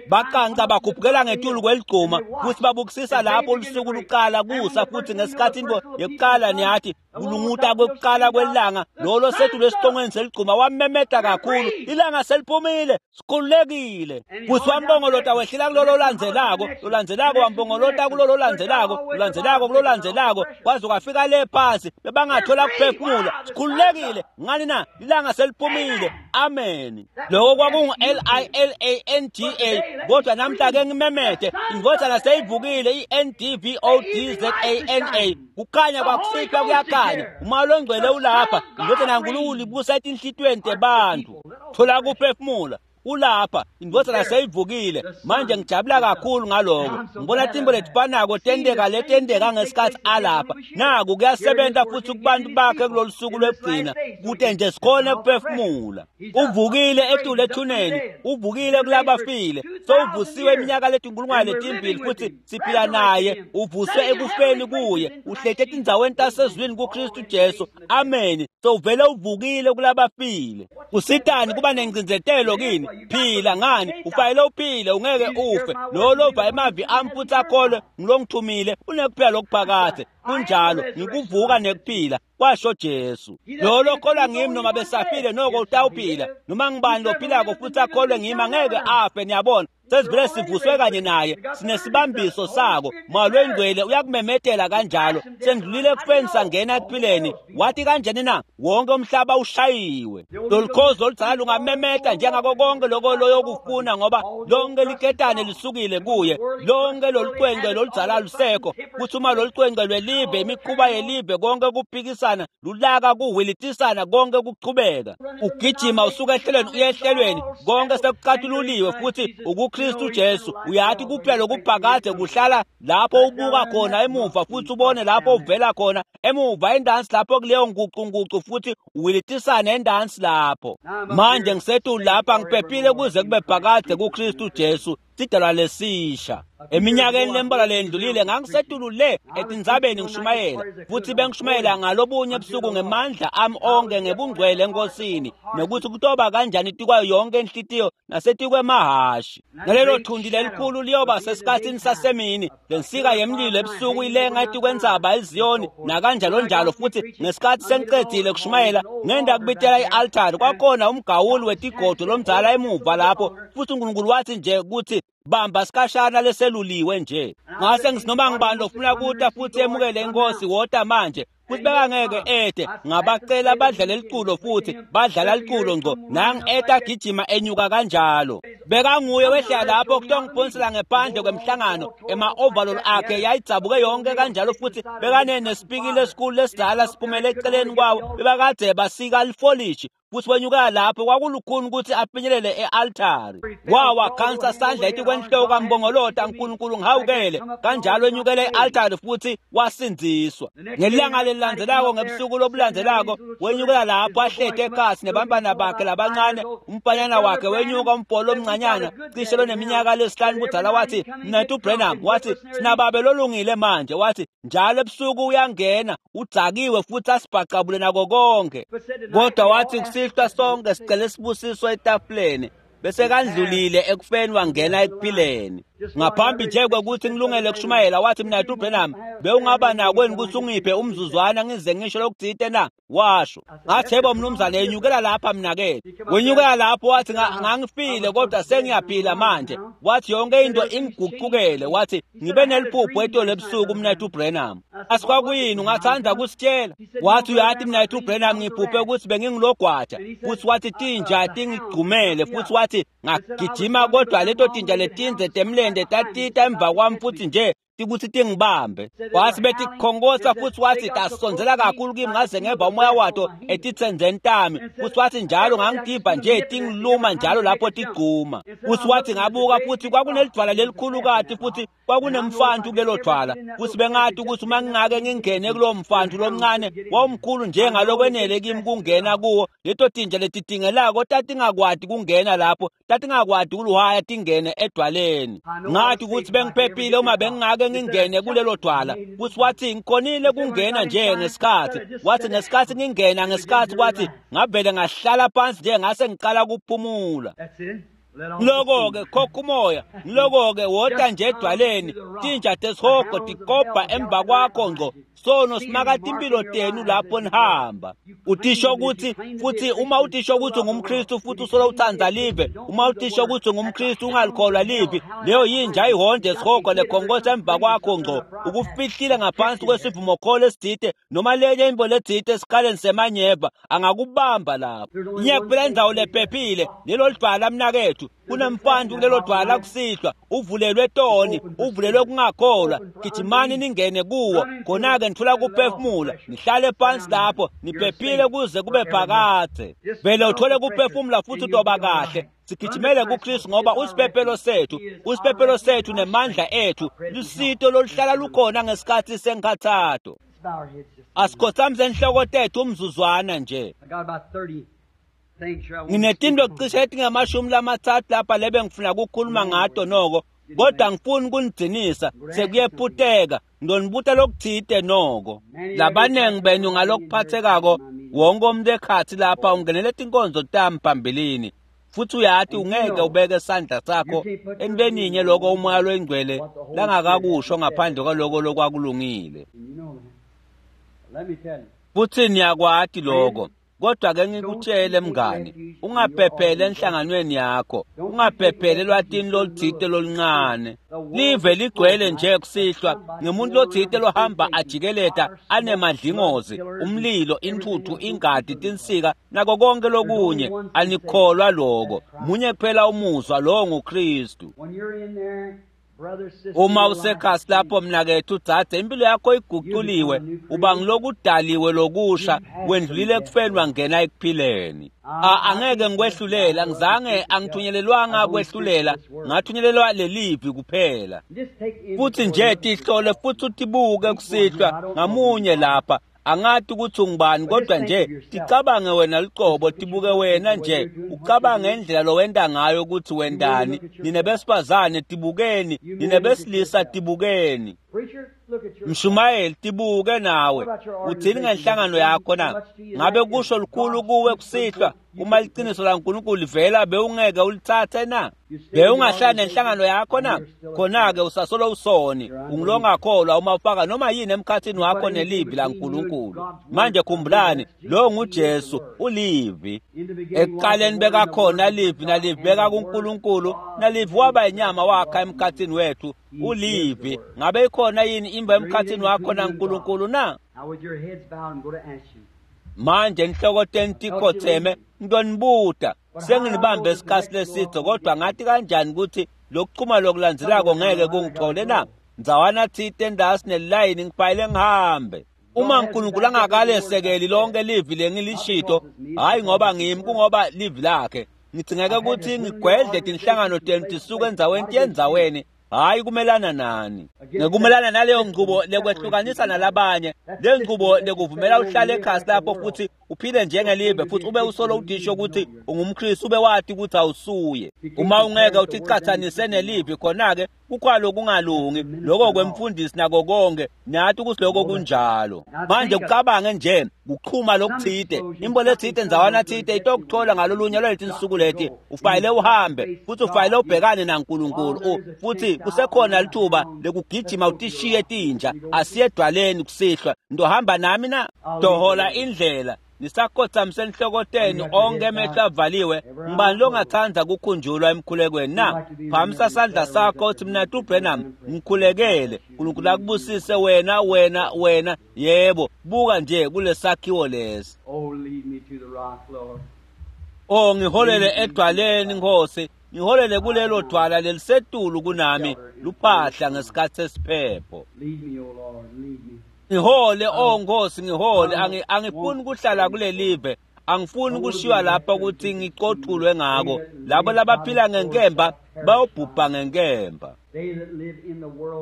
baqanca bakhuphukela ngetulu kweligcuma futhi babukisisa lapho lusuku luqala kusa. Futhi ngesikhathi into yokuqala, niyathi, kulunguta kwekuqala kwelanga, lolo sethu lesicongweni seligcuma wamemeta kakhulu, "Ilanga seliphumile, sikhululekile!" Futhi wambongolota wehlela kulolo landzelako, lolandzelako wambongolota kulolo landzelako, lolandzelako kulolandzelako, kwaze kwafika le phasi bebangathola kuphefumula. "Sikhululekile!" Ngani na? Ilanga seliphumile. Amen. Loko kwakungu L-I-L-A-N-G-A. Kodwa namhla ke ngimemete, indvodzana seyivukile, i-N-D-V-O-D-Z-A-N-A. Kukhanya kwakusihlwa kuyakhanya. Umoya longcwele ulapha. Indvodzana yaNkulunkulu ibusa etinhlitiyweni tebantfu. Thola kuphefumula, ulapha. Indvodzana seyivukile. Manje ngijabula kakhulu ngaloko. Ngibona tintfo letifanako tenteka letenteka ngesikhathi alapha. Naku kuyasebenza futhi kubantu bakhe kulolu suku lwekugcina, kute nje sikhone kuphefumula. Uvukile etulu ethuneni, uvukile kulabafile. Sowuvusiwe iminyaka letinkulungwane letimbili futhi siphila naye. Uvuswe ekufeni kuye, uhleti etindzaweni tasezulwini kuKristu Jesu. Amen. Sowuvele uvukile kulabafile. Kusitani kuba nencindzetelo kini? Phila. Ngani? Ufanele uphile, ungeke ufe. Lo lova emavi ami futhi akholwe ngilongithumile unekuphila lokuphakade. Kunjalo. Ngikuvuka nekuphila. Kwasho Jesu. Lo lokholwa ngimi noma besafile noko utawuphila. Noma ngibani lophilako futhi akholwe ngimi angeke afe. Niyabona, sesivele sivuswe kanye naye, sinesibambiso sako. Moya loyingcwele uyakumemetela kanjalo. Sendlulile ekufeni sangena ekuphileni. Wathi kanjani na? Wonke umhlaba ushayiwe. Lolukhozi oludzala lungamemeta njengako konke loko loyokufuna, ngoba lonke liketane lisukile kuye. Lonke lolucwengcwe loludzala lusekho. Kuthi uma lolucwengcwe lwelive, imikhuba yelive, konke kuphikisana, lulaka, kuhwilitisana, konke kuchubeka. Ugijima usuka ehlelweni uye ehlelweni, konke sekucatululiwe futhi ukuKristu Jesu. Uyathi kuphela lokuphakade kuhlala lapho ubuka khona emuva futhi ubone lapho uvela khona emuva endansi lapho kuleyo nguqunguqu futhi uwilitisane endansi lapho. Manje ngisetulu lapha ngiphephile kuze kube phakade kuKristu Jesu, sidalwa lesisha. Eminyakeni lembalwa lendlulile ngangisetulu le etindzabeni ngishumayela, futhi bengishumayela ngalobunye ebusuku ngemandla ami onke ngebungcwele enkosini, nokuthi kutoba kanjani tikwayo yonke inhlitiyo nasetikwemahashi. Nalelo thundi lelikhulu liyoba sesikhatsini sasemini, lensika yemlilo ebusuku ilenga etikwentsaba iZiyoni nakanjalo njalo. Futhi ngesikhathi sengicedzile kushumayela, ngenda kubitela i-altari, kwakhona umgawuli wetigodo lomdzala emuva lapho, futhi uNkulunkulu wathi nje ukuthi bamba sikashana leseluliwe nje. Ngase ngisinoma ngibani lofuna kuta futhi emukele inkosi, wota manje. Futhi bekangeke ede, ngabacela badlale liculo futhi badlala liculo ngco. Nang eta agijima enyuka kanjalo. Bekanguye wehlela lapho kutongibhonsela ngephandle kwemhlangano, ema-overall akhe yayidzabuke yonke kanjalo, futhi bekanenesipikile esikhulu lesidala siphumele eceleni kwawo, bebakade basika lifolishi. Futhi wenyuka lapho kwakulukhuni ukuthi afinyelele e-altari. Wawakhansa sandla etikwenhloko kambongolota, uNkulunkulu ngihawukele. Kanjalo enyukele e-altari futhi wasindziswa. Ngelanga lelilandzelako, ngebusuku lobulandzelako, wenyukela lapho ahlete ekhasi nebantwana bakhe labancane. Umfanyana wakhe wenyuka, umbholo omncanyana cishe loneminyaka lesihlanu budzala, wathi, "Mnethu Branham," wathi, "sinababe lolungile manje." Wathi, "Njalo ebusuku uyangena udzakiwe futhi asibhacabule nako konke." Kodwa wathi, kusihlwa sonke sicele sibusiso etafuleni. Bese kandlulile ekufeni wangena ekuphileni. Ngaphambi nje kwekuthi ngilungele kushumayela, wathi, "Mnethu Branham, bewungaba nakweni ukuthi ungiphe umzuzwana ngize ngisho lokuthite na?" Washo. Ngathi, "Yebo mnumzane, yenyukela lapha mnakethu." Wenyukela lapho wathi, "Ngangifile kodwa sengiyaphila manje." Wathi, "Yonke into ingiguqukele." Wathi, "Ngibe neliphupho etolo ebusuku mnethu Branham." Asikwakuyini ungathanda kusitshela? Wathi, "Uyathi mnethu Branham, ngiphuphe ukuthi bengingilogwaja." Futhi wathi, "Tinja tingigcumele." Futhi wathi, "Ngagijima kodwa leto tinja letinze temlende tatita emva kwami futhi nje tikuthi tingibambe." Wathi betikhonkosa futhi wathi tasondzela kakhulu kimi ngaze ngeva umoya wato etitsenzeni tami. Futhi wathi njalo ngangitiva nje tingiluma njalo lapho tigcuma. Futhi wathi ngabuka futhi kwakunelidvwala lelikhulukati futhi kwakunemfantu kulelo dvwala. Futhi bengathi ukuthi uma ngingake ngingene kulowo mfantu lomncane wawumkhulu njengalokwenele kimi kungena kuwo, leto tinja letidingelako tatingakwati kungena lapho, tatingakwati kuluhaya tingene edwaleni. Ngathi ukuthi bengiphephile uma bengingake ngingene kulelo dwala. Futhi wathi ngikhonile kungena nje ngesikhathi. Wathi ngesikhathi ngingena ngesikhathi, wathi ngavele ngahlala phansi nje ngase ngiqala kuphumula. Ngiloko-ke khokha umoya, ngiloko-ke wota nje edwaleni, tinja tesihogo tikobha emva kwakho ngco. Sono simakade impilo tenu lapho nihamba. Utisho ukuthi futhi uma utisho ukuthi ungumKristu futhi usola uthanda live, uma utisho ukuthi ungumKristu ungalikholwa livi, leyo yinja ihonde esihogo lekhonkosa emva kwakho ngco. Ukufihlile ngaphansi kwesivumokholo esithite noma lenye into lethite esikaleni semanyeva, angakubamba lapho. Inyekuphela indzawo lephephile lelo lidwala mnakethu. Kunemfantu kulelo dwala kusihlwa, uvulelwe toni, uvulelwe kungakholwa. Gijimani ningene kuwo, khona-ke nithola kuphefumula, nihlale phansi lapho niphephile kuze kube phakadze. Vele uthole kuphefumula futhi utoba kahle. Sigijimele kuKristu ngoba usiphephelo sethu, usiphephelo sethu nemandla ethu, lusito loluhlala lukhona ngesikhathi senkhathato. Asikhothamise inhloko tethu umzuzwana nje. Nginetinto cishe etingamashumi lamathathu lapha lebe ngifuna ukukhuluma ngato noko, kodwa ngifuni kunigcinisa sekuyephuteka. Ngidonibuta lokuthite noko. Labanengi benu ngalokuphathekako wonke umuntu ekhathi lapha ungenele tinkonzo tami phambilini. Futhi uyathi ungeke ubeke isandla sakho entweninye lokho umoya loyingcwele langakakusho ngaphandle kwaloko lokwakulungile. Futhi niyakwati lokho. Kodwa ke ngikutshele mngani, ungaphephele enhlanganweni yakho, ungaphephele elwatini loluthite loluncane. Live ligcwele nje kusihlwa ngemuntu lothite lohamba ajikeleta anemadlingozi, umlilo, intuthu, ingadi, tinsika nako konke lokunye. Anikholwa lokho. Munye kuphela umuzwa, lowo nguKristu. Uma usekhasi lapho mnakethu dzadze, impilo yakho iguculiwe, uba ngilokudaliwe lokusha, wendlulile ekufeni wangena ekuphileni. Angeke ngikwehlulela, ngizange angithunyelelwanga kwehlulela, ngathunyelelwa lelivi kuphela. Futhi nje tihlole futhi utibuke kusihlwa ngamunye lapha. Angathi ukuthi ungubani, kodwa nje ticabange wena luqobo, tibuke wena nje, ucabange indlela lowenta ngayo ukuthi wendani. Nine besifazane tibukeni, nine besilisa tibukeni. Mshumayeli tibuke nawe, uthini ngenhlangano yakho na? Ngabe kusho lukhulu kuwe kusihlwa uma liciniso laNkulunkulu livela, bewungeke ulitsatse na? Bewungahlala nenhlangano yakho na? Khona-ke usasolo usoni, ungulongakholwa uma ufaka noma yini emkhathini wakho nelivi laNkulunkulu. Manje khumbulani, lo nguJesu, ulivi. Ekuqaleni bekakhona livi, nalivi bekakuNkulunkulu, nalivi waba inyama wakha emkhathini wethu, ulivi. Ngabe ikhona yini imba emkhathini wakho naNkulunkulu na? Manje inhloko tenu tikhotheme, ngitonibuta. Senginibambe isikhathi leside, kodwa ngathi kanjani ukuthi lokuchuma lokulandzelako ngeke kungithole na? Ndzawana thite endasi nelilayini ngibhayile ngihambe. Uma uNkulunkulu angakalesekeli lonke livi lengilishito, hayi ngoba ngimi, kungoba livi lakhe. Ngidingeke ukuthi ngigwedle tinhlangano tenu tisuke endzaweni tiye endzaweni, hayi kumelana nani. Ngekumelana naleyo ngcubo lekwehlukanisa nalabanye, le ngcubo lekuvumela uhlale ekhasi lapho futhi uphile njengelive futhi ube usolo udisho ukuthi ungumKristu, ube wati ukuthi awusuye. Uma ungeke uticathanise nelivi, khona-ke kukhwalo kungalungi lokho kwemfundisi nako konke, nathi ukuthi lokho kunjalo. Manje kucabange nje kuchuma lokuthite, imbo lethite ndzawana thite itokuthola ngalolunye lwaleti nsuku leti, ufayile uhambe futhi ufayile ubhekane naNkulunkulu, futhi kusekhona lithuba lekugijima utishiye tinja. Asiye edwaleni kusihlwa, ndohamba nami na? Dohola indlela nisakhothamise enhloko tenu, onke emehlo avaliwe. Ngubani longathanda kukhunjulwa emkhulekweni na? Phamisa sandla sakho uthi, mina Branham ngikhulekele. uNkulunkulu akubusise wena, wena, wena. Yebo, buka nje kulesakhiwo lesi. Oh, ngiholele edwaleni Nkosi, ngiholele kulelo dwala lelisetulu kunami, luphahla ngesikhathi sesiphepho. Ngihole, oh Nkosi, ngihole. Angifuni kuhlala kulelive, angifuni kushiywa lapha ukuthi ngicothulwe ngako. Labo labaphila ngenkemba bayobhubha ngenkemba.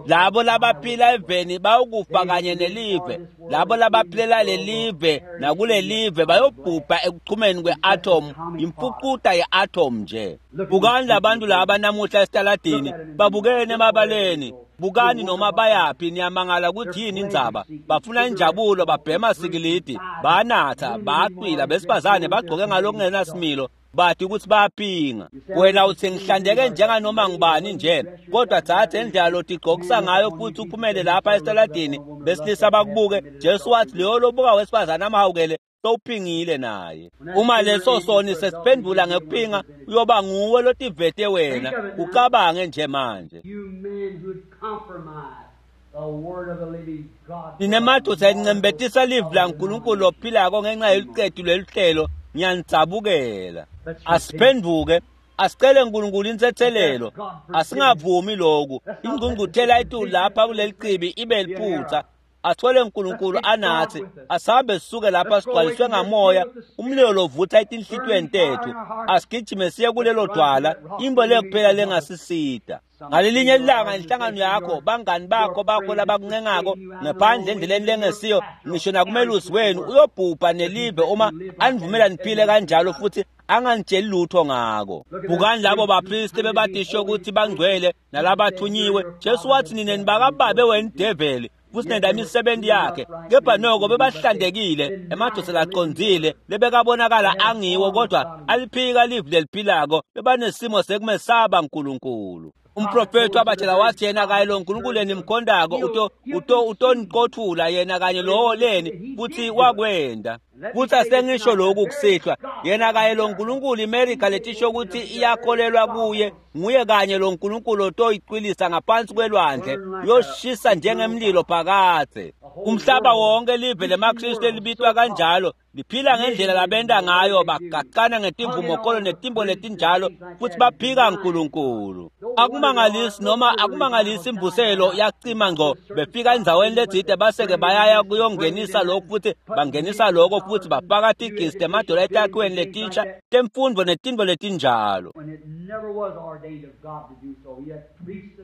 Labo labaphila eveni bayokufa kanye nelive. Labo labaphilela lelive nakulelive bayobhubha ekuchumeni kwe-atom, imfucuta ye-atom nje. Bukani labantu laba namuhla esitaladini, babukene emabaleni. Bukani noma bayaphi, niyamangala ukuthi yini indzaba. Bafuna injabulo, babhema sikilidi, banatha, bacwila, besifazane bagcoke ngalokungenasimilo, bathi ukuthi bayapinga. Wena uthi ngihlandeke njenganoma ngubani nje, kodwa thatha indlela lotigqokisa ngayo futhi uphumele lapha esitaladini, besilisa bakubuke. Jesu wathi leyo lobuka wesifazane amhawukele sowuphingile naye. Uma leso soni sesiphendula ngekuphinga, uyoba nguwe lotivete wena. Ucabange nje manje. Nine madoda encembetisa livi laNkulunkulu lophilako ngenxa yelucetu lweluhlelo, ngiyanitsabukela. Asiphenduke, asicele uNkulunkulu insethelelo. Asingavumi lokhu. Ingqungquthela etulu lapha kuleli chibi ibe liphutha. Athole uNkulunkulu anathi, asihambe sisuke lapha sigcwaliswe ngamoya, umlilo lovutha etinhlitweni tethu. Asigijime siye kulelo dwala, imbo lekuphela lengasisida. Ngalelinye ilanga inhlangano yakho, bangani bakho labakuncengako ngaphandle endleleni lengesiyo, ngisho nakumelusi wenu, uyobhubha nelive uma anivumela niphile kanjalo futhi anganitsheli lutho ngako. Bukani labo bapristi bebatisho ukuthi bangcwele nalabathunyiwe. Jesu wathi nine nibakababe wena develi, futhi nenda imisebenzi yakhe. Kepha noko bebahlandekile, emadoda laqondzile, lebekabonakala angiwo, kodwa aliphika livi leliphilako, bebanesimo sekumesaba uNkulunkulu. Umprofethi wabatshela wathi yena kanye lo Nkulunkulu enimkhondako utoniqothula yena kanye lowo leni, futhi wakwenda. Futhi asengisho lokhu kusihlwa, yena kanye lo Nkulunkulu iMerika letisho ukuthi iyakholelwa kuye, nguye kanye lo Nkulunkulu otoyicwilisa ngaphansi kwelwandle, uyoshisa njengemlilo phakadze. Umhlaba wonke live lemaKristu elibitwa kanjalo liphila ngendlela labenda ngayo, bagaqana ngetimvumokolo netimbo letinjalo, futhi baphika uNkulunkulu. Akumangalisi noma akumangalisi imvuselo yacima ngco, befika endzaweni letsite base-ke bayaya kuyongenisa lokhu futhi bangenisa lokho futhi bafaka tigisi temadola etakhiweni letinsha temfundvo netintfo letinjalo.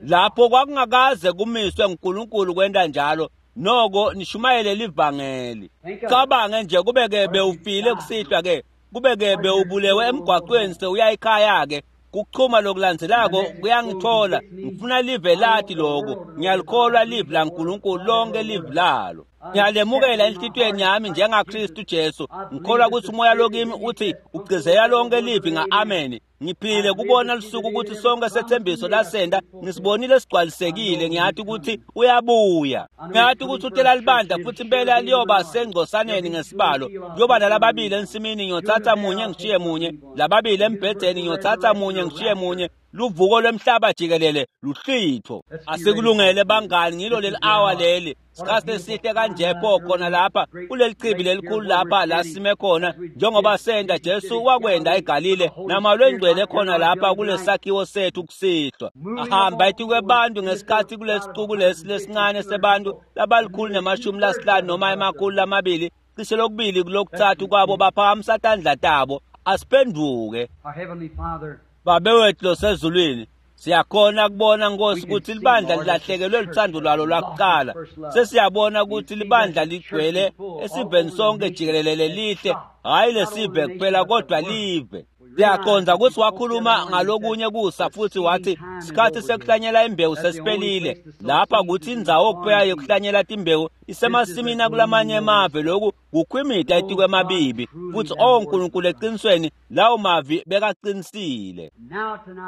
Lapho kwakungakaze kumiswe nguNkulunkulu kwenta njalo, noko nishumayele livangeli. Cabange nje kube-ke bewufile kusihlwa-ke, kube-ke bewubulewe emgwaqweni sewuya ekhaya-ke, kuchuma lokulandzelako kuyangithola. Ngifuna live lati lokho, ngiyalikholwa live laNkulunkulu, lonke live lalo. Ngiyalemukela enhlitiyweni yami njengaKristu Jesu. Ngikholwa ukuthi umoya lokimi uthi ugcizelela lonke livi nga-amen. Ngiphile kubona lusuku ukuthi sonke sethembiso lasenda ngisibonile sigcwalisekile. Ngiyathi ukuthi uyabuya, ngiyathi ukuthi utela libandla futhi impela liyoba sengcosaneni ngesibalo. Kuyoba nalababili ensimini, ngiyothatha munye ngishiye munye, lababili embhedeni, ngiyothatha munye ngishiye munye. Luvuko lwemhlaba jikelele luhlitho. Asikulungele bangani, ngilo leli hour leli. Sikhathi esihle kanje pho khona lapha kuleli chibi lelikhulu lapha la sime khona, njengoba senda Jesu wakwenda eGalile namalwengcwele khona lapha kulesakhiwo sethu kusihlwa. Ahamba etikwebantu ngesikhathi kulesixuku lesi lesincane sebantu labalikhulu ne-50 noma 200, cishe lokubili kulokuthathu kwabo baphakamisa tandla tabo. Asiphenduke. Babe wethu losezulwini, siyakhona kubona Nkosi ukuthi libandla lilahlekelwe luthando lwalo lwakuqala. Sesiyabona ukuthi libandla ligcwele esiveni sonke jikelele lelihle, hhayi lesive kuphela kodwa live. Siyaqonda ukuthi wakhuluma ngalokunye kusa futhi wathi sikhathi sekuhlanyela imbewu sesiphelile. Lapha kuthi indzawo kuphela yokuhlanyela timbewu isemasimini akulamanye emave, lokhu kukhwimida etikwemabibi. Futhi oh Nkulunkulu, eqinisweni lawo mavi bekaqinisile.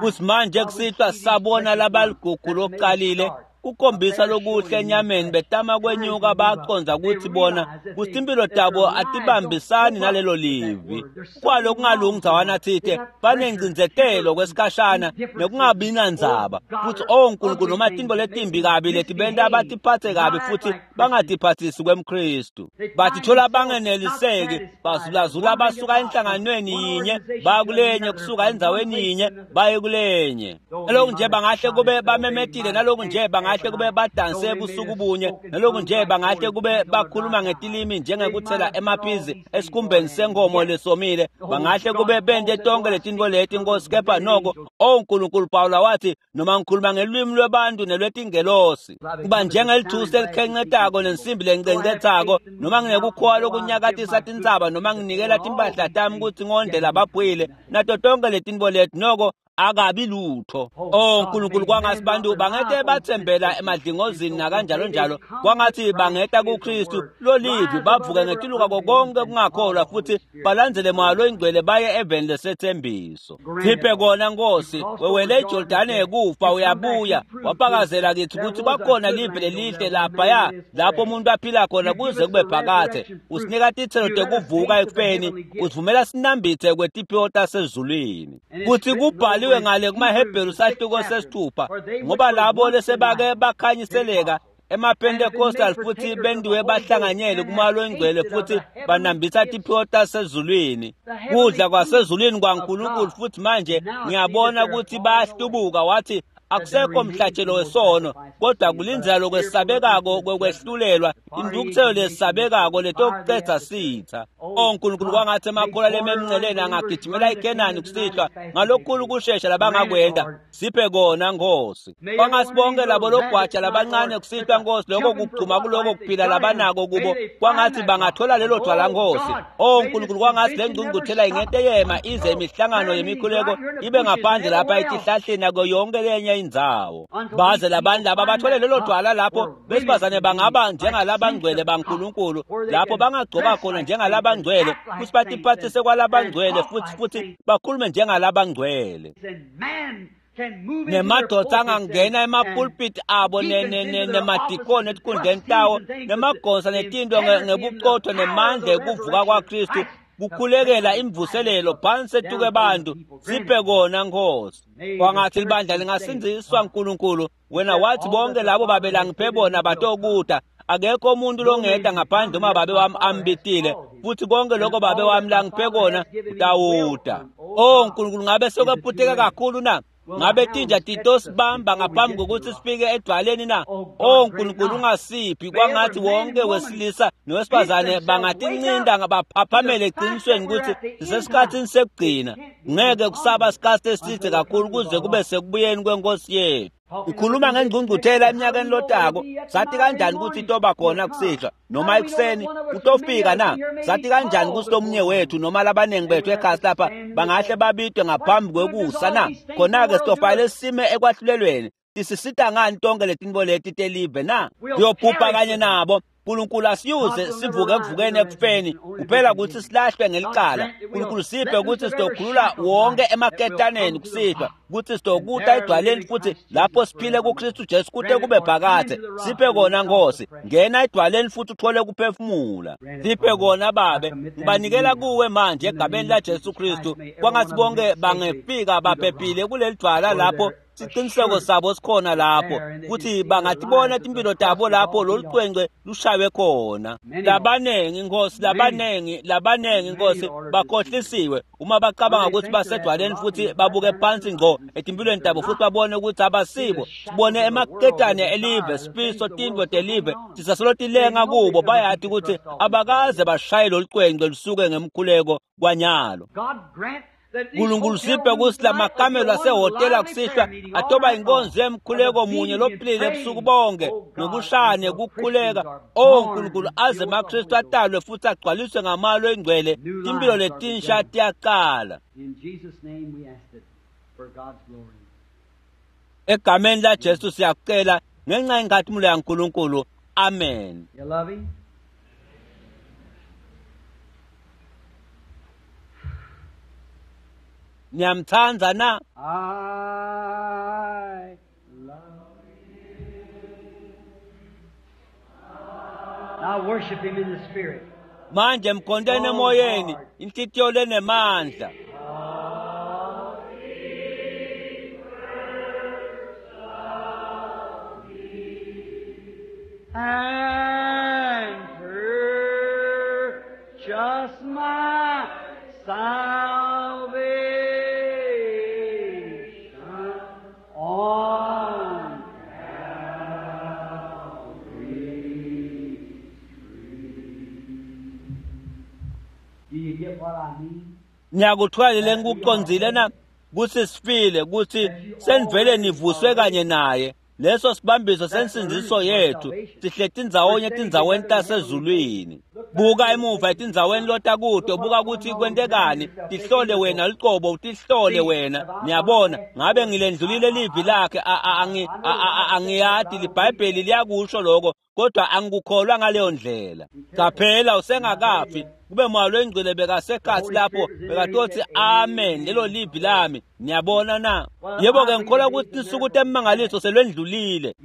Futhi manje kusihlwa sabona labaligugu lokuqalile kukhombisa lokuhle enyameni, betama kwenyuka baqonda ukuthi bona kuthi impilo tabo atibambisani nalelo livi. Kwalo kungalungi ndzawana thite banengcindzetelo kwesikhashana nekungabi nandzaba. Futhi oh Nkulunkulu, noma tintfo letimbi kabi letibenta batiphatse kabi futhi bangatiphathisi kwemKristu. Batithola bangeneliseki, bazulazula basuka enhlanganweni yinye bakulenye, kusuka endzaweni yinye baye kulenye. Naloku nje bangahle kube bamemetile, naloku nje bangahle kube badanse ebusuku bunye, naloku nje bangahle kube bakhuluma ngetilimi njengekuthela emaphizi esikhumbeni senkomo lesomile, bangahle kube bente tonke letintfo leti Nkosi, kepha noko oh Nkulunkulu, Pawula wathi noma ngikhuluma ngelwimi lwebantu nelwetingelosi, kuba njengelithusi elikhencetako nensimbi lencencethako, noma nginekukhowa lokunyakatisa tintsaba, noma nginikela timpahla tami kutsi ngondle lababhwile, nato tonke letintfo leti, noko akabi lutho. Oh Nkulunkulu, kwangathi bantu bangete bathembela emadlingozini nakanjalo njalo, kwangathi bangeta kuKristu lolivi, bavuke ngetiluka konke kungakholwa futhi balandzele moya loyingcwele baye eveni lesethembiso. Siphe kona Nkosi, wewele eJordane yekufa uyabuya, wafakazela kithi ukuthi kwakhona live lelihle laphaya lapho umuntu aphila khona kuze kube phakathe. Usinika titselo tekuvuka ekufeni, usivumela sinambithe kwetiphiwo tasezulwini. Kuthi kubhaliwe ngale kumaHebheru sahluko 6, ngoba labo lesebake bakhanyiseleka emaPentecostal futhi bendiwe bahlanganyele kumoya loyingcwele futhi banambitha tiphiwo tasezulwini, kudla kwasezulwini kwaNkulunkulu. Futhi manje ngiyabona ukuthi bayahlubuka. Wathi akusekho mhlatshelo wesono, kodwa kulindzela lokwesabekako kwekwehlulelwa, intukuthelo lesabekako letokucedza sitha. Oh Nkulunkulu, kwangathi emakholwa lememnceleni angagijimela iKenani kusihlwa ngalokukhulu kushesha labangakwenta. Siphe kona Nkosi. Kwangathi bonke labo logwaja labancane kusihlwa Nkosi, lokho kugcuma kuloko kuphila labanako kubo, kwangathi bangathola lelo dwala Nkosi. Oh Nkulunkulu, kwangathi le ngcungcuthela ingete yema ize imihlangano yemikhuleko ibe ngaphandle lapha etihlahleni nako yonke lenye indzawo, baze labantu laba bathole lelo dwala lapho besifazane bangaba njengalabangcwele baNkulunkulu, lapho bangagcoka khona njengalabangcwele futhi batiphathise kwalabangcwele futhi bakhulume njengalabangcwele. Nemadvodza angangena emapulpiti abo nemadikoni etikhundleni tawo nemagosa netinto ngebuqotho nemandla ekuvuka kwaKristu kukhulekela imvuselelo phansi etuke bantu. Siphe kona Nkosi. Kwangathi libandla lingasindziswa nkulunkulu. Wena wathi bonke labo babelangiphe bona batokuta. Akekho umuntu longeta ngaphandle uma babe wami ambitile, futhi konke lokho babe wami langiphe kona utawuta. Oh nkulunkulu, ngabe sokwephuteka kakhulu na? Ngabe tinja titosibamba ngaphambi kokuthi sifike edwaleni na? Oh nkulunkulu, ungasiphi. Kwangathi wonke wesilisa nowesifazane bangatincinda baphaphamele eqinisweni ukuthi sisesikhathini sekugcina. Ngeke kusaba isikhathi eside kakhulu kuze kube sekubuyeni kwenkosi yethu. Ikhuluma ngengcungcuthela eminyakeni lotako. Sathi kanjani ukuthi itoba khona kusihlwa noma ekuseni? Utofika na? Sathi kanjani ukuthi lomunye wethu noma labaningi bethu ekhasi lapha bangahle babidwe ngaphambi kwekusa na? Khona-ke sitofanele sime ekwahlulelweni. Tisisita ngani tonke letinto leti telive na? Siyobhubha kanye nabo. Nkulunkulu asiyuze sivuke ekuvukeni ekufeni kuphela ukuthi silahlwe ngelicala. Nkulunkulu siphe ukuthi sitokhulula wonke emaketaneni kusihlwa, ukuthi sitokuta edwaleni futhi lapho siphile kuKristu Jesu kute kube phakadze. Siphe kona Nkosi. Ngena edwaleni futhi uthole kuphefumula. Siphe kona Babe. Ngibanikela kuwe manje egameni la Jesu Kristu. Kwangathi bonke bangefika baphephile kuleli dwala lapho siqiniseko sabo sikhona lapho, kuthi bangatibona timpilo tabo lapho lolu cwengcwe lushaywe khona. Labanengi Nkosi, labanengi Nkosi bakhohlisiwe uma bacabanga ukuthi basedwaleni futhi babuke phansi ngqo etimpilweni tabo futhi babone ukuthi abasibo. Sibone emaketane elive, sifiso tintfo telive tisasolo tilenga kubo. Bayati ukuthi abakaze bashaye lolu cwengcwe lusuke ngemkhuleko kwanyalo. Nkulunkulu siphe ukuthi lamakamelo asehhotela kusihlwa atoba inkonzo yemkhuleko munye lophilile ebusuku bonke nokushaya nekukhuleka. Oh nkulunkulu, aze emaKristu atalwe futhi agcwaliswe ngamalo engcwele. Timpilo letinsha tiyaqala. Egameni la Jesu siyakucela ngenxa yenkazimulo yaNkulunkulu. Amen. Niyamthanda na? I love him. Now worship him in the spirit. Manje mkhonteni emoyeni, inhlitiyo lenemandla. And purchase my salvation on Calvary's tree. Do you get what I mean? Ngiyakuthwalile ngikuqondzile na kutsi sifile, kutsi senivele nivuswe kanye naye. Leso sibambiso sensindziso yethu sihleti ndzawonye etindzaweni tasezulwini. Buka emuva etindzaweni lotakuto, buka kutsi kwentekani. Tihlole wena lucobo, utihlole wena. Niyabona, ngabe ngilendlulile livi lakhe? Angiyati, liBhayibheli liyakusho lokho, kodwa angikukholwa ngaleyo ndlela. Qaphela, usengakafi. Kube moya lwengcwele bekasekhathi lapho bekatothi amen, lelo livi lami. Niyabona na? Yebo-ke, ngikholwa ukuthi tinsuku temimangaliso selwendlulile.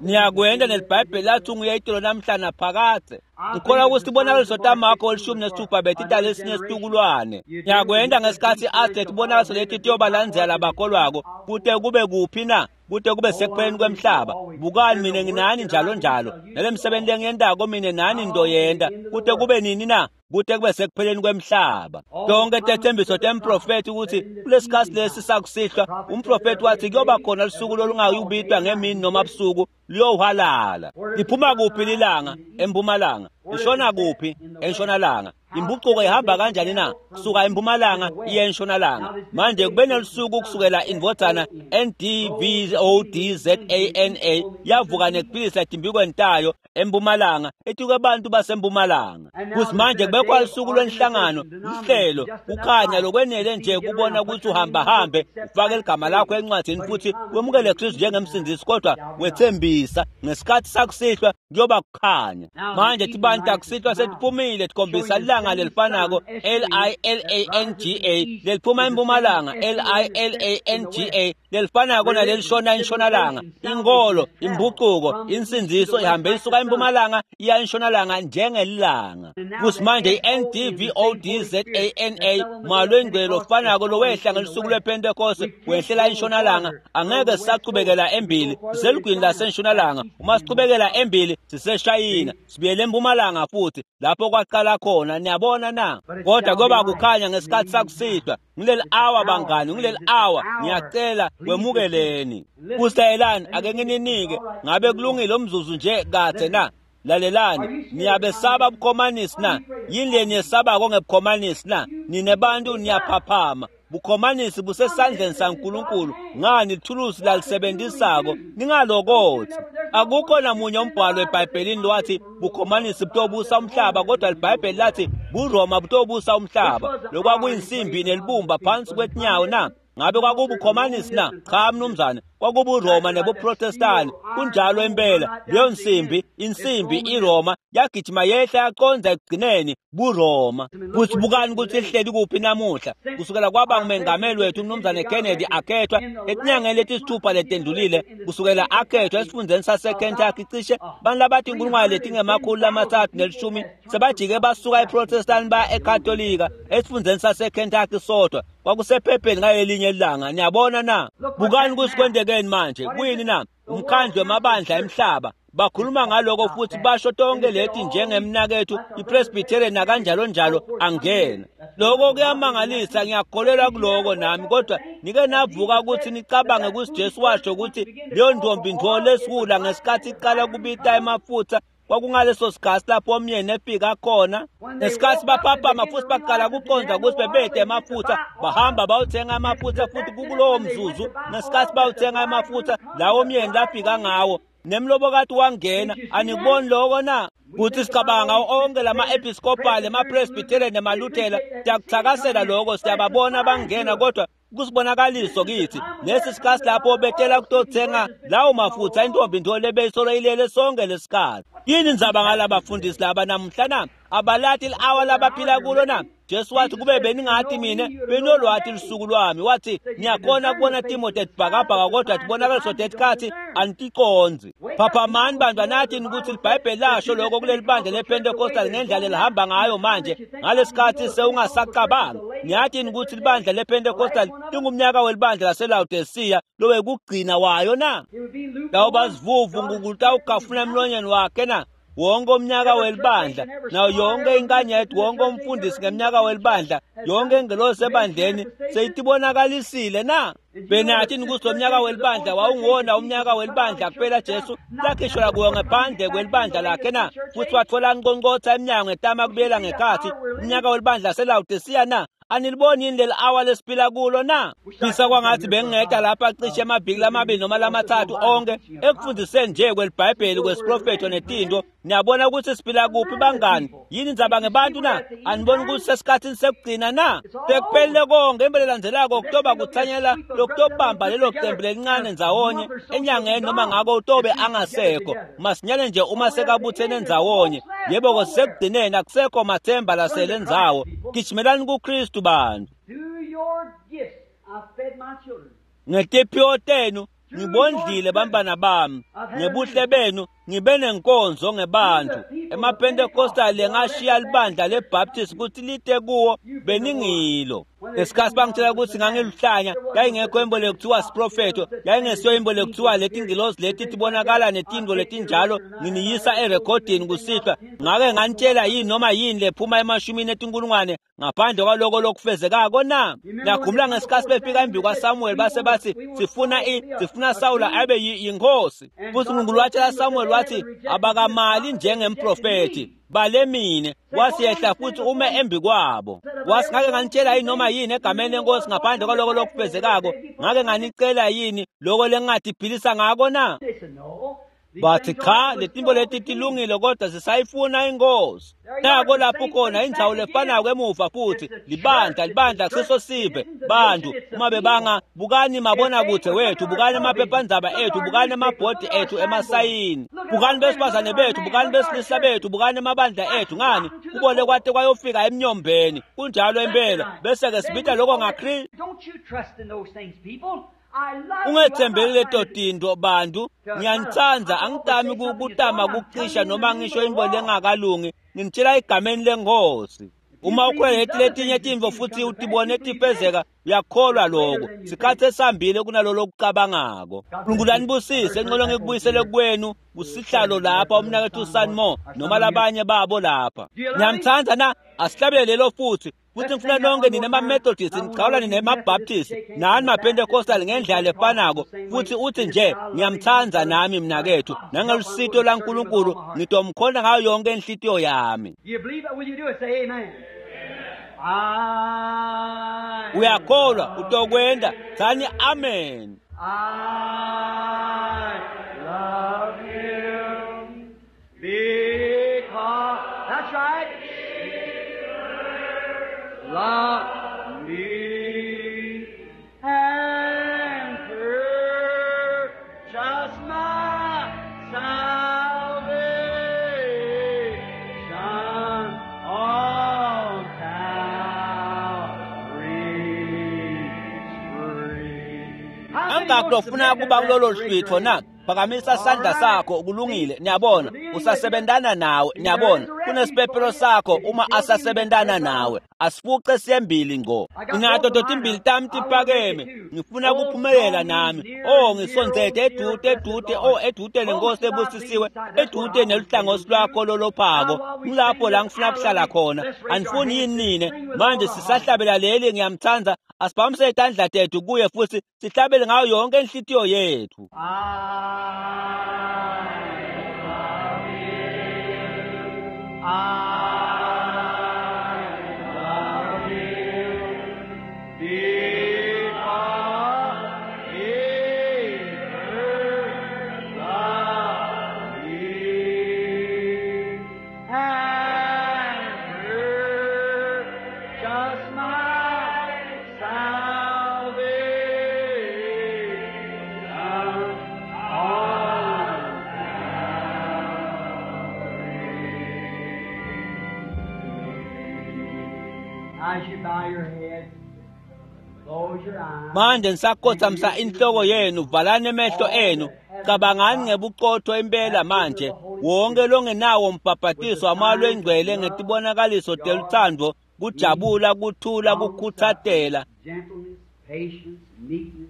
Niyakwenda neliBhayibheli lathi unguye itolo namhla naphakadze. Ngikholwa ukuthi tibonakaliso taMakho 16 betitalesinye situkulwane. Niyakwenda ngesikhathi athi tibonakaliso leti tiyobalandzela labakholwako kute kube kuphi na? Kute kube sekupheleni kwemhlaba. Bukani, mina nginani njalo njalo, nale msebenzi lengiyentako mina nani ndoyenta kute kube nini na? Kute kube sekupheleni kwemhlaba. Tonke tethembiso temprofethi ukuthi kulesikhathi lesi sakusihlwa, umprofethi wathi kuyoba khona lusuku lolungayubitwa ngemini noma busuku, liyowuhalala. Liphuma kuphi lilanga? Empumalanga. Lishona kuphi? Entshonalanga. Impucuko ihamba kanjani na? Kusuka empumalanga iye entshonalanga. Manje kube nelusuku kusukela indvodzana NDVODZANA yavuka nekuphilisa etimbikweni tayo empumalanga etikwe bantu basempumalanga. Kuthi manje kube Bekwalusuku lwenhlangano, lihlelo, kukhanya lokwenele nje kubona ukuthi uhamba hambe, ufake ligama lakho encwadini futhi wemukele Kristu njengemsindisi, kodwa wethembisa ngesikhathi sakusihlwa kuyoba kukhanya. Manje tibantu akusihlwa setiphumile tikhombisa ilanga lelifanako L-I-L-A-N-G-A leliphuma empumalanga L-I-L-A-N-G-A lelifanako nalelishona entshonalanga. Inkolo, imbucuko, insindziso ihambe isuka empumalanga iya entshonalanga njengelanga. Kuthi manje i-N-D-V-O-D-Z-A-N-A malwengcwele ofanako lowehla ngelusuku lwePentekoste wehlela entshonalanga, angeke sisachubekela embili, siselugwini lasentshonalanga. Uma sichubekela embili siseshayina, sibuyele empumalanga futhi lapho kwaqala khona. Niyabona na? Kodwa kuyoba kukhanya ngesikhathi sakusihlwa. Ngileli hour bangani, ngileli hour, ngiyacela kwemukeleni. Kusayelani, ake ngininike, ngabe kulungile umzuzu nje kade na? Lalelani, niyabesaba bukhomanisi na? Yini le niyesabako ngebukhomanisi na? Nine bantu niyaphaphama. Bukhomanisi busesandleni saNkulunkulu. Ngani lithulusi lalisebenzisako ningalokothi. Akukho namunye umbhalo eBhayibhelini lwathi bukhomanisi butobusa umhlaba, kodwa iBhayibheli lathi buRoma butobusa umhlaba. Lokwakuyinsimbi nelibumba phansi kwetinyawo na? Ngabe kwakubukhomanisi na? Cha mnumzane, kwakubuRoma nebuProtestani. Kunjalo impela, leyo nsimbi, insimbi iRoma yagijima yehla yaqonda ekugcineni buRoma. Futhi bukani ukuthi ihleli kuphi namuhla. Kusukela kwaba ngumengameli wethu umnumzane Kennedy akhethwa etinyangeni letisithupha letendlulile, kusukela akhethwa esifundeni saseKentucky cishe bantu labathi inkulungwane letingemakhulu 310 sebajike basuka eProtestani baya eKatolika esifundeni saseKentucky sodwa. Kwakusephepheni ngalelinye ilanga. Niyabona na? Bukani ukuthi kwenzekeni manje. Kuyini na? Umkhandlu wamabandla emhlaba bakhuluma ngaloko futhi basho tonke leti njengemnakethu iPresbyterian nakanjalo njalo angena. Lokho kuyamangalisa, ngiyakholelwa kuloko nami, kodwa nike navuka ukuthi nicabange ukuthi Jesu washo ukuthi leyo ntombi ntfo lesiwula ngesikhathi iqala kubita emafutha kwakungaleso sikhathi lapho omyeni efika khona. Ngesikhathi baphaphama futhi baqala kuqonda ukuthi bebede emafutha, bahamba bayothenga amafutha, futhi kukulowo mzuzu ngesikhathi bayothenga amafutha lawo myeni lafika ngawo nemlobokati wangena. Anikuboni lokho na? Kuthi sicabanga onke lama-episcopal, ema-presbyterian nemaluthela, siyakuthakasela lokho, siyababona bangena, kodwa kusibonakaliso kithi lesi sikhathi lapho betela kutothenga lawo mafutha intombi ntfo lebeyisolo ilele sonke lesikhathi. Yini indzaba ngalabafundisi laba namuhla na? Abalati li-awa labaphila kulo na? Jesu wathi kube beningathi mina benolwati lusuku lwami. Wathi niyakhona kubona timo tetibhakabhaka kodwa tibonakaliso tetikhathi aniticonzi. Phaphamani bantu, anathini ukuthi iBhayibheli lasho lokho kuleli bandla lePentecostal ngendlela elihamba ngayo manje ngalesikhathi sewungasacabanga. Niyathini ukuthi libandla lePentecostal lingumnyaka welibandla laseLaodicea lowekugcina wayo na? Lawo bazivuvu uNkulunkulu tawugafuna emlonyeni wakhe na? Wonke umnyaka welibandla nayo yonke inkanyeti, wonke umfundisi ngemnyaka welibandla, yonke ingelosi ebandleni seyitibonakalisile na? Benathini ukuthi lo mnyaka welibandla wawunguwona umnyaka welibandla kuphela Jesu lakhishwa kuwo ngaphandle kwelibandla lakhe na? Futhi wathola nqonqotha eminyango etama kubuyela ngekhathi umnyaka welibandla seLaodicea na? Aniliboni yini leli awa lesiphila kulo na? Fisa kwangathi bengingeda lapha cishe emaviki lamabili noma lamathathu onke ekufundiseni nje kweliBhayibheli kwesiprofetho netinto. Niyabona ukuthi siphila kuphi bangani? Yini indzaba ngebantu na? Aniboni ukuthi sesikhathini sekugcina na? Sekuphelile konke. Impela elandzelako kutoba kuthanyela lokutobamba lelo cembu lelincane ndzawonye enyangeni noma ngako utobe angasekho masinyane nje uma sekabuthene ndzawonye. Yebo, sekugcineni akusekho mathemba lasele ndzawo. Gijimelani kuKristu bantu. Ngetiphiwo tenu ngibondlile bantwana bami, ngebuhle benu ngibe nenkonzo ngebantu. EmaPentecostal lengashiya libandla leBaptist ukuthi lite kuwo beningilo. Ngesikhathi bangitshela ukuthi ngangiluhlanya, yayingekho imboleko kuthiwa siprofetho, yayingesiyo imboleko kuthiwa leti ngilozi leti tibonakala netinto letinjalo. Nginiyisa erekhodini kusihlwa. Ngake nganitshela yini noma yini lephuma emashumini etinkulungwane ngaphandle kwaloko lokufezekako na? Nakhumula ngesikhathi befika embi kwaSamuel base bathi sifuna Sawula abe yinkosi. Futhi uNkulunkulu watshela Samuel wathi abakamali njengemprofethi bale mine. Wasiyehla futhi ume embi kwabo. Wasi ngake nganitshela yini noma yini egameni lenkosi ngaphandle kwaloko lokufezekako? Ngake nganicela yini loko lengingathi philisa ngako na? Bathi cha, letinto leti tilungile kodwa sisayifuna inkosi. Nako lapho khona indzawo lefanako emuva futhi libandla, libandla kusiso sive bantu uma bebanga bukani mabonakudze wethu, bukani amaphephandzaba ethu, bukani emabhodi ethu emasayini, bukani besifazane bethu, bukani besilisa bethu, bukani emabandla ethu. Ngani kubole kwate kwayofika emnyombeni. Kunjalo impela. Bese-ke sibita lokho ngaKristu. Don't you trust in those things, people. I love you. I'm Ungethembeli not leto trying to tinto bantu. Ngiyanitsandza, angitami kutama kucisha noma ngisho intfo lengakalungi. Nginitshela egameni lenkosi. Uma ukhwela leti letinye tintfo futhi utibone tifezeka, uyakholwa lokho. Sikhathi esihambile kunalolo lokucabangako. Nkulunkulu anibusise, ngicela ngikubuyisele kwenu kusihlalo lapha umnakethu Sanmo noma labanye babo lapha. Niyamtsandza na? Asihlabele lelo futhi. Futhi ngifuna nonke nine ma-Methodist, ngichawula nine ma-Baptist, nani ma-Pentecostal ngendlela lefanako. Futhi uthi nje ngiyamtsandza nami mnakethu, nangelusito laNkulunkulu ngitomkhona ngayo yonke inhlitiyo yami. You believe it? Will you do it? Say amen. I Uyakholwa utokwenda, tsani amen. I love him because that's right. Love me and purchase my salvation on Calvary's tree. Angakho lofuna kuba kulolo hlwitho na? Phakamisa sandla sakho, kulungile. Niyabona usasebentana nawe. Niyabona kunesiphephelo sakho uma asasebentana nawe. Asifuce siyembili ngco. Nginato totimbili tami tiphakeme, ngifuna kuphumelela nami. Oh, ngisondzete edude edude, oh edude nenkosi ebusisiwe, edude neluhlangothi lwakho lolophako. Ngilapho la ngifuna kuhlala khona. Anifuni yini nine? Manje sisahlabela leli ngiyamtsandza. Asiphakamise itandla tethu kuye futhi sihlabele ngayo yonke inhlitiyo yethu. I love him. I love him because he first loved me and purchased my salvation on As you bow your head, close your eyes. Manje nisakhothamisa inhloko yenu, valani emehlo enu, cabangani ngebuqotho impela manje. Wonke longenawo umbhabhatiso wamoya lwengcwele ngetibonakaliso telutsandvo, kujabula, kuthula, kukhuthatela, Gentleness, patience, meekness,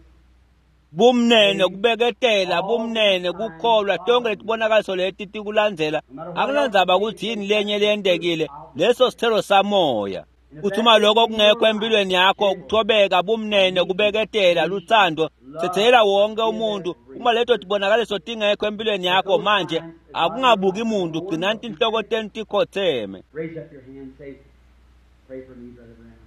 bumnene, kubeketela, bumnene, kukholwa, tonke letibonakaliso leti tikulandzela. Akunandzaba kutsi yini lenye leyentekile, leso sithelo samoya. Kuthi uma lokho kungekho empilweni yakho, kuthobeka, bumnene, kubeketela, lutsandvo, tsetsela wonke umuntu. Uma leto tibonakaliso tingekho empilweni yakho manje, akungabuki muntu, gcinani tinhloko tenu tikhotseme. Raise up your hand and say, pray for me, Brother Branham.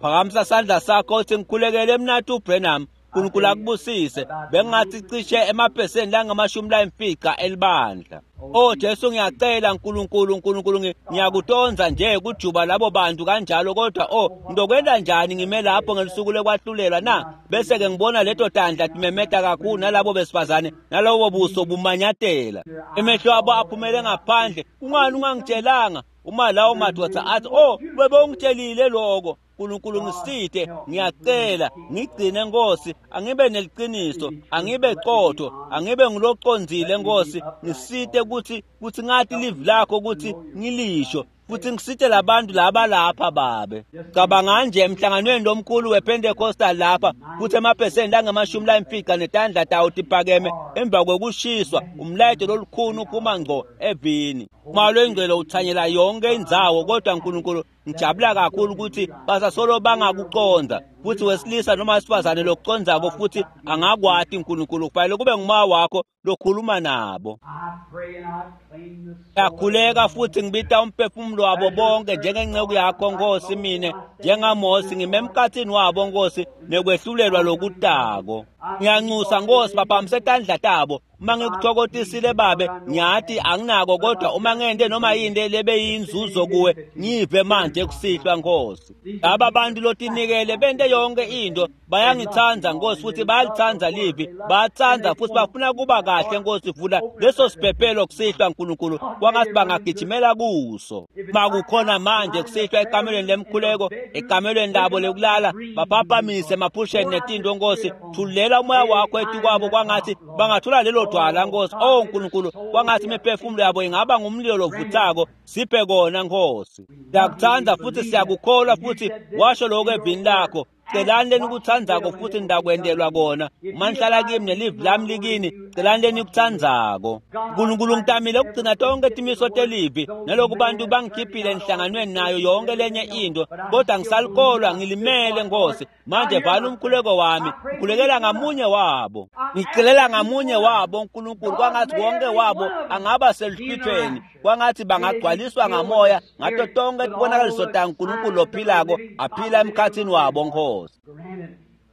Phakamisa sandla sakho uthi ngikhulekele mnathu uBranham. uNkulunkulu akubusise. Bengathi cishe emaphesenti langamashumi layimfica elibandla. Oh Jesu, ngiyacela Nkulunkulu, Nkulunkulu, ngiyakutonza nje kujuba labo bantu kanjalo, kodwa oh ngizokwenda njani ngime lapho ngelusuku lokwahlulelwa na? Bese ke ngibona leto tandla timemeta kakhulu nalabo besifazane nalobo buso bumanyatela, emehlo abo aphumele ngaphandle. Kungani ungangitshelanga? Uma lawo madoda athi oh bebe ungitshelile lokho. Nkulunkulu ngisite, ngiyacela ngigcine Nkosi, angibe neliqiniso, angibe qotho, angibe ngulocondzile Nkosi, ngisite kuthi ngathi livi lakho ukuthi ngilisho, futhi ngisite labantu laba lapha babe. Cabanga nje emhlanganweni lomkhulu wePentecostal lapha, futhi emaphesenti angamashumi layimfica netandla tawo tiphakeme emva kwekushiswa, umlayeto lolukhulu uphuma ngco evini. Moya lwengcwele uthanyela yonke indzawo, kodwa Nkulunkulu ngijabula kakhulu ukuthi basasolo bangakuconza, futhi wesilisa noma wesifazane lokuconzako futhi angakwati Nkulunkulu, kufanele kube ngumoya wakho lokhuluma nabo. I pray and I claim the soul. Ngiyakhuleka futhi ngibita umphefumulo wabo bonke njengenceku yakho Nkosi, mina njengaMose ngime emkhathini wabo Nkosi nekwehlulelwa lokutako. Ngiyanxusa Nkosi, baphamise tandla tabo. Uma ngikuthokotisile babe, ngiyathi anginako, kodwa uma ngente noma yini lebeyinzuzo kuwe, ngive manje kusihlwa Nkosi. Laba bantu lotinikele bente yonke into, bayangithanda Nkosi futhi bayalithanda livi, bayathanda futhi bafuna kuba kahle Nkosi. Vula leso siphephelo kusihlwa Nkulunkulu, kwangathi bangagijimela kuso. Makukhona manje kusihlwa ekamelweni lemkhuleko, ekamelweni labo lekulala, baphaphamise emaphusheni netinto Nkosi. Thulela umoya wakho etikwabo, kwangathi bangathola lelo dwala Nkosi. Oh Nkulunkulu, kwangathi imiphefumulo yabo ingaba ngumlilo lovuthako. Siphe kona Nkosi. Siyakuthanda futhi siyakukholwa, futhi washo lokho evini lakho. Celani lenikutsandzako futhi nitakwentelwa kona. Uma nihlala kimi nelivi lami likini, celani lenikutsandzako. Nkulunkulu, ngitamile ukugcina tonke timiso telivi, naloku bantu bangikhiphile enhlanganweni nayo yonke lenye into, kodwa ngisalikholwa, ngilimele Nkosi. Manje vala umkhuleko wami, ngikhulekela ngamunye wabo, ngicelela ngamunye wabo Nkulunkulu, kwangathi wonke wabo angaba seluhlwithweni, kwangathi bangagcwaliswa ngamoya ngato tonke tibonakaliso taNkulunkulu lophilako aphila emkhathini wabo Nkosi.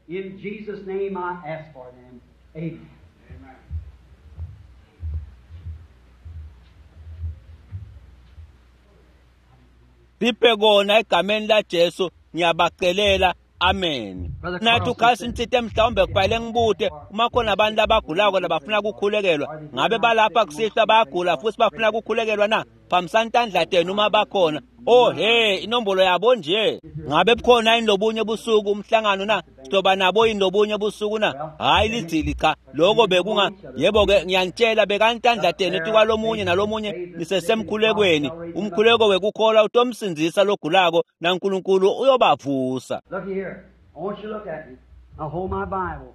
In Jesus' name I ask for them. Amen. Siphe kona egameni laJesu, ngiyabacelela. Amen. Nathi ukhasi nitsite mhlawumbe kufanele ngibute uma khona abantu abagulako labafuna kukhulekelwa, ngabe balapha kusihlwa bayagula futhi bafuna kukhulekelwa na? Phamisani tandla tenu uma bakhona. Oh he, inombolo yabo nje. Ngabe bukhona yini lobunye busuku umhlangano na? Sizoba nabo yini lobunye busuku na? Hayi lidzili cha, lokho bekunga. Yebo-ke ngiyanitshela, bekani tandla tenu etikwalomunye nalomunye nisesemkhulekweni. Umkhuleko wekukholwa utomsindzisa logulako, naNkulunkulu uyobavusa. Look here. I want you to look at me. Now hold my Bible.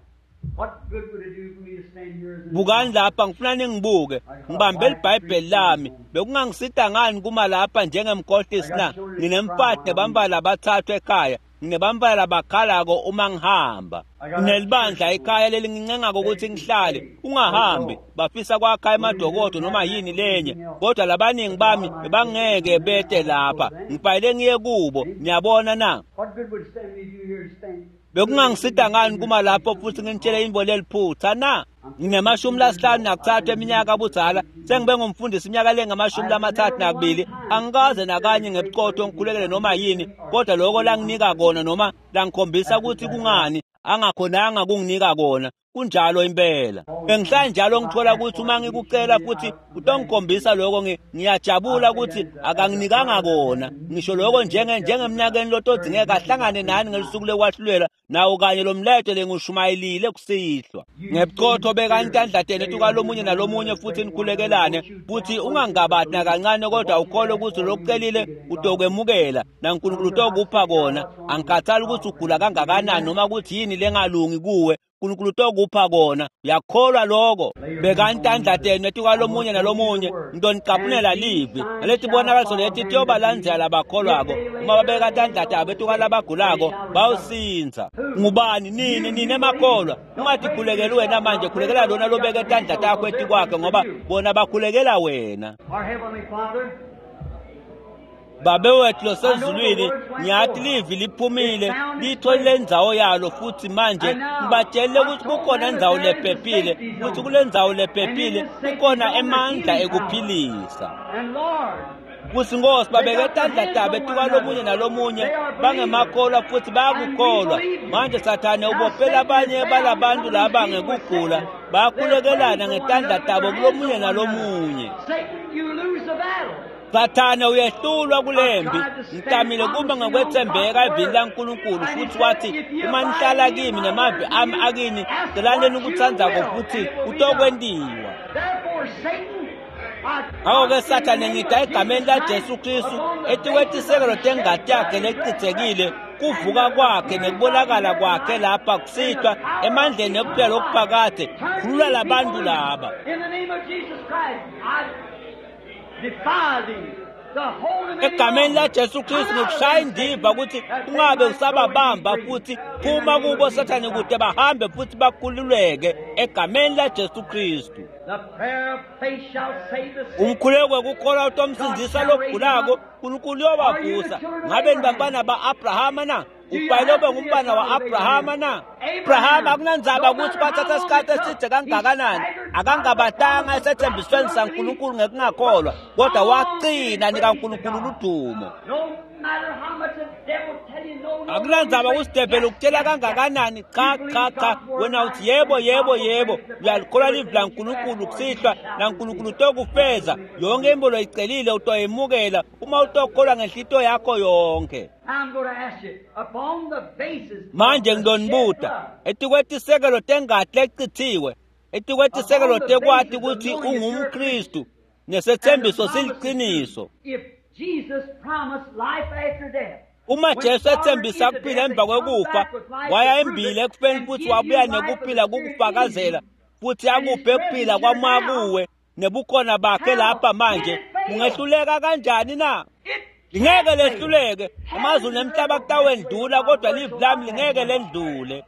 What good would it do for me to stand here as an Bukani lapha, ngifuna ningibuke. Ngibambe iBhayibheli lami. Bekungangisita ngani kuma lapha njengemkhohlisi na? Nginemfati nebantfwana labathathu ekhaya. Nginebantfwana labakhalako uma ngihamba. Nginelibandla ekhaya lelingincengako ukuthi ngihlale. Ungahambi. Bafisa kwakha emadokodo noma yini lenye, kodwa labaningi bami bebangeke bete lapha. Ngifanele ngiye kubo. Niyabona na? What good would it stand me to do here to stand? Bekungangisita ngani kuma lapho futhi nginitshele intfo leliphutha na? Ngine-53 eminyaka budzala, sengibe ngumfundisi iminyaka lengama-32. Angikaze nakanye ngebuqotho ngikhulekele noma yini, kodwa lokho langinika kona noma langikhombisa ukuthi kungani angakhonanga kunginika kona. Kunjalo impela. Bengihlala njalo ngithola ukuthi uma ngikucela futhi utongikhombisa lokho, ngiyajabula ukuthi akanginikanga kona. Ngisho lokho njengemnyakeni lotodzingeka ahlangane nani ngelusuku lekwahlulelwa, nawo kanye lo mlayeto lengushumayelile kusihlwa. Ngebuqotho bekani tandla tenu etukwalomunye nalomunye futhi nikhulekelane, futhi ungangabati nakancane, kodwa ukholwe ukuthi lokucelile utokwemukela naNkulunkulu utokupha kona. Angikhathali ukuthi ugula kangakanani noma ukuthi yini lengalungi kuwe, uNkulunkulu utokupha kona. Uyakholwa lokho? Bekani tandla tenu etikwalomunye nalomunye, ngitonicaphunela livi naletibonakaliso leti tiyobalandzela labakholwako. Uma babeka tandla tabo etikwalabagulako bayosindza. Ngubani? Nini nini emakholwa. Ungatikhulekeli wena manje, khulekela lona lobeke tandla takho etikwakhe, ngoba bona bakhulekela wena. Our Heavenly Father, Babe wethu losezulwini, ngiyathi livi liphumile, litholile indzawo yalo, futhi manje ngibatshele ukuthi kukhona indzawo lephephile, futhi kule ndzawo lephephile kukhona emandla ekuphilisa. and Lord, Kuthi Nkosi babeke tandla tabo etikwalomunye nalomunye, bangemakholwa futhi bayakukholwa. Manje Sathane ubophela abanye balabantu laba ngekugula, bayakhulekelana ngetandla tabo kulomunye nalomunye. Satan, you lose the battle. Sathane uyehlulwa kulempi. Ngitamile kuba ngokwethembeka evini laNkulunkulu, futhi wathi uma nihlala kimi nemavi ami akini, celaneni ukutsandzako futhi kutokwentiwa. Therefore, Satan, I Ngakho-ke Sathane, ngida egameni laJesu Kristu etikwetisekelo tengati yakhe lecitsekile, kuvuka kwakhe nekubonakala kwakhe lapha kusihlwa emandleni ekuphila lokuphakade, khulula labantu laba. In the name of Jesus Christ, I defy thee. The hold him any Egameni longer. laJesu Kristu ngikushaya indiva ukuthi ungabe usababamba futhi phuma kubo Sathane, kude bahambe futhi bakhululeke egameni laJesu Kristu. The prayer of faith shall save the sick. Umkhuleko wekukholwa utomsindzisa logulako, uNkulunkulu uyobavusa. Ngabe nibantwana ba-Abrahama na? Ufanele ube ngumbana wa-Abrahama na? Abrahama akunandzaba ukuthi kwathatha isikhathi eside kangakanani, akangabatanga esethembisweni saNkulunkulu ngekungakholwa, kodwa wagcina nikaNkulunkulu ludumo. Akunandzaba kusidebhela ukutshela kangakanani, cha cha cha, wena uthi yebo yebo yebo, uyalikholwa livi laNkulunkulu kusihlwa, naNkulunkulu utokufeza yonke imbo loyicelile utoyemukela uma utokholwa ngenhlito yakho yonke. Manje ngizonibuta etikwetisekelo tengati lecithiwe, etikwetisekelo tekwati ukuthi ungumKristu nesethembiso siliqiniso. Uma Jesu ethembisa kuphila emva kwekufa, waya embili ekufeni futhi wabuya nekuphila kukufakazela futhi akuphe kuphila kwamoya kuwe nebukhona bakhe lapha manje, ungehluleka kanjani na? Lingeke lehluleke. Amazulu nemhlaba kutawendlula, kodwa livi lami lingeke lendlule.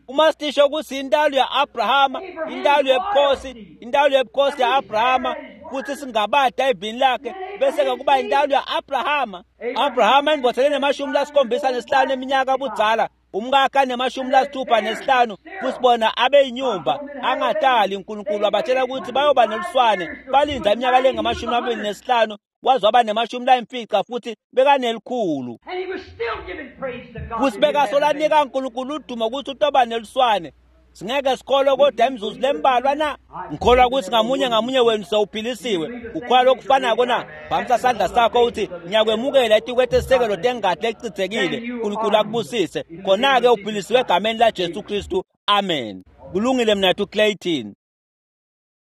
Uma sisho ukuthi intalo ya-Abrahama, intalo yebukhosi, intalo yebukhosi ya-Abrahama, futhi singabada evini lakhe, bese-ke kuba intalo ya-Abrahama. Abrahama indvodza lenemashumi lasikhombisa nesihlanu eminyaka budzala, umkakhe anemashumi lasithupha nesihlanu, futhi bona abeyinyumba angatali. uNkulunkulu wabatshela ukuthi bayoba neluswane, balinda iminyaka lengamashumi 25 waze waba nemashumi 5 futhi bekanelikhulu, futhi bekasolanika uNkulunkulu udumo ukuthi utoba neluswane. Singeke sikholwe kodwa imizuzu lembalwa na? Ngikholwa ukuthi ngamunye ngamunye wenu sewuphilisiwe. Ukholwa lokufanako na? Phamisa sandla sakho uthi ngiyakwemukela etikwetisekelo tengati lecithekile. uNkulunkulu akubusise. Khona-ke uphilisiwe egameni laJesu Kristu. Amen. Kulungile mnathu Clayton.